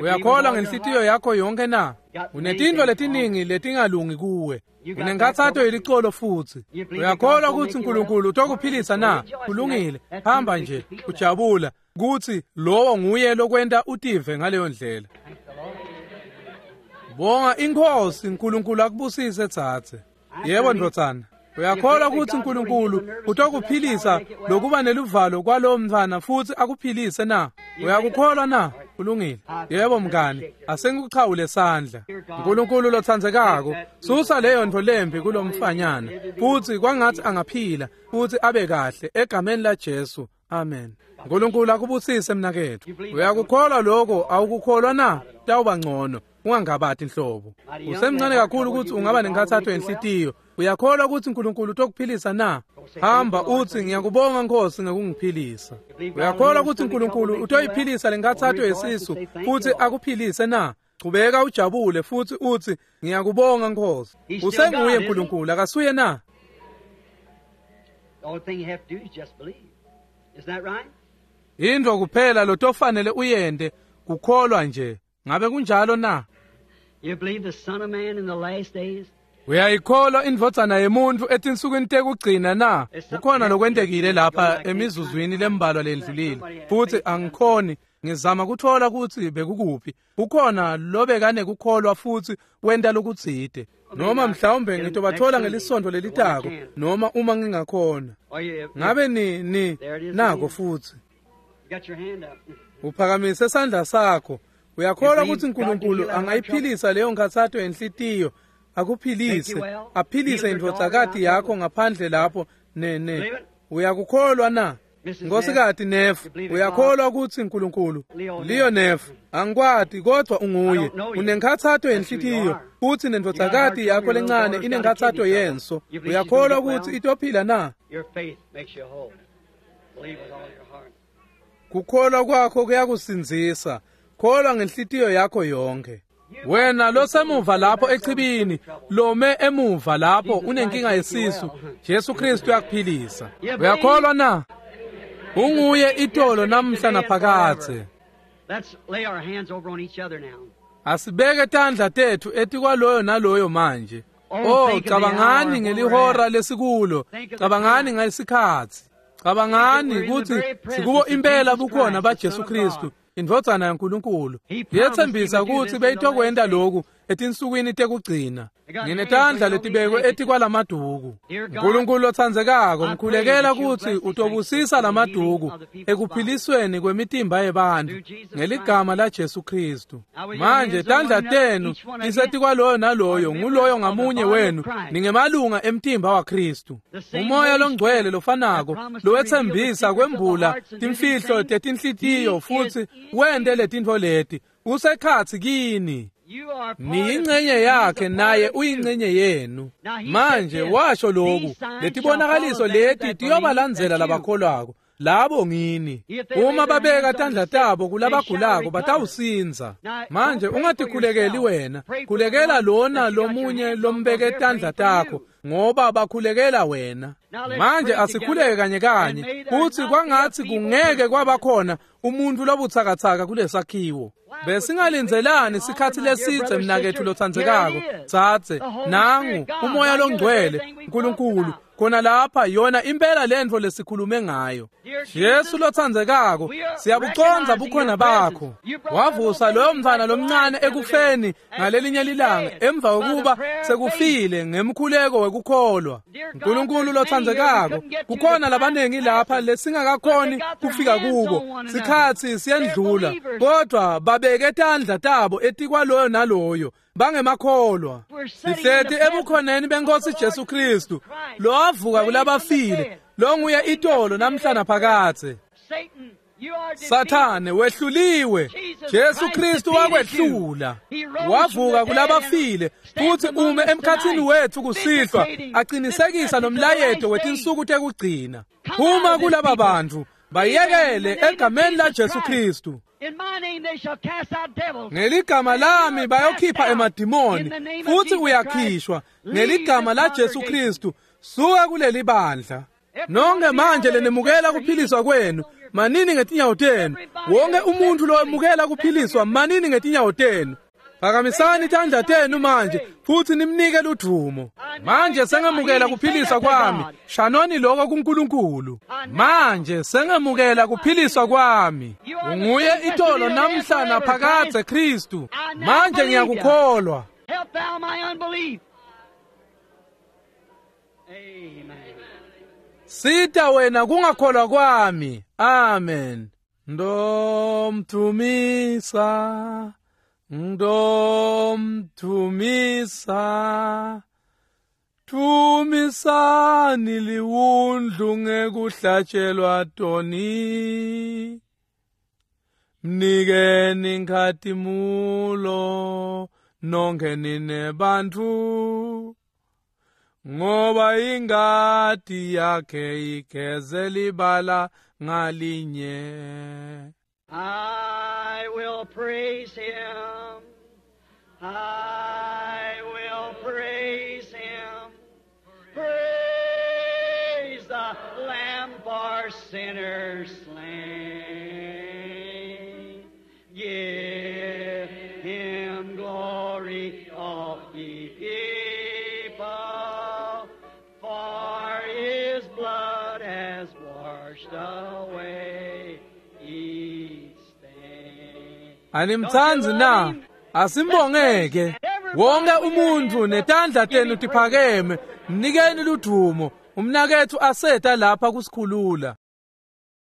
Uyakholwa ngenhlitiyo yakho yonke na? Unetintfo letiningi letingalungi kuwe. Unenkathatho yelicolo futhi. Uyakholwa ukuthi uNkulunkulu utokuphilisa na? Kulungile. Hamba nje ujabula kuthi lowo nguye lokwenta utive ngaleyo ndlela. Bonga inkosi, uNkulunkulu akubusise dzadze. Yebo ndvodzana. Uyakholwa ukuthi uNkulunkulu utokuphilisa lokuba neluvalo kwalowo mntwana futhi akuphilise na? Uyakukholwa na? Kulungile. Yebo mngani, asengikuchawule sandla. uNkulunkulu lotsandzekako, susa leyo ntfo lembi kulomfanyana futhi kwangathi angaphila futhi abe kahle egameni la Jesu. Amen. uNkulunkulu akubusise mnakethu. Uyakukholwa lokho? Awukukholwa na? Tawuba ngcono. Ungangabati inhlobo. Usemncane kakhulu ukuthi ungaba nenkathatho yenhlitiyo. Uyakholwa ukuthi uNkulunkulu utokuphilisa na? Hamba uthi ngiyakubonga Nkosi ngokungiphilisa. Uyakholwa ukuthi uNkulunkulu utoyiphilisa lenkathatho yesisu futhi akuphilise na? Chubeka ujabule futhi uthi ngiyakubonga Nkosi. Usenguye uNkulunkulu akasuye na? Into kuphela lotofanele uyende kukholwa nje. Ngabe kunjalo na? You believe the Son of Man in the last days? Uyayikholwa indvodzana yemuntu etinsukwini tekugcina na? Kukhona lokwentekile lapha emizuzwini lembalwa lendlulile. Futhi angikhoni Ngizama kuthola kutsi bekukuphi. Kukhona lobekanekukholwa futsi wenta lokutsite. Noma mhlawumbe ngitobathola ngelisonto lelitako noma uma ngingakhona. Ngabe ni nako futsi. Uphakamise sandla sakho. Uyakholwa kutsi uNkulunkulu angayiphilisa leyo nkhatsato yenhlitiyo, akuphilise, aphilise indvodzakati yakho ngaphandle lapho ne. Uyakukholwa na? Nkosikazi Neff, uyakholwa kutsi uNkulunkulu? Leo Neff, angikwati kodwa unguye. Unenkhatsato yenhlitiyo futsi nendvodzakati yakho lencane inenkhatsato yenso. Uyakholwa kutsi itophila na? Kukholwa kwakho kuyakusindzisa. Kholwa ngenhlitiyo yakho yonke. Wena losemuva lapho echibini, lome emuva lapho unenkinga yesisu, Jesu Kristu uyakuphilisa. Uyakholwa na? Unguye itolo namhla naphakadze. Asibeke tandla tethu etikwaloyo naloyo manje. Oh, cabangani ngelihora lesikulo, cabangani ngalesikhatsi, cabangani kutsi sikubo impela bukhona baJesu Kristu, indvodzana yaNkulunkulu. Yetsembisa kutsi beyitokwenta lokhu etinsukwini tekugcina. Nginetandla letibekwe etikwalamaduku. Nkulunkulu lotsandzekako, ngikhulekela kutsi utobusisa lamaduku ekuphilisweni kwemitimba yebantfu ngeligama laJesu Kristu. Manje tandla tenu tisetikwaloyo naloyo, nguloyo ngamunye wenu ningemalunga emtimba waKristu. Umoya longcwele lofanako lowetsembisa kwembula timfihlo tetinhlitiyo futsi wente letintfo leti usekhatsi kini. Niyingcenye yakhe naye uyingcenye yenu. Manje washo lokhu, letibonakaliso leti tiyobalandzela labakholwako, labo ngini. Uma babeka tandla tabo kulabagulako batawusindza. Manje ungatikhulekeli wena, khulekela lona lomunye lombeke tandla takho, ngoba bakhulekela wena. Manje asikhuleke kanye kanye kutsi kwangatsi kungeke kwabakhona umuntu lobutsakatsaka kulesakhiwo. Besingalindzelani sikhatsi lesidze mnaketfu lotsandzekako, dzadze, nangu umoya longcwele uNkulunkulu khona lapha, yona impela lentfo lesikhulume ngayo. Jesu lotsandzekako, siyabucondza bukhona bakho. Wavusa loyo mntfwana lomncane ekufeni ngalelinye lilanga emva kokuba sekufile ngemkhuleko wekukholwa. Nkulunkulu lotsandzekako, kukhona labanengi lapha lesingakakhoni kufika kubo. Sikhatsi siyendlula, kodwa babeke tandla tabo etikwaloyo naloyo. Bangemakholwa. Sihleti ebukhoneni benkosi Jesu Kristu, lowavuka kulabafile, longuye itolo namhla naphakadze. Sathane wehluliwe, Jesu Kristu wakwehlula. Wavuka kulabafile futsi ume emkhatsini wetfu kusihlwa, aqinisekisa nomlayeto wetinsuku tekugcina. Phuma kulaba bantfu, bayekele egameni laJesu Kristu. Ngeligama lami bayokhipha emadimoni, futsi uyakhishwa ngeligama laJesu Kristu. Suka kuleli bandla. Nonke manje lenemukela kuphiliswa kwenu, manini ngetinyawo tenu. Wonke umuntu lowemukela kuphiliswa, manini ngetinyawo tenu. Phakamisani tandla tenu manje futsi nimnike ludvumo. Manje sengemukela kuphiliswa kwami. Shanoni lokho kuNkulunkulu. Manje sengemukela kuphiliswa kwami. Unguye itolo namhla naphakadze Kristu. Manje ngiyakukholwa. Sita wena kungakholwa kwami. Amen. Ndomthumisa, ndomthumisa, thumisani liwundlu ngekuhlatshelwa toni. Mnikeni inkhatimulo nonke nine bantfu, ngoba ingati yakhe igeze libala ngalinye. I will praise him. I will praise him. Praise the Lamb for sinners slain. Give him glory, all ye people, for his blood has washed away each stain. Animtsandzi na? Asimbongeke. Wonke umuntfu netandla tenu tiphakeme, mnikeni ludvumo. Umnaketfu aseta lapha kusikhulula.